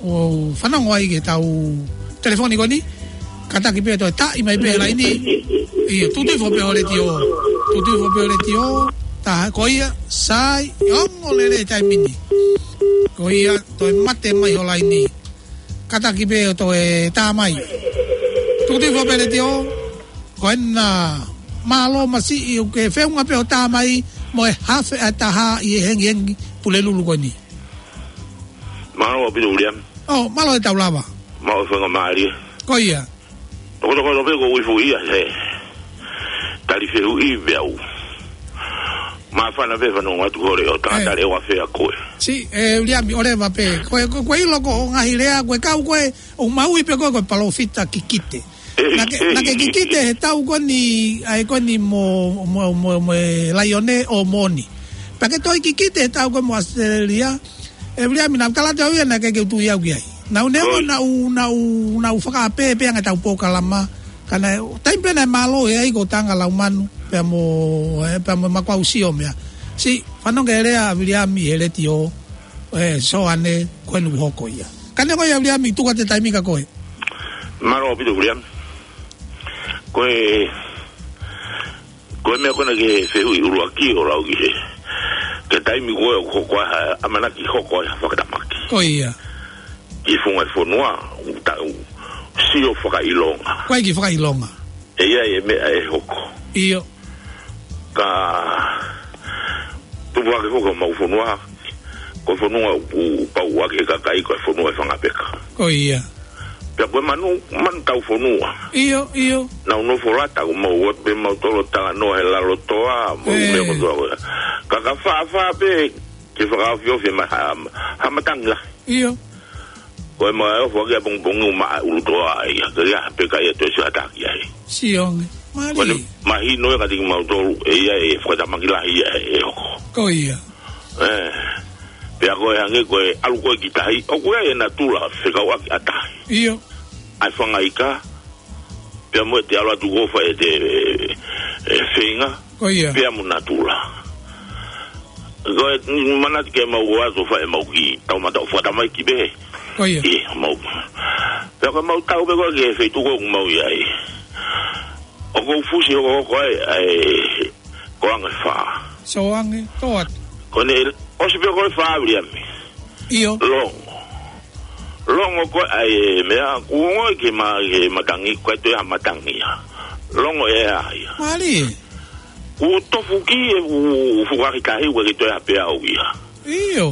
ō fanongo ai ki he tau telefoni ko eni. Kātaki pē toe taʻi mai pē laini. ʻIo, tuʻutuʻu hifo pē ho letiō. Tuʻutuʻu hifo pē ho letiō. Tā ko ia, sai, ongo lelei taimi ni. Ko ia, toe mate mai ho laini. Kātaki pē ʻo toe tā mai. Tuʻutuʻu hifo pē letiō. Ko ena, mālō masiʻi ʻoku ke feʻunga pē ʻo tā mai mo e hafe ʻa e taha ʻi he hengihengi Pulelulu ko eni. Mālō ʻaupito Uliami. ʻŌ, mālō e tau lava. Mālō e faingamālie. Ko ia. Tokotoko pē ko uifu ia he tali fehuʻi pē au. Māfana pē fanongo atu hore ʻo tā, ē, tali ʻe ua fea koe. Sī, ē, Uliami, ʻoleva pē. Ko e, ko e, ko e ʻilo ko ʻo ngaahi lea, ko e kau ko ē, ʻo maui pē ko e, ko e palōfita kikite. Naʻa ke, naʻa ke kikite he tau ko eni, ʻa e ko eni mo, mo, mo, mo e laione ʻo moʻoni. Pea ke toe kikite he tau ko ē mo ʻAositelēlia, ē Uliami, naʻa ku tala atu au ia naʻa ke, ke u tui au ki ai. Naʻa ku neongo, ʻoi, naʻa ku, naʻa ku, naʻa ku fakaʻapē pē ange tau polokalama. Ka naʻe, taimi pē naʻe mālō he ʻai ko Tanga Laumanu, pea mo, ē, pea mo Makuau Sio meʻa. Sī, fanongo ki he lea ʻa Uliami he letiō, ē, Soane, ko eni ʻoku hoko ia. Ka neongo ia Uliami, tuku atu e taimi kia koe. Mālō ʻaupito Uliami. Ko e, ko e meʻa ko ena ki he fehuʻi ʻuluaki ʻo lau ki he, ki he taimi ko ē ʻoku hoko ai ha, ʻamanaki hoko ai ha fakatamaki. Ko ia. Ki he funga e fonua, ʻoku tau, sio fakaʻilonga. Ko e kiʻi fakaʻilonga. ʻE ʻi ai e meʻa ʻe hoko. ʻIo. Ka tupu hake foki homau fonua, ko e fonua ʻoku pau ʻaki e kakai, ko e fonua ʻo e fanga peka. Ko ia. Pea ko e manu, manu taufonua. ʻIo, ʻio. Nau nofo lata, ko mau ʻoatu pē mautolu talanoa he lalo toa, mo e ʻū meʻa kotoa ko ia. Ka ka fāfā pē, ke fakaofiofi mai ha, ha matangi lahi. ʻIo. Ko e meʻa ʻe ofo ʻaki ʻapongipongi ʻo maʻa ʻulutoa ia, ka ia pē ka ia toe sio atu ki ai. Sio ange. Ko ʻene mālie. Mahino ia kiate kimautolu, ʻe ʻi ai e fakatamaki lahi ia ʻe hoko. Ko ia. ʻE. Pea ko e hangē ko e ʻalu ko ē ki tahi, ʻoku ʻi ai e natula fekauʻaki ʻa tahi. ʻIo. ʻA e fanga ika, pea mo e te ʻalu atu ko fai e te, e, e feinga, Ko ia. pea mo natula. Ko e manatu ke mau ō atu fai ʻemau kiʻi tau mata ʻo fakatamaiki pē. Ko ia. ʻI, mau. Pea ko ʻemau tau pē ko ē ki he feituʻu ko ē ʻoku mau ʻi ai. ʻOku ou fusi hokohoko ai, ʻa e, ko ange fā. Sio ange, tō atu. Ko ʻene, ʻosi pē ko e fā Viliami. ʻIo. Longo. Longo ko ē ʻa e meʻa, kuo ongo ki he ma-, ki he matangi, ko e toe ha matangi ia. Longo ʻe ʻai ia. Mālie. Kuo tofu ki he u-, u-, fuka ki tahi, ʻoku ʻikai ke toe ha peau ia. ʻIo.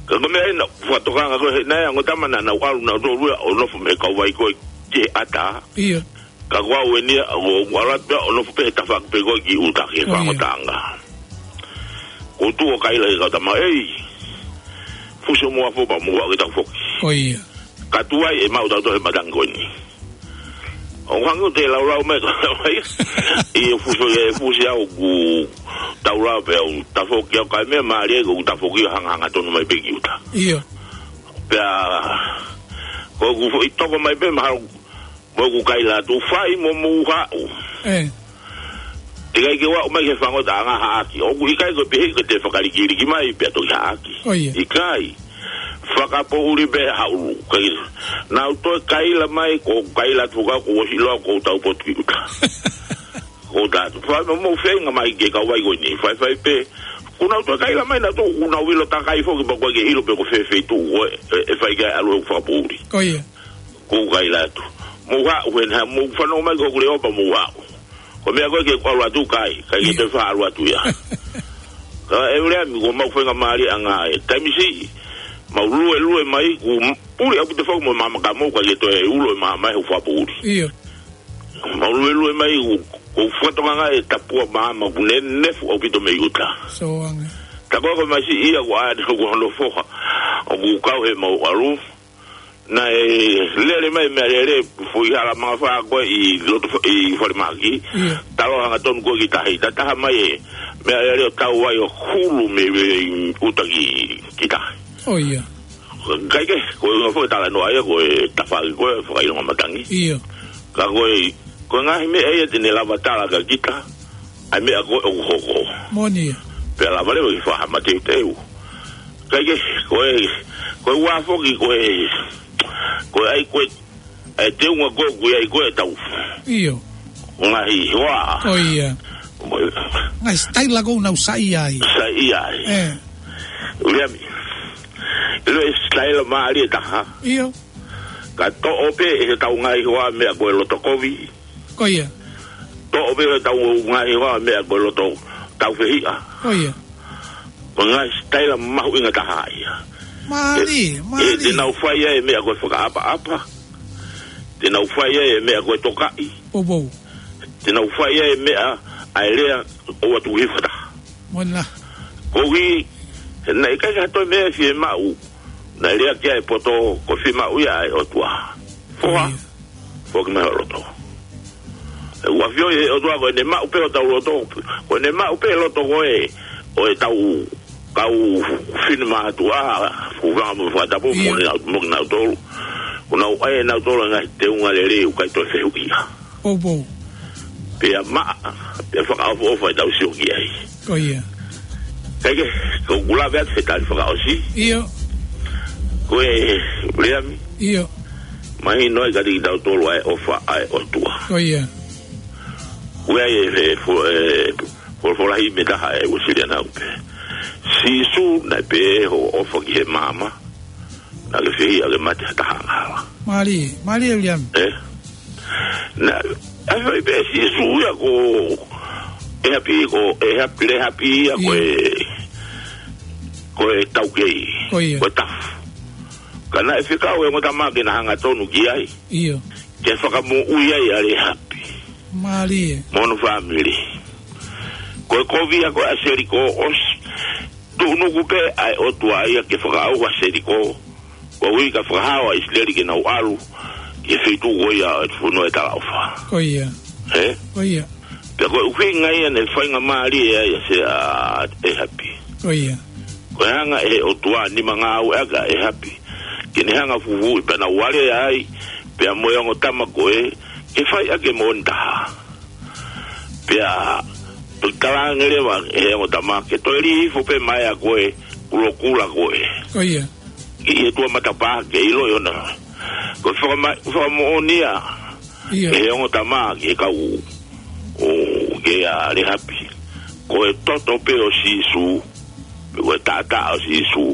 Ka ko e meʻa ʻena, fakatokanga ko ē, naʻe ongo tama naʻa nau ʻalu nautolu ia, ʻo nofo mei he kauvai ko ē ki he ʻata. ʻIo. Ka ko au eni ia, ʻoku ou ʻalu atu pē, ʻo nofo pē he tafaʻaki pē ko ē ki ʻuta ki he Ko ia. fāngotaʻanga. Ko u tuʻu ʻo kaila ki he kau tama, ei, fusi hoʻomou afo pea mou aʻu ki taʻu foki. Ko ia. Ka tuai ʻe maʻu tautolu he matangi ko eni. ʻOku hangē ʻoku te laulau mai, ka mai. ʻI he fusi, ʻi he fusi au ʻoku tau lau pē au, tafoki au ka e meʻa mālie ʻoku tafoki ʻo hangahanga tonu mai pē ki ʻuta. ʻIo. Pea, ko ʻeku foʻi toko mai pē mahalo mo ʻeku kaila atu, fai mo mou haʻu. ʻE. ʻIkai ke u aʻu mai ki he fāngotaʻanga haʻaki. ʻOku ʻikai ko e pehē ke te fakalikiliki mai pea toki haʻaki. Ko ia. ʻIkai. Fakapoʻuli pē haʻulu. Kai. Nau toe kaila mai, ko u kaila atu ka ko u ʻosi ʻiloa ko u tau potu ki ʻuta. Ko u tatu. Fai mo mou feinga mai ki he kauvai ko eni. Faifai pē. Kuo nau toe kaila mai nautolu, kuo nau ʻilo takai foki pea ʻoku ʻikai ke ʻilo pe ko fē feituʻu ko ē, ʻe, ʻe fai ki ai ʻalu ʻo fakapoʻuli. Ko ia. Ko u kaila atu. Mou haʻu hena, mou fanongo mai ko ʻeku leʻo pea mou haʻu. Ko e meʻa ko ē ke u ʻalu atu kai, kai ke Ia. te fa ʻalu atu ia. Ka e ule ami, ko mau feinga mālie ʻanga e. Taimi siʻi, mau luelue mai, kuo m-, puli ʻaupito foki mo e maama ka mou, kai ke toe ulo e maama he ʻoku fakapoʻuli. ʻIo. Mau luelue mai, kuo, ko u fakatokanga e tapua maama, kuo ne nefu ʻaupito mei ʻuta. Sio ange. Ta ko e ko mai siʻi ia, kuo ʻai atu ko hono foha. ʻOku kau he mau ʻalu. Naʻe lele mai meʻalele, foʻi hala mangafā ko ē ʻi loto fo-, ʻi falemahaki. ʻIo. Talo hangatonu ko ē ki tahi. Ta taha mai e meʻalele ʻo tau ai ʻo hulu mei, mei ʻuta ki, ki tahi. ʻO ia. Kai ke, ko e ngaahi foʻi talanoa ia, ko e tafaʻaki ko ē, fakaʻilonga matangi. ʻIo. Ka ko e, ko e ngaahi meʻa ia te ne lava tala kia kita. ʻA e meʻa ko ē ʻoku hoko. Moʻoni ia. Pea lava leva ke fakahaʻu mateuteu. Kai ke, ko e, ko e ua foki, ko e, ko e ʻai, ko e, ʻa e teunga ko ē, ko e ʻai, ko e tau. ʻIo. Ngaahi hoa. Ko ia. Mo e. Ngaahi sitaila ko ē ʻoku nau saiʻia ai. Saiʻia ai. ʻE. Uliami. ʻIlo e sitaila mālie taha. ʻIo. Ka toʻo pē ʻe he tau ngaahi hoa meʻa ko e loto kovi. Ko ia. Toʻo pē ʻe he tau ngaahi hoa meʻa ko e loto tau fehiʻa. Ko ia. Ko e ngaahi sitaila mahuʻinga taha ia. Mālie, ʻE, ʻe, mālie. Te nau fai ai e meʻa ko e fakaʻapaʻapa. Te nau fai ai e meʻa ko e tokaʻi. Poupou. Te nau fai ai e meʻa ʻa e lea ʻoua tuku hifo taha. Moʻoni. Koeʻuhi, naʻe ʻikai ke ha toe meʻa ʻe fiemaʻu. Naʻe lea ki ai e poto, ko e fiemaʻu ia ʻa e ʻOtua. Foha. Ko ia. Foki mai ho loto. ʻOku ʻafioʻi ʻe he ʻOtua ko ʻene maʻu pē hotau loto. Ko ʻene maʻu pē loto ko ē ʻo e tau kau finemātuʻa, fuʻu fanga mo fakatapu, Ia. mo kinautolu, mo kinautolu. Ko nau ʻai ʻe nautolu ngaahi teunga lelei ʻoku ʻikai toe fehuʻia. Poupou. Pea maʻa, pea fakaʻofoʻofa e tau sio ki ai. Ko ia. Kai ke, ko u kula pea te tali fakaʻosi. ʻIo. Ko e, Uliami. ʻIo. Mahino ai kiate kitautolu ʻa e ʻofa ʻa e ʻOtua. Ko ia. Ko e ʻai e, e, fo-, e, fo-, folahi mei taha e Uēsiliana ʻoku pehē. Sīsū naʻe pehē hoʻo ʻofa ki he maama. Naʻa ke fehiʻa ke mate ha taha angahala. Mālie, mālie Uliami. ʻE? Na, ʻa e fai pē Sīsū ia ko e hapi, ko e hapi, le hapi ia ko e, ko e taukei, Ko ia. ko e tafu. Ka naʻe fekau e ongo tama ke na hangatonu ki ai. ʻIo. Ke fakamoʻui ai ʻa le hapi. Mālie. Mo hono fāmili. Ko e kovi ia ko ē ʻa Seliko ʻosi. Tuʻunuku pē ʻa e ʻOtua ia ke fakaʻauha Seliko. Koeʻuhi ka fakahao ʻa ʻIsileli ke nau ʻalu ki he feituʻu ko ia ʻo e fonua ʻe talaʻofa. Ko ia. He? Ko ia. Pea ko e ʻuhinga ia naʻe faingamālie ai ʻa se ʻa ʻEhapi. Ko ia. Ko e hanga ʻe he ʻOtua nima ngāueʻaki ʻa ʻEhapi. Ke ne hanga fufuuʻi pea nau ʻalu ai, pea mo e ongo tama ko ē, ke fai ʻaki e moʻoni taha. Pea, pea talaange leva ʻe he ongo tama, ke toe lī hifo pē mai ʻa ko e, kulokula ko ē. Ko ia. ʻI he tuʻa matapā ke ʻilo ʻi ʻona. Ko e fakama-, fakamoʻoni ia. ʻIo. ʻE he ongo tama ke kau ʻo ke ʻa ʻEhapi. Ko e toto pē ʻo Sīsū. Ko e taʻataʻa ʻo Sīsū.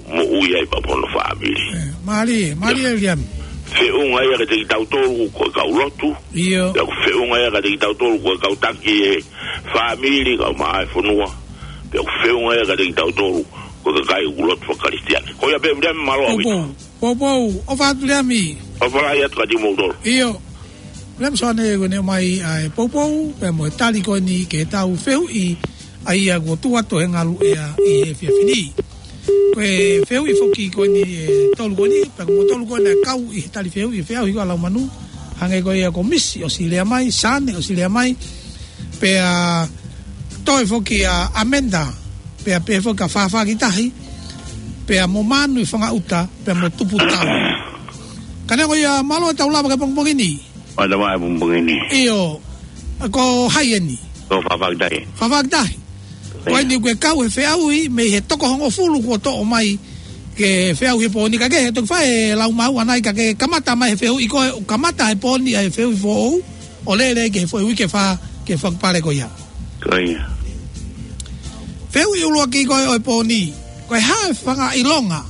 Moʻui ai pea mo hono fāmili. ʻE, mālie, mālie Ia. Liami. Feʻunga ia kiate kitautolu ko e kau lotu. ʻIo. Ia ko e feʻunga ia kiate kitautolu ko e kau taki e fāmili, kau maʻa e fonua. Ia ko e feʻunga ia kiate kitautolu ko e kakai ʻoku lotu fakakalisitiane. Ko ia pē Liami, mālō ʻaupito. Poupou, poupou, ʻofa atu Liami. ʻOfa lahi atu kiate kimoutolu. ʻIo. Liami Soane ko eni mai ʻa e poupou, pea mo e tali ko eni ki heʻetau fehuʻi, ʻa ia kuo tuʻu atu he ngaluʻea ʻi he efiafi ni. Ko e fehuʻi foki ko eni ʻe tolu ko eni, pea ko e tolu ko eni ʻe kau ʻi he tali fehuʻi, fehuʻi ko ē ʻa Laumanu, hangē ko ia ko Misi ʻosi lea mai, Sane ʻosi lea mai, pea toe foki ʻa Amenda, pea pehē foki ʻa Fafakitahi, pea mo Manu ʻi Fangaʻuta, pea mo Tuputau. Ka neongo ia, mālō ʻetau lava ki he pongipongi ni. Mālō mai pongipongi ni. ʻIo, ko hai eni? Ko Fafakitahi. Fafakitahi. Ko eni kuo kau he feʻauhi, mei he toko hongofulu kuo toʻo mai ke feʻauhi he pō ni, ka ke he toki fai e lau maʻu ʻanai ka ke kamata mai he feʻauhi ko e, kamata he pō ni ʻa e feʻauhi foʻou, ʻo lele ki he foʻi uike fā ke fakapale ko ia. Ko ia. Fehuʻi ʻuluaki ko ē ʻo e pō ni, ko e hā e fanga ʻilonga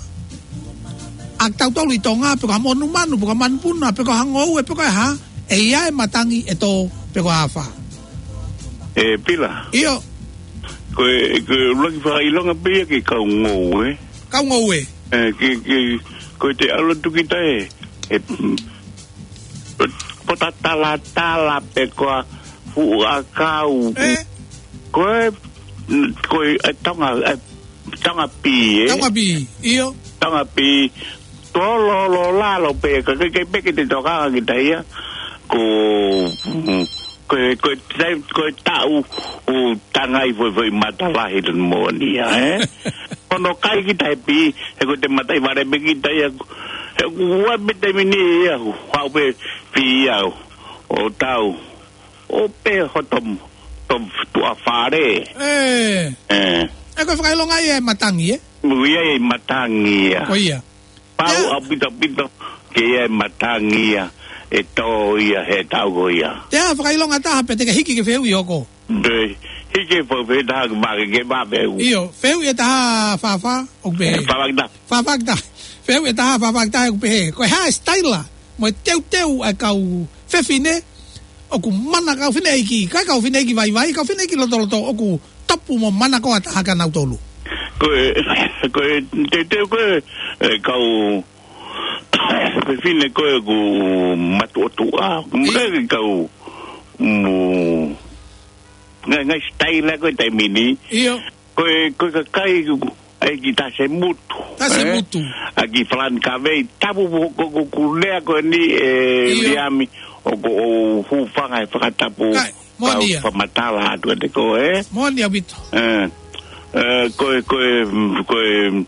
ʻa kitautolu ʻi Tonga, pe ko ha monumanu, pe ko ha manupuna, pe ko ha ngoue, pe ko e hā, ʻe ʻi ai e matangi ʻe tō, pe ko e afā. ʻE Pila. ʻIo. Ko e, ko e ʻuluaki fanga ʻilonga pē ia ki he kau ngoue. Kau ngoue. ʻE, ki, ki, ko e te ʻalu atu kita ē, ʻe, mm, pota talatala pe ko ha fuʻu ʻakau. ʻE? Ko e, ko e, ʻe Tonga, ʻe Tonga pī, ē? Tonga pī, ʻio. Tonga pī, tololo lalo pē, ka ke, ke pē ke te toka ki taia, ko, mm, ko e, ko e, tai-, ko e taʻu ʻo tangai foʻi, foʻi matalahi tonu moʻoni ia, ē? Ono kai kita he pī, he ko e te mataʻivale pē kita ia, he ʻoku ua pē taimi ni ia, ʻoku haʻu pē pī ia, ʻo tau, ʻo pē hoto, to tuʻa fale. ʻE. ʻE. ʻE ko e fakaʻilonga ia e matangi, ē? Mo ia e matangi ia. Ko ia. Pau Ia. ʻaupito ʻaupito ke ʻi ai e matangi ia, ʻe tō ia he taʻu ko ia. Te ʻai ha fakaʻilonga ʻe taha pea te ke hiki ki he fehuʻi hoko. Te hiki foʻi fehuʻi ʻe taha ke make ke mape u. ʻIo, fehuʻi ʻe taha Fafa, ʻoku pehē. Fafakitahi. Fafakitahi. Fehuʻi ʻe taha Fafakitahi ʻoku pehē. Ko e hā e sitaila mo e teuteu ʻa e kau fefine, ʻoku mana kau fineʻeiki, ka kau fineʻeiki vaivai, kau fineʻeiki lotoloto, ʻoku tapu mo mana ko ʻa taha kia nautolu. Ko e, ko e, teuteu ko e, e kau fefine ko ē ʻoku matuʻotuʻa, ʻIo. Ngaahi kau, mo, ngaahi, ngaahi sitaila ko e taimi ni. ʻIo. Ko e, ko e kakai, ʻai ki tā se mutu. Tā se Ē? mutu. ʻAi ki Falani Kavei, tapu ko, ko, ko, ko lea ko eni ʻe ʻIo. Liami, ʻoku ou hūfanga he fakatapu Kai, moʻoni kau ia. fakamatala atu ʻa te ko, ē? Moʻoni ʻaupito. Ē, ē, ko e, ko e, ko e,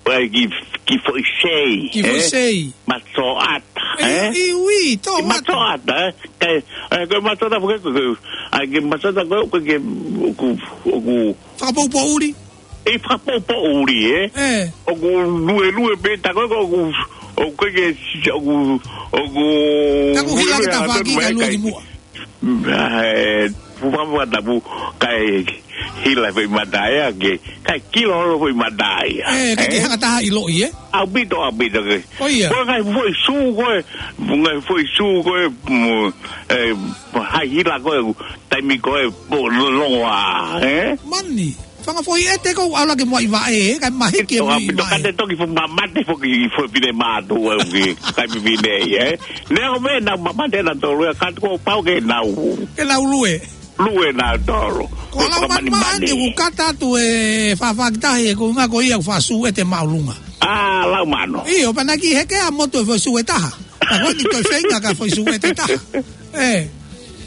ʻai ki, ki foʻi sei, Ki foʻi ē? sei. Masoʻata, Ē, ē? ʻi ui, tō Ki mata. masoʻata, ē? Kai, ē, ko e masoʻata, ko e, ko e, ʻai ki masoʻata, ko e, ko e, ko e, ko e, Fakapoupoʻuli. ʻI fakapoupoʻuli, ē? ʻE. ʻOku luelue pē tā ko ē, ʻoku, ʻoku ke, ʻoku, ʻoku Taku hila luelue ke tā atu fāki mai ka lua kai. ki muʻa. ʻE, fufafufa tapu, kai, hila foʻi mata ia ke, kae kilo holo foʻi mata ia. Ē, kae ke hanga taha ʻiloʻi, ē? ʻAupito, ʻaupito ke. Ko ia. Ko e ngaahi foʻi sū ko ē, ngaahi foʻi sū ko ē, mo, ē, hai hila ko ē, taimi ko ē, po, lo-, longoaʻa, ē? Mani, fanga foʻi ʻete ko ē, ʻalu ke mo ʻi vaʻe, ē, kae mahiki e mo ʻi ʻAupito vaʻe. Ka te toki fuʻu mamate foki, foʻi fefine mātuʻa, ē, ki, kae fefine, ē? Neongo pē naʻa mamate nautolu, ē, ka ko pau ke nau. Ke nau lue. Lue nautolu. Ko e lau manu maʻa ni, ʻoku kata atu e fafaki tahi ʻe ko ngā ko ia ʻoku faʻa sū ʻete māʻolunga. ʻA, lau manu. ʻIo, pea naʻe ʻikai heke ʻa motu e foʻi sū ʻe taha. Ka ko eni toe feinga ka foʻi sū ʻete taha. Ē.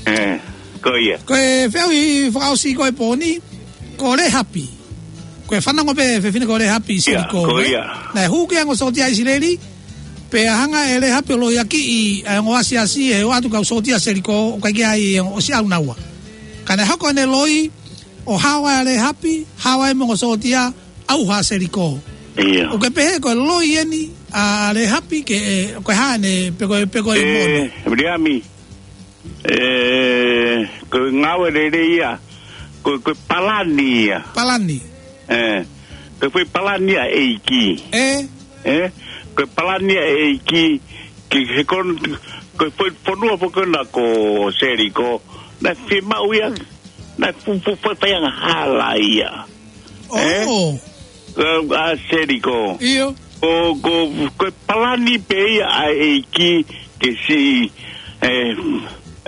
Ē, ko ia. Ko e feʻauhi fakaʻosi ko e pō ni, ko Lehapi. Ko e fanongo pē fefine ko Lehapi ʻi Selikō, ko ē? Ia, ko ia. Naʻe hū ki he ongo sōtia ʻIsileli, pea hanga ʻe Lehapi ʻo loiakiʻi ʻa e ongo asiasi ʻe ʻoatu kau sōtia Selikō, ʻo ʻikai ke ʻi ai e ongo ʻosi ʻaunaua. Ka naʻe hoko ʻene loi, ʻo hao ai ʻa Lehapi, hao ai mo e ongo sōtia, ʻauha ʻa Selikō. Ia. ʻOku ke pehē ko e loi eni ʻa Lehapi ke, ē, ko e hā ʻene, pe ko e, pe ko e mono. Ē, Viliami. Ē, ko e ngāue lelei ia, ko, ko e palani ia. Palani. Ē, ko e foʻi palani ia ʻa e ʻEiki. Ē? Ē, ko e palani ia ʻa e ʻEiki, ki he kon-, ko e foʻi fonua foki ko ena ko Selikō, naʻe fiemaʻu ia, naʻe fu-, fu-, fu-, fai angahala ia. ʻO. Ē? Ko, ʻa Selikō. ʻIo. Ko, ko, ko e palani pē ia ʻa e ʻEiki ke siʻi, ē,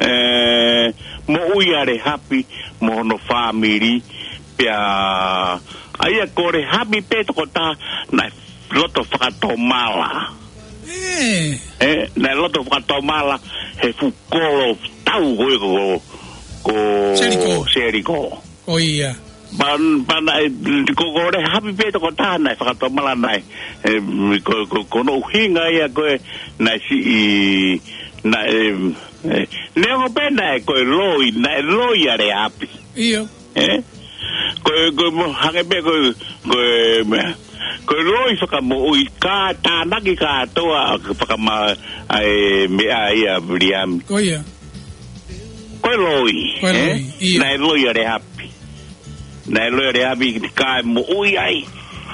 ē, moʻui ʻa Lehapi mo hono fāmili, pea, ʻa ia ko Lehapi pē tokotaha naʻe loto fakatomala. Ē. Ē, naʻe loto fakatomala he fuʻu kolo tau ko ē ko, ko Selikō. Selikō. Ko ia. Pan-, pana e, ko, ko Lehapi pē tokotaha naʻe fakatomala naʻe, ē, ko, ko, ko hono ʻuhinga ia ko ē naʻe siʻi, naʻe, ē, neongo pē naʻe ko e loi, naʻe loi ʻa Lehapi. ʻIo. Ē? Ko e, ko e mo-, hangē pē ko e, ko e meʻa, ko e loi fakamoʻui ka tānaki kātoa fakama-, ʻa e meʻa ia Viliami. Ko ia. Ko e loi, ko e loi, ē? ʻIo. Naʻe loi ʻa Lehapi. Naʻe loi ʻa Lehapi kae moʻui ai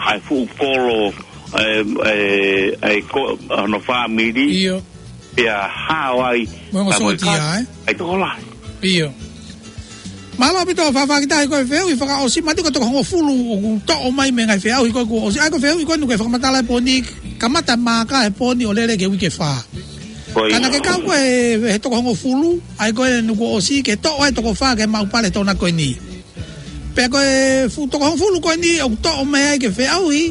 ʻa e fuʻu kolo, ē, ē, ē, ko hono fāmili. ʻIo. Pea hao ai. Mo e ongo sōtia, ē? ʻA e tokolahi. ʻIo. Mālō ʻaupito fafaki tahi ko e feʻauhi fakaʻosi, mati ko e toko hongofulu ʻoku toʻo mai mei he ngaahi feʻauhi ko ē kuo ʻosi. ʻA ia ko e feʻauhi ko ē ʻoku ke fakamatala he pō ni, kamata māka he pō ni ʻo lele ki he uike fā. Ko ia. Ka naʻa ke kau ko ē he, he toko hongofulu, ʻa ia ko ē ʻoku ʻosi ke toʻo ai toko fā ke maʻu pale tōna ko eni. Pea ko e fuʻu toko hongofulu ko eni ʻoku toʻo mai ai ke feʻauhi,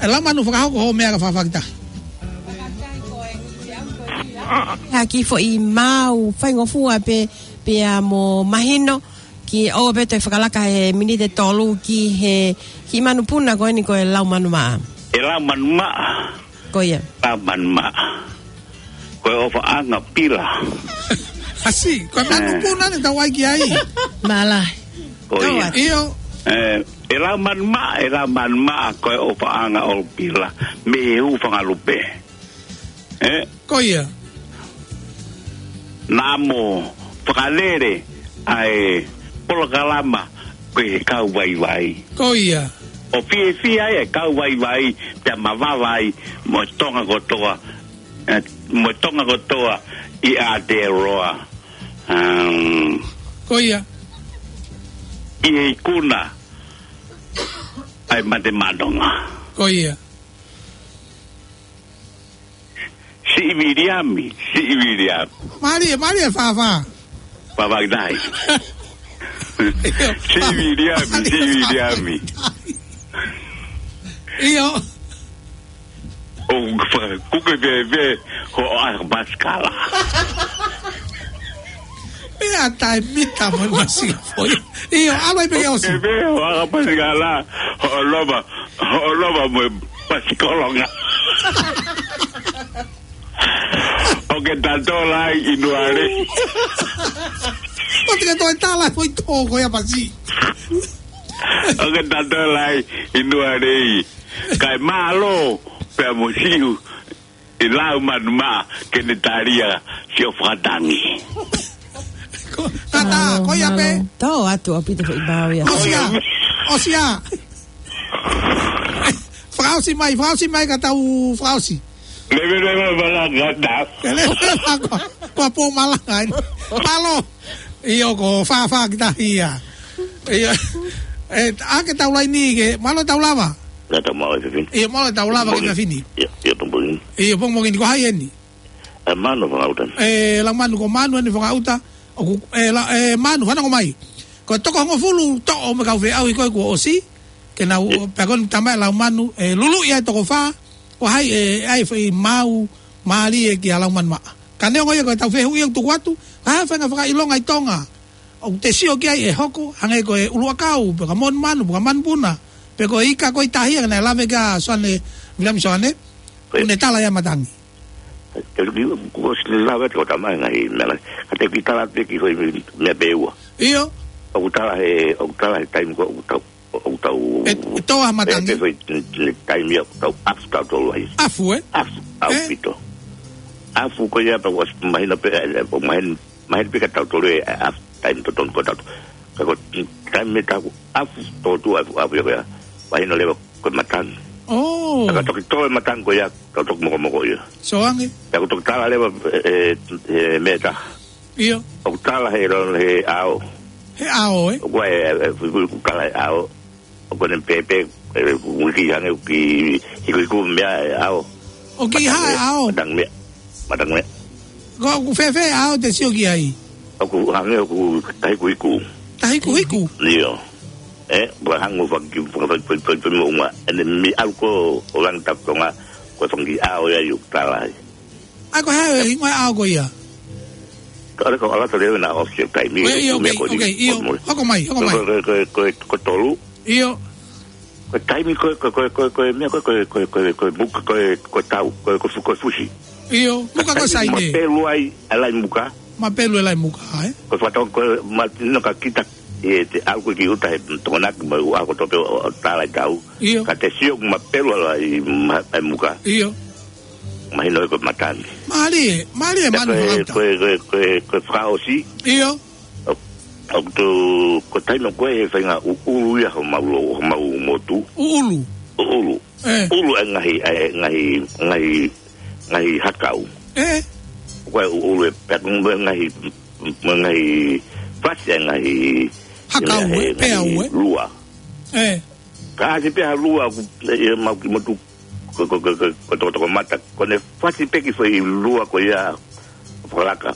ʻe Laumanu fakahoko hoʻo meʻa ka fafaki tahi. Ha kiʻi foʻi maau faingofua pē, pea mo mahino, ke ʻoua pē toe fakalaka he miniti ʻe tolu ki he kiʻi manupuna ko eni ko e Laumanu Maʻa. ʻE Laumanu Maʻa. Ko ia. Laumanu Maʻa. Ko e ʻofaʻanga pila. ʻAsi, ko e manupuna eni tau ʻai ki ai. Mālō. Ko ia. ʻIo. Ē, ʻe Laumanu Maʻa, ʻe Laumanu Maʻa, ko e ʻofaʻanga ʻo pila. Mei he hū fanga lupe. Ē? Ko ia. Naʻa mo fakalele ʻa e polokalama ko e kau vaivai. Ko ia. ʻO fiefia ai e kau vaivai, pea mavava ai mo Tonga kotoa, ē, mo Tonga kotoa ʻi Aotearoa. Um, ko ia. ʻI he ikuna ʻa e Mate Maʻa Tonga. Ko ia. Siʻi Viliami, Siʻi Viliami. Mālie, mālie Fafa. Fafa ki tahi. ʻIo. Siʻi Viliami, mālie Siʻi Fafa Viliami. ʻIo. ʻO fa-, kuke veve, hoʻo ʻakapasikala. Meʻa taʻemita mo e masi foʻi. ʻIo, ʻalu ai pē ke ʻosi. Kuke veve, hoʻo ʻakapasikala, hoʻo loma, hoʻo loma mo e pasikolonga. ʻO ke tatola ai ʻi Nualei. ʻO te ke toe tala foʻi tō ko ia pasi. ʻO ke tatola ai ʻi Nualei. Kae mālō pea mo Siʻi, ʻe Laumanu Maʻa ke ne talia siʻo fakatangi. Ngata, mālō, ko ia pē. Mālō. Tō atu ʻaupito foʻi māu ia. ʻOsi ia. ʻOsi ia. Fakaʻosi mai, fakaʻosi mai ka tau fakaʻosi. Leve, leve, malanga, ngata. Leve, leve, ko, ko pō malanga eni. Mālō. ʻIo, ko fāfā ki tahi ia. ʻIo. ʻE, ʻa ke tau laini ke, mālō tau lava. Ngata mau e fefini. ʻIo, mālō tau lava ke fefini. ʻIo, ʻio, pongipongi. ʻIo, pongipongi ni ko hai eni. ʻE Manu Fangauta. ʻE, Laumanu, ko Manu eni Fangauta. ʻOku, ʻe, la, ʻe, Manu, fanongo mai. Ko e toko hongofulu toʻo mo e kau feʻauhi ko ē kuo ʻosi. Ke nau, ʻio, pea ko eni tamai Laumanu, ʻe, Lulu ia e toko fā. Ko hai, ʻe, ʻai foʻi māu, mālie kia Laumanu maʻa. Ka neongo ia ko e tau fehuʻi ʻoku tuku atu, ka ha faʻahinga fakaʻilonga ʻi Tonga ʻoku te sio ki ai ʻe hoko, hangē ko e ʻuluʻakau, pe ko Monumanu, pe ko Manupuna, pe ko e ika ko ē ʻi tahi, ka naʻe lave kia Soane, Viliami Soane, ʻio, ʻoku ne tala ia matangi. Te u ki, kuo ʻosi lava te ko tamai ngaahi meʻa lahi. Ka te u kiʻi tala pē ki hoʻo meʻa pē ua. ʻIo. ʻOku tala he, ʻoku tala he taimi ko ē ʻoku tau, ʻoku tau, ʻe, ʻe tō ʻa matangi. Pē, pē foʻi, n-, n-, taimi ia ʻoku tau ʻafu tautolu ai. ʻAfu, ē? ʻAfu, ʻafu, ē? ʻAupito. ʻAfu ko ia pea ʻoku ʻosi mahino pē, ʻe, ʻe, mahino, mahino pē kia tautolu ʻe, ʻe, ʻafu, taimi totonu ko tautolu. Ka ko, taimi ʻe taha ʻoku ʻafu tō atu ʻafu, ʻafu ia ko ia. Mahino leva ko e matangi. ʻŌ. Ka toki tō e matangi ko ia, ka toki mokomoko ia. Sio ange. Pea ʻoku toki tala leva, ʻe, ʻe, ʻe, meʻa ʻe taha. ʻIo. ʻOku tala he lon he ʻao. He ʻao, ē? ʻOku ʻi ai, ʻe, ʻe, ʻoku tala he ʻao. ʻOku ne pēpē, ʻe, ʻoku kiʻi hangē, ʻoku kiʻi hikuhiku meʻa he ʻao. ʻOku kiʻi hā he ʻao? Matangi meʻa. Matangi meʻa. Ko, ʻoku fēfē ʻao te sio ki ai? ʻOku hangē ʻoku tahikuhiku. Tahikuhiku? ʻIo. ʻE, ʻoku hangē ʻoku faki, faki, faki, faki, faki, faki, moʻunga. ʻEne mei ʻalu ko ē ʻo langi tapu Tonga, ko e fanga kiʻi ʻao ia ʻoku tala ai. ʻAi, ko e hā e hingoa e ʻao ko ia? Ka ʻoku ʻalu atu leva naʻa ʻosi e taimi, ʻIo, ʻio, meʻa okay, ko eni, okay, ʻio. Ko e mole. Hoko mai, hoko mai. Ko, ko, ko, ko, ko Tolu. ʻIo. Ko e taimi ko e, ko e, ko e, ko e, ko e meʻa ko e, ko e, ko e, ko e, ko e, ko e muka ko e, ko e tau, ko e, ko e fu-, ko e fusi. ʻIo, muka ko e Taimi saine. Mapelu ai, ʻa e lai muka. Mapelu e lai muka, ē? Ko e fakatonga ko e ma-, no ka kita, ʻe te ʻalu ko ē ki ʻuta he Tokonaki mo e ʻū ʻaho kotoa pē ʻo, ʻo tala e tau. ʻIo. Ka te sio ʻoku mapelu ʻa e lai ma-, ʻa e muka. ʻIo. Mahino ko e matangi. Mālie, mālie, Manu Fangauta. Ko e, ko e, ko e, ko e fakaʻosi. ʻIo. ʻO, ʻo tu, ko e taimi ko ē he faʻahinga ʻuʻulu ia homau lo-, homau motu. ʻUʻulu? ʻUʻulu. ʻE. ʻUlu e ngaahi, e ngaahi, ngaahi, ngaahi hakau. ʻE. Ko e ʻuʻulu e pea ko e ngaahi, ngaahi fasi e ngaahi, Hakau, ngaahi, ʻe, peau, ngaahi ʻe? Lua. ʻE. Ka ʻasi pē ha lua ʻoku, ʻe, ʻe, mau ki motu ko, ko, ko, ko, ko Tokotokomata. Ko ʻene fasi pē ki foʻi lua ko ia fakalaka.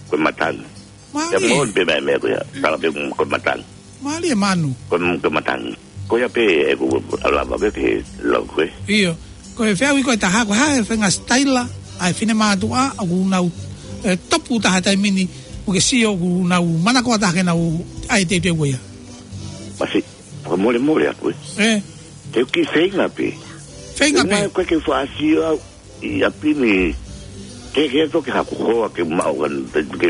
Ko e matangi. Mālie. Ia mo pē meʻa, meʻa ko ia. Tala pē ko e matangi. Mālie Manu. Ko e, ko e matangi. Ko ia pē ʻeku lava ke, ke lava ko ē. ʻIo. Ko e feʻauhi ko ē ʻe taha, ko e hā e faʻahinga sitaila ʻa e finemātuʻa ʻoku nau, ʻe, topu taha taimi ni, ʻoku ke sio ʻoku nau manakoa taha ke nau ʻai e teuteu ko ia? Masiʻi. Fakamolemole atu ē. ʻE. Te u kiʻi feinga pē. Feinga pē. Feinga ko ē ke fāsio au ʻi ʻapi ni. Ke, ke toki haku hoa ke maʻu kan, ke, ke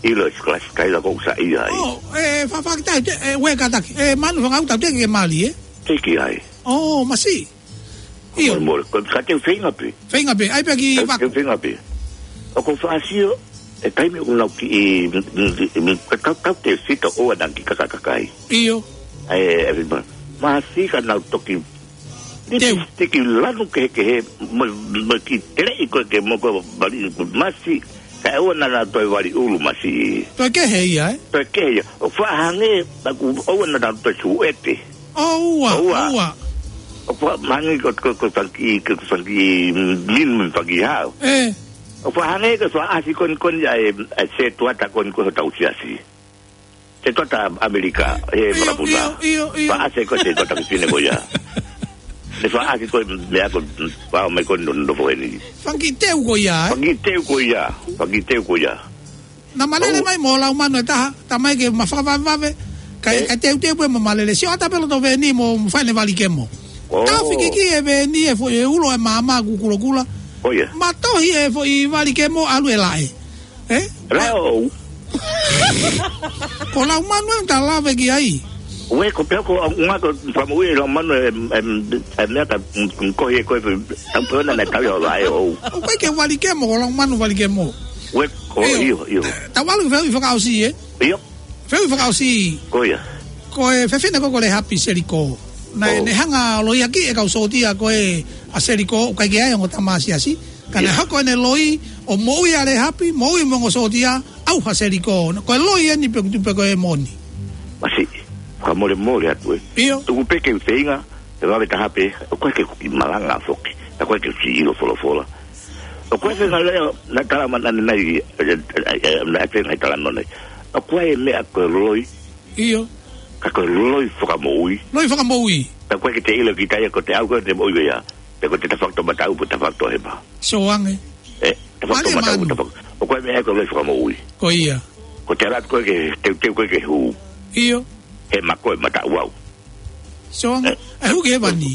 ʻilo e kalasi sitaila ko ē ʻoku sa ʻi ai. ʻŌ, ʻe, fa-, fakita, te, ʻe, ue kataki. ʻE, Manu Fangauta, te ke mālie, ē? Te ke ai. ʻŌ, masiʻi. ʻIo. Mole, mole. Ko, ka te u feinga pē. Feinga pē. ʻAi pē ki Ka vaku. Te u feinga pē. ʻOku ou fāsio, e taimi ʻoku nau kiʻi, mm, mm, mm, ka tau, tau te sita ʻoua naʻa kiʻi kakakakai. ʻIo. ʻAi, ʻe, ʻe, ma-, masiʻi ka nau toki Teu. Tiki lanu kehekehe, mo, mo kiʻi teleʻi ko ē ke mo ko vali, masiʻi, kae ʻoua naʻa nau toe vali ʻulu masiʻi. Toe kehe ia, ē? Toe kehe ia. ʻOku faʻa hangē, ʻoku ʻoua naʻa nau toe suʻete. ʻOua, ʻOua. ʻOua. ʻOku faʻa hangē ko, ko, ko e fanga kiʻi, ko e fanga kiʻi minu mo e fanga kiʻi hao. ʻE. ʻOku faʻa hangē ko e faʻa ʻasi ko eni ko eni ʻa e, ʻa e setuata ko eni ko ē hotau siasi. Setuata ʻAmelika, he ʻIo, vakapuna. ʻIo, ʻio, ʻio. Faʻa ʻasi ko e setuata ki fine ko ia. Ne faʻa ʻasi ko e meʻa ko e, faʻa mai ko e no, nofo eni. Fanga kiʻi teu ko ia, ē? Fanga kiʻi teu ko ia. Fanga kiʻi teu ko ia. Naʻa ma lele ʻOu. mai mo Laumanu ʻe taha, tamai ke ma fakavavevave. Kae, ʻE. kae teuteu pē mo ma lele. Sio atu pē loto veni mo, mo fai ʻene vali kemo. ʻŌ. Tafi ki ki e veni e fo-, e ulo e maama kukulokula. ʻOia. Ma tohi e foʻi vali kemo ʻalu e laʻe. ʻE? Laʻe ʻo. Ko Laumanu ʻe ta lave ki ai. ʻOe, ko pea ko, ʻa, ʻunga ko fakamoʻui ʻe Laumanu e, e, e meʻa ka, mm, mm, kohi e koe, mm, tau pehona na tau ia ʻo laʻe ʻo. ʻOku ʻikai ke vali kemo, ko Laumanu vali kemo. Uē, ko ʻIo. ʻIo, ʻio. Tau ʻalu ki he fehuʻi fakaʻosi, ē? ʻIo. Fehuʻi fakaʻosi. Ko ia. Ko e fefine ko ē ko Lehapi Selikō. Naʻe, ʻo. Ne hanga ʻo loiakiʻi e kau sōtia ko ē ʻa Selikō, ʻoku ʻikai ke ʻi ai ongo tama siasi. Ka naʻe, ʻio, hoko ʻene loi ʻo moʻui ʻa Lehapi, moʻui mo e ongo sōtia, ʻauha Selikō. Ko e loi eni pe ʻoku tupu pē ko e moʻoni. Masiʻi, fakamolemole atu ē. ʻIo. Tuku pē ke u feinga, ʻe vave taha pē, ʻoku ʻikai ke u kiʻi malanga foki, ʻoku ʻikai ke u kiʻi ʻilo folofola. ʻOku ʻikai ke ngalo ia, naʻe tala mai ʻanenai, ē, ē, ē, naʻe feinga he talanoa ni. ʻOku ʻi ai e meʻa ko e loi. ʻIo. Ka ko e loi fakamoʻui. Loi fakamoʻui. Ka ʻoku ʻikai ke te ʻilo kita ia ko e ʻaho ko ē te moʻui ia. Pe ko e tafaʻaki mataʻu, pe tafaʻaki hema. Sio ange. Ē, tafaʻaki mataʻu, Mālie Manu. Tafaʻaki. ʻOku ʻi ai e meʻa ko e loi fakamoʻui. Ko ia. Ko e ʻalu atu ko ē ke teuteu ko ē ke hū. ʻIo. Hema ko ē mataʻu au. Sio ange. Ē? ʻE hū ki hēvani.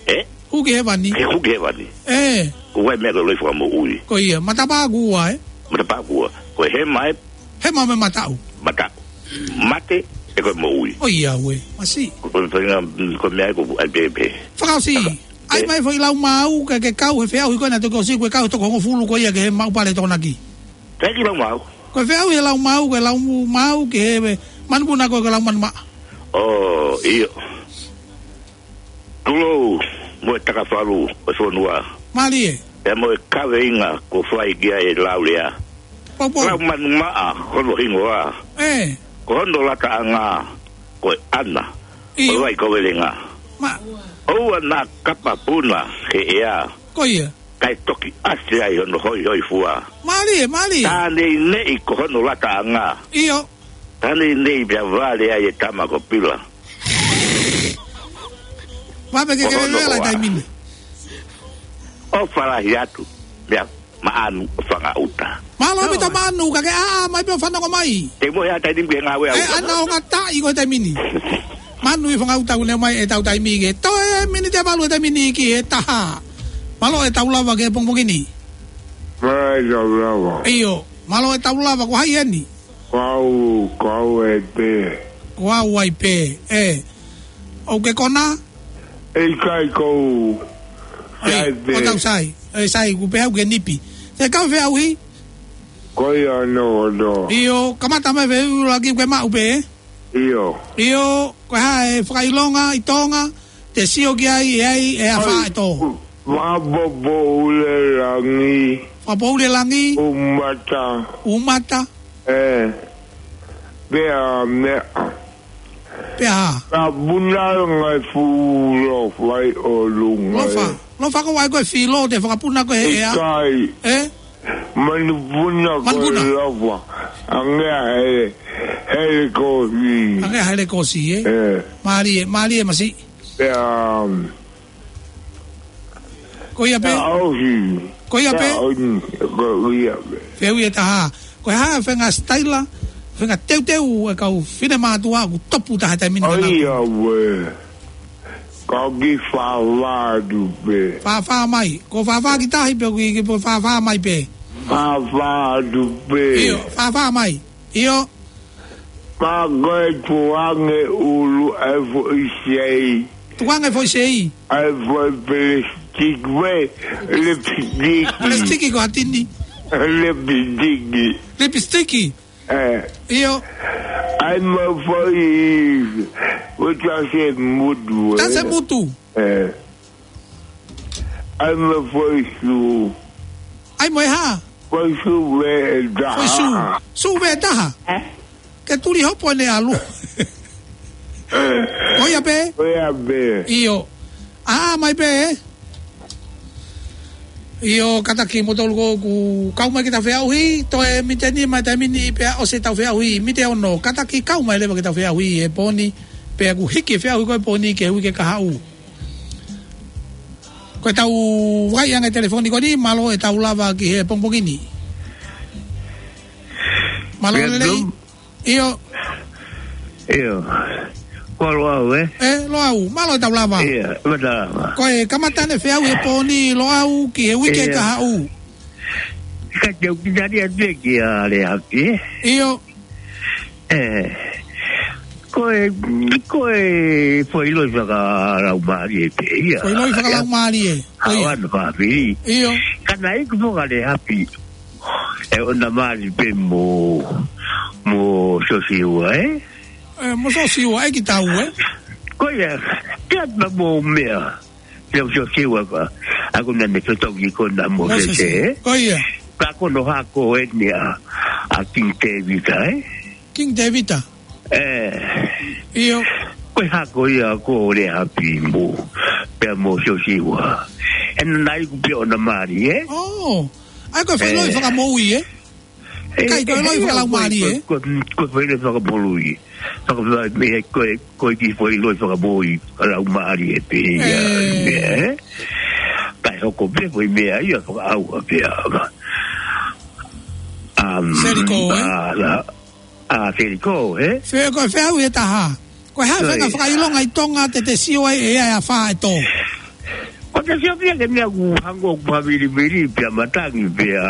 Ē? Hū ki hēvani. Ke hū ki hēvani. Ē. ʻOku ʻi ai e meʻa ko e loi fakamoʻui. Ko ia. Matapā ʻoku ua, ē? Matapā ʻoku ua. Ko e hema ē. Hema mo e mataʻu. Mataʻu. Mate, ʻe ko e moʻui. ʻOiauē. Masiʻi. Ko e, ko e, ko e meʻa ko e, ʻai pē, pē. Fakaʻosi. Taka. ʻAi, ē, mai foʻi lau maau, ke, ke kau he feʻauhi ko ē naʻe toki ʻosi, ko e kau he toko hongofulu ko ia ki he maʻu pale Tokonaki. Teʻeki lau maau. Ko e feʻauhi he lau maau, ko e lau maau ki he manupuna ko ē, ko e lau manumaʻa. ʻO, ʻio. Tulou mo e takafalu ʻo e fonua. Mālie. Pea mo e kaveinga kuo fai ki ai e laulea. Poupou. Lau manumaʻa hono hingoa. Ē. Ko hono lataʻanga ko e ʻana. ʻIo. Ko e vai ko e velenga. Ma- ʻOua naʻa kapa puna he ʻea. Ko ia. Kae toki ʻasi ai hono hoihoifua. Mālie, mālie. Tā neineʻi ko hono lataʻanga. ʻIo. Tā neineʻi pea vale ai e tama ko Pila. Vave ke, ko hono kelele ʻa e hoa. Taimi ni. ʻOfa lahi atu. Meʻa maʻanu ʻo Fangaʻuta. Mālō ʻaupito Manu, ka ke ʻā mai pē ʻo fanongo mai. Te mo he ʻa e taimi ni ke ngāue au. Ē, ʻana ʻo ngata ʻi ko e taimi ni. Manu ʻi Fangaʻuta, ʻoku ne ʻomai ʻetau taimi ke toe miniti ʻe valu e taimi ni ki he taha. Mālō ʻetau lava ki he pongipongi ni. Mālō ʻetau lava. ʻIo, mālō ʻetau lava, ko hai eni? Ko au, ko au ai pē. Ko au ai pē, ē. ʻOku ke kona? ʻIkai, ko au. ʻOi, sai pē. ʻO tau sai. ʻE sai, ʻoku pehē au ke nipi. Te kau feʻauhi? Ko ia no, no. ʻIo, kamata mai feʻauhi ʻuluaki, ʻoku ke maʻu pē. ʻIo. ʻIo, ko e hā e fakaʻilonga ʻi Tonga, te sio ki ai, ʻe ai, ʻe afā ʻOi, e tō. Fakapoʻuli e langi. Fakapoʻuli e langi. ʻUmata. ʻUmata. Ē. Pea meʻa. Pea. Ka puna ngai fulo fai ʻo lunga. Lofa. Ē. Lofa ko ai ko e filo te fakapuna ko e ʻea. ʻIkai. Ē? Manupuna ko e Manupuna. Lofa. Ange ʻa e hele, hele kosi. Ange ʻa e hele kosi, ē? Ē. Mālie, mālie masiʻi. Pea, um, Ko ia pē. Pea ʻosi. Ko ia pē. Pea ʻosi. Ko ia pē. Fehuʻi ʻe taha. Ko e hā e faʻahinga sitaila, faʻahinga teuteu e kau finemātuʻa ʻoku topu taha he taimi ni? ʻOiauē. Ka u kiʻi fāfā atu pē. Fāfā mai. Ko e fāfā ki tahi pē, ko e kiʻi fāfā mai pē. Fāfā atu pē. ʻIo, fāfā mai. ʻIo. Pea ko e tukuange ʻulu ʻa e foʻi sei. Tukuange foʻi sei. ʻA e foʻi pelasitiki pē, lipsitiki. Pelasitiki ko ha tini. Lipsitiki. Lipsitiki. Ē. ʻIo. ʻAi mo e foʻi, ko e tase mutu, ē. Tase mutu. Ē. ʻAi mo e foʻi sū. ʻAi mo e hā? Foʻi sū veʻe taha. Foʻi sū. Sū veʻe taha. Ē? Ke tuli hopo ʻene ʻalu. Ko ia pē? Ko ia pē. ʻIo. ʻĀ mai pē, ē? ʻIo, kātaki kimoutolu ʻoku kau mai ki heʻetau feʻauhi, toe miniti nima he taimi ni pea ʻosi ʻetau feʻauhi, miniti ono, kātaki kau mai leva ki heʻetau feʻauhi he pō ni, pea ʻoku hiki e feʻauhi ko ē he pō ni ki he uike kahaʻu. Ko ʻetau vakai ange telefoni ko eni, mālō ʻetau lava ki he pongipongi ni. Mālō lelei. Vietnam? ʻIo. ʻIo. Ko Loʻau, ē? Ē, Loʻau, mālō ʻetau lava. ʻIo, mālō ʻetau lava. Ko e kamata ʻene feʻauhi he pō ni Loʻau ki he uike kahaʻu. Ka te u kiʻi tali atu ē kia Lehapi, ē? ʻIo. Ē, ko e, ko e foʻi loi fakalaumālie pē ia. Foʻi loi fakalaumālie. Ko ia. Haʻu ʻana fāfili. ʻIo. Ka naʻe ʻikai foki ʻa Lehapi. ʻE ʻona mali pē mo, mo Siosiua, ē? Ē, mo Siosiua, ʻe ki tau, ē? Ko ia, te atu mo meʻa. Te Siosiua ka, ʻa ko naʻa ne totongi ko na mo Mōsese, Mōsese, ē? Ko ia. Ka ko hono hako eni ʻa, ʻa King Tēvita, ē? King Tēvita? Ē. ʻIo. Ko e hako ia ko Lēhapi mo, pea mo Siosiua. ʻE naʻe ʻikai ke ʻona mali, ē? ʻŌ. ʻAi ko e fai Ē. loi fakamoʻui, ē? Ē, Kai ko e ē, loi ē, fakalaumālie, ko e, ē? ko e, ko e fai loi fakamoʻui. Fakafai mei he ko e, ko e kiʻi fai loi fakamoʻui, fakalaumālie pē ia, Ē. ē? Kae hoko pē ko e meʻa ia fakaʻauha pē ʻa, um, Seliko, ē? ʻa, ʻa, ʻa Seliko, ē? Fe-, ko e feʻauhi ʻe taha. Ko e hā e Ko faʻahinga ia. fakaʻilonga ʻi Tonga te te sio ai ʻe ʻi ai ʻa e fā ʻe tō? Ko te sio pē ke meʻa ʻoku hangē ʻoku pāvilivili pea matangi pea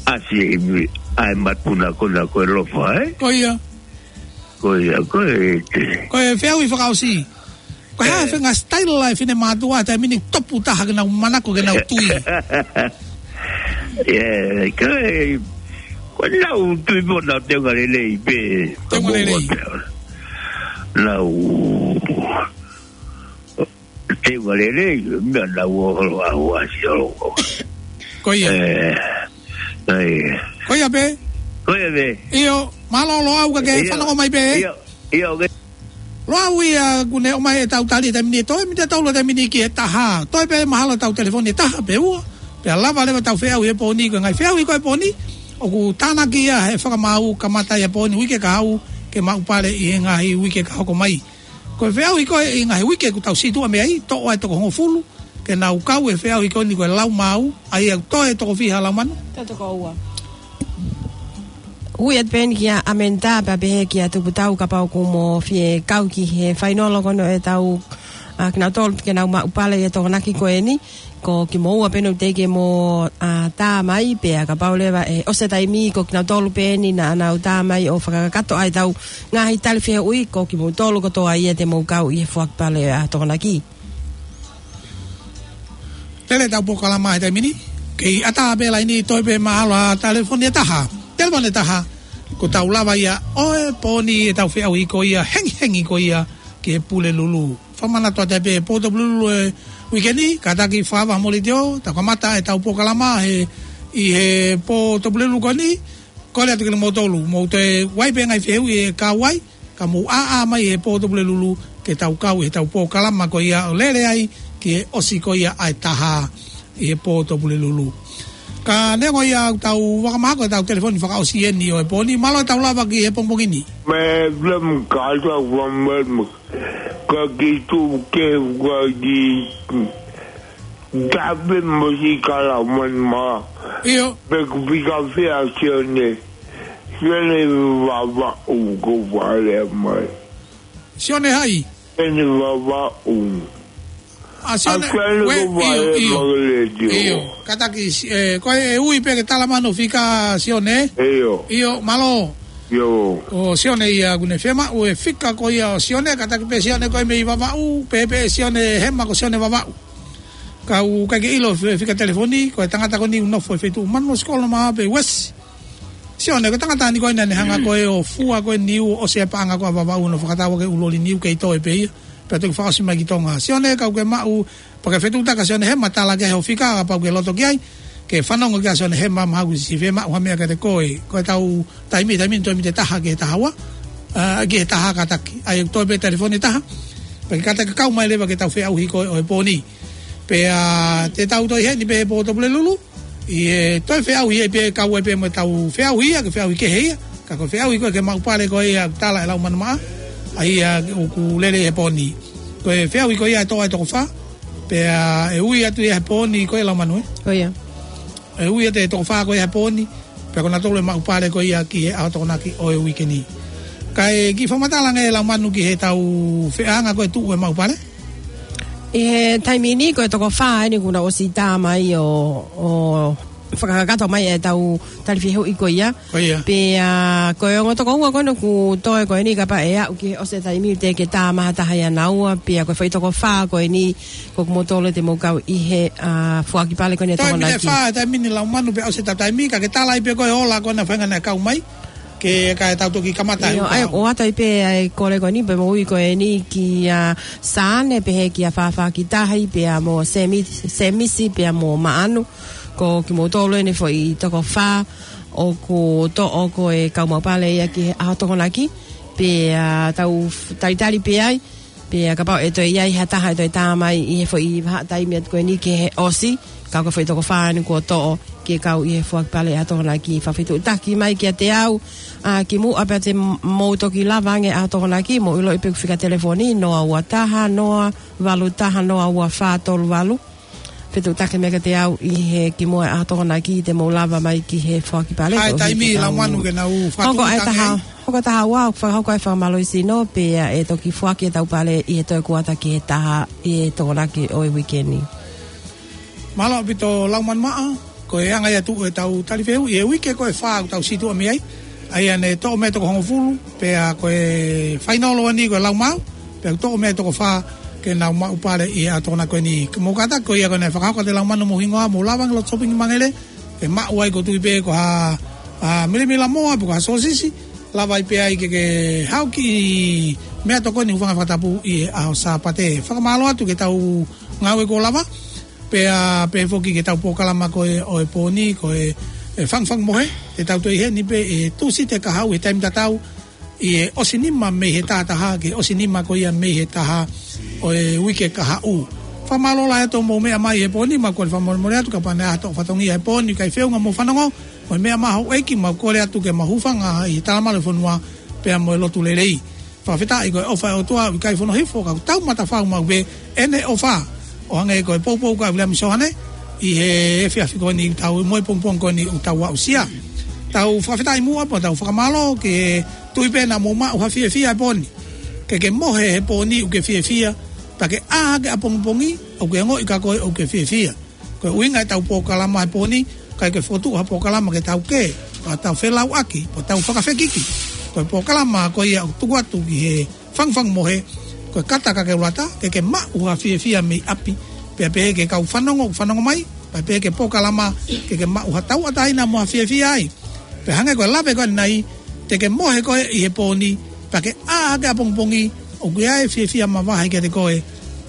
ʻasi ʻi he, ʻa e matuna ko na ko e lofa, ē? Ko ia. Ko ia, ko e te. Ko e feʻauhi fakaʻosi. Ko e hā e Ē. faʻahinga style ʻa e finemātuʻa he taimi ni topu taha ke nau manako ke nau tui? Ē, ko e, ko e nau tui mo nau teunga lelei pē. Teunga lelei. Nau teunga lelei, meʻa nau ō holo ʻa ʻasi holo. Ko ia. Ē, ē. Ko ia pē. Ko ia pē. ʻIo, mālō Loʻau ka ke ʻIo. fanongo mai pē. ʻIo, ʻio, ke Loʻau ia kuo ne ʻomai ʻetau tali he taimi ni ʻe toe, mita tau lo taimi ni ki he taha. Toe pē mahalo ʻetau telefoni ʻe taha pe ua. Pea lava leva ʻetau feʻauhi he pō ni, ko e ngaahi feʻauhi ko e pō ni. ʻOku tānaki ia he fakamaau kamata ia pō ni uike kahaʻu ke maʻupale ʻi he ngaahi uike ka hoko mai. Ko e feʻauhi ko e ʻi he ngaahi uike kuo tau situʻa mei ai, toʻo ai toko hongofulu, ke nau kau he feʻauhi ko eni ko e Laumāu, ʻa ia ʻoku toe toko fiha Laumanu? Toe toko ua. Ui atu pē eni kia ʻAmenitā, pea pehē kia Tuputau kapau ʻoku mo fie kau ki he fainolo ko eni ʻetau, ʻa, kinautolu ke nau maʻupale ʻi he Tokonaki ko eni. Ko kimoua pē eni ʻoku teʻeki mo, ʻa, tā mai, pea kapau leva ʻe ʻosi e taimi ko kinautolu pē eni naʻa nau tā mai ʻo fakakakato ai ʻetau ngaahi tali fehuʻi, ko kimoutolu kotoa ia te mou kau ʻi he foaki pale ʻa Tokonaki. Lele ʻetau polokalama he taimi ni. Kei ʻatā pē laini, toe pē mahalo ha telefoni ʻe taha. Telefoni ʻe taha. Kuo tau lava ia ʻo e pō ni ʻetau feʻauhi ko ia, hengihengi ko ia ki he Pulelulu. Fakamanatu atu pē Pō Topulelulu he uike ni, kātaki fakaava ha mōlitio, tau kamata ʻetau polokalama he, ʻi he Pō Topulelulu ko eni, kole atu kimoutolu, mou toe ʻai pē ngaahi fehuʻi ʻe kau ai, ka mou ʻāʻā mai he Pō Topulelulu, ke tau kau ʻi heʻetau polokalama ko ia ʻo lele ai, ki he ʻosi ko ia ʻa e taha ʻi he Pō Topulelulu. Ka neongo ia ʻetau vakamahako ʻetau telefoni fakaʻosi eni ʻo e pō ni, mālō ʻetau lava ki he pongipongi ni. Me lem kata wa me Ka ki tu ke wa ki tape mo si kala man ma. ʻIo. Pe ku pika fea Sione. Sione Vavaʻu ko fale mai. Sione hai? Sione Vavaʻu. ʻA Sione, ʻa Sione we, ko fale ʻio, ʻio. Mai le dio. ʻIo. Kātaki, si-, ē, ko e ui pē ke tala mano fika Sione. ʻIo. ʻIo, mālō. ʻIo. ʻO Sione ia kuo ne fiemaʻu e fika ko ia ʻo Sione, kātaki pē Sione ko e mei Vavaʻu, pehē pē Sione Hema ko Sione Vavaʻu. Ka ʻoku ʻikai ke ʻilo e fika telefoni, ko e tangata ko eni ʻoku nofo he feituʻu Manu Sikolo Maʻape Uesi. Sione, ko e tangata ni ko ē naʻa ne hanga ko ē ʻo fua ko ē niu ʻo ʻosi e paʻanga ko ē ʻa Vavaʻu ʻo fakatau ʻaki e ʻū loli niu kei toe pē ia. Pea toki fakaʻosi mai ki Tonga. Sione, ka ʻoku ke maʻu, pea ke fetuʻutaki ʻa Sione Hema, tala ki ai hoʻo fika, kapau ʻoku ke loto ki ai, ke fanongo ki ai ʻa Sione Hema, mahalo kuo siʻi fiemaʻu ha meʻa kiate koe, ko ʻetau taimi, taimi, taimi ʻe taha ki he taha ua, ā, ki he taha kātaki. ʻAi, toe pē telefoni ʻe taha, pea ke kātaki kau mai leva ki heʻetau feʻauhi ko ē ʻo e pō ni. Pea te tau toe ʻi heni pē he Pō Topulelulu, ʻi he toe feʻauhi ia pē kau ai pē mo ʻetau feʻauhi ia, ko e feʻauhi kehe ia. Ka ko e feʻauhi ko ē ke maʻu pale ko ia ʻoku tala ʻe Laumanu Maʻa, ʻa ia ʻoku lele he pō ni. Ko e feʻauhi ko ia ʻe toʻo ai toko fā, pea ʻe ui atu ia he pō ni ko ē Laumanu, ē? Ko ia. ʻE ui atu e toko fā ko ia he pō ni, pea ko nautolu ʻe maʻu pale ko ia ki he ʻaho Tokonaki ʻo e uike ni. Kae kiʻi fakamatala ange Laumanu ki heʻetau feʻauhi ko ē tuʻu e maʻu pale? ʻI he taimi ni ko e toko fā eni kuo nau ʻosi tā mai ʻo, ʻo fakakakato mai ʻetau tali fehuʻi ko ia. Ko ia. Pea, ʻa, ko e ongo toko ua ko ena ʻoku toe ko eni kapau ʻe aʻu ki he ʻosi e taimi ʻe teʻeki ke tā mai ha taha ʻia naua, pea ko e foʻi toko fā ko eni ko kimoutolu te mou kau ʻi he, ʻa, foaki pale ko eni ʻa e Tokonaki. Toe miniti ʻe fā, taimi ni Laumanu pea ʻosi ʻetau taimi, ka ke tala ai pē ko e ola ko ena feinga naʻe kau mai. Ke, kae tau toki kamata ʻio, ʻa e, ʻoatu ai pē ʻa e kole ko eni, pea mou ui ko eni kia Sane, pehē kia Fafakitahi, pea mo Semi-, Semisi, pea mo Maʻanu. Ko kimoutolu eni foʻi toko fā ʻoku toʻo ko e kau maʻu pale ia ki he ʻaho Tokonaki. Pea tau f-, talitali pē ai. Pea kapau ʻe toe ʻi ai ha taha ʻe toe tā mai ʻi he foʻi vahaʻa taimi atu ko eni ki he ʻosi, ka ko e foʻi toko fā eni kuo toʻo ke kau ʻi he foaki pale ʻa e Tokonaki. Fakafetuʻutaki mai kiate au, ʻa, kimuʻa pea te m-, mou toki lava ange ʻa e Tokonaki, mou ʻiloʻi pē ʻeku fika telefoni, noa ua taha, noa valu taha, noa ua fā tolu valu. Fetuʻutaki mai kiate au ʻi he kimuʻa ʻa e Tokonaki te mou lava mai ki he foaki pale. ʻA e ko e taimi hiki Laumanu ke nau fakatū hoko ʻa e taha, hoko taha ua, fakahoko ʻa e fakamālō sino, pea ʻe toki foaki ʻetau pale ʻi he toe kuata ki he taha ʻi he Tokonaki ʻo e uike ni. Mālō ʻaupito Laumanu Maʻa, ko e anga ia ʻetau tali fehuʻi ʻi he uike ko e fā ʻoku tau situʻa mei ai. ʻA ia naʻe toʻo mei ai toko hongofulu, pea ko e fainolo eni ko e Laumau, pea toʻo mei ai toko fā ke nau maʻu pale ʻi he ʻaho Tokonaki ko eni. Ke mou kātaki ko ia ko ena ʻe fakahoko ʻe Laumanu mo e hingoa, mou lava ange loto sopingi Mangele, ke maʻu ai ko e tui pē ko ha, ʻa, milimila moa pe ko ha sōsisi, lava ai pē ai ke ke haʻu ki he meʻatokoni Hūfanga Fakatapu ʻi he ʻaho Sāpate. Fakamālō atu ki heʻetau ngāue kuo lava, pea pehē foki ki heʻetau polokalama ko ē ʻo e pō ni, ko e, e Fangufangu Mohe, te tau toe ʻi heni pē ʻi he Tūsite kahaʻu he taimi tatau, ʻi he ʻosi nima mei he taha taha, ki he ʻosi nima ko ia mei he taha ʻo e uike kahaʻu. Fakamālō lahi atu hoʻomou meʻa mai he pō ni, mau kole fakamolemole atu kapau naʻe ʻi ai ha toʻo fatongia he pō ni ʻikai feʻunga mo e fanongo, mo e meʻa mai houʻeiki, mau kole atu ke mau hūfanga ʻi he talamalu ʻo e fonua, pea mo e lotu lelei. Fakafetaʻi ko e ʻofa ʻa e ʻOtua ʻoku ʻikai fono hifo, ka ʻoku tau matafau maʻu pē ʻene ʻofa. ʻO hangē ko e poupou ko ia ʻa Viliami Soane, ʻi he efiafi ko eni ʻoku tau, mo e pongipongi ko eni ʻoku tau aʻusia. Tau fakafetaʻi muʻa pea tau fakamālō ki he tui pē naʻa mou maʻu ha fiefia he pō ni. Ke ke mohe he pō ni ʻoku ke fiefia, pea ke ʻā hake ʻapongipongi, ʻoku ke ongoʻi kia koe ʻoku ke fiefia. Ko e ʻuhinga ʻetau polokalama he pō ni, ʻikai ke fokotuʻu ha polokalama ke tau kē, ka tau felauʻaki, pe tau fakafekiki. Ko e polokalama ko ia ʻoku tuku atu ki he Fangufangu Mohe, ko e Kata Kakeulata, ke ke maʻu ha fiefia mei ʻapi, pea pehē ki he kau fanongo, fanongo mai, pea pehē ki he polokalama, ke ke maʻu ha tauʻatāina mo ha fiefia ai. Pea hangē ko e lave ko eni, te ke mohe koe ʻi he pō ni, pea ke ʻā hake ʻapongipongi, ʻoku ʻi ai e fiefia mavahe kiate koe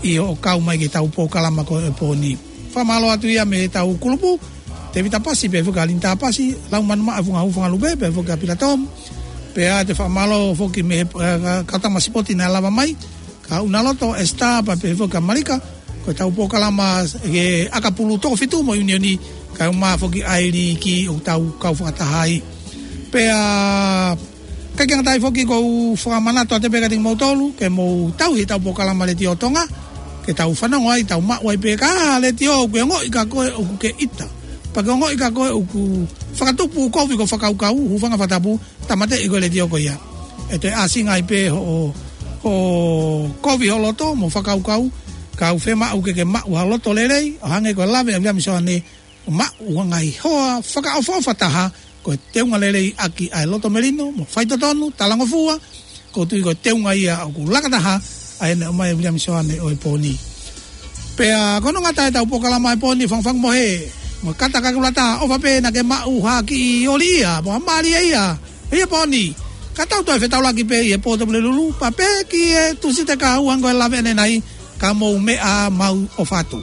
ʻi hoʻo kau mai ki heʻetau polokalama ko e pō ni. Fakamālō atu ia mei heʻetau kulupu, Tevita Pasi, pehē foki kia Linita Pasi, Laumanu Maʻa, Funga Hūfanga Lupe, pehē foki kia Pila Tom, pea ʻoatu e fakamālō foki mei he, ʻa, ka-, kau tama sipoti naʻe lava mai, kia ʻUnaloto Esita, pea pehē foki kia Malika, ko ʻetau polokalama ʻa e ʻakapulu toko fitu mo e ʻiunioni, kae ʻumaʻā foki ʻa e liki ʻoku tau kau fakataha ai. Pea, ʻikai ke ngata ai foki ʻoku ou fakamanatu atu pē kiate kimoutolu, ke mou tauhi ʻetau polokalama Letiō Tonga, ke tau fanongo ai, tau maʻu ai pē, ka ko e letiō ʻoku ke ongoʻi kia koe ʻoku ke ʻita. Pea ke ongoʻi kia koe ʻoku fakatupu kovi ko e fakakaukau, Hūfanga Fakatapu, tāmateʻi ko e letiō ko ia. ʻE toe ʻāsili ai pē hoʻo, hoʻo kovi ho loto mo e fakakaukau, ka ʻoku fiemaʻu ke ke maʻu ha loto lelei, ʻo hangē ko e lave ʻa Viliami Soane, maʻu ha ngaahi hoa fakaʻofoʻofa taha, ko e teunga lelei ʻaki ʻa e loto melino, mo e faitotonu, talangofua, ʻoku ou tui ko e teunga ia ʻoku laka taha ʻa ʻene ʻomai ʻe Viliami Soane ʻo e pō ni. Pea ko hono ngata ʻetau polokalama ʻo e pō ni, Fangufangu Mohe, mo e Kata Kakeulata, ʻofa pē naʻa ke maʻu ha kiʻi ʻoli ia, mo ha mālie ia, ʻi he pō ni. Ka tau toe fetaulaki pē ʻi he pō Tupulelulu, pea pehē ki he Tūsite kahaʻu hangē ko e lave ʻanenai, ka mou meʻa, mau ʻofa atu.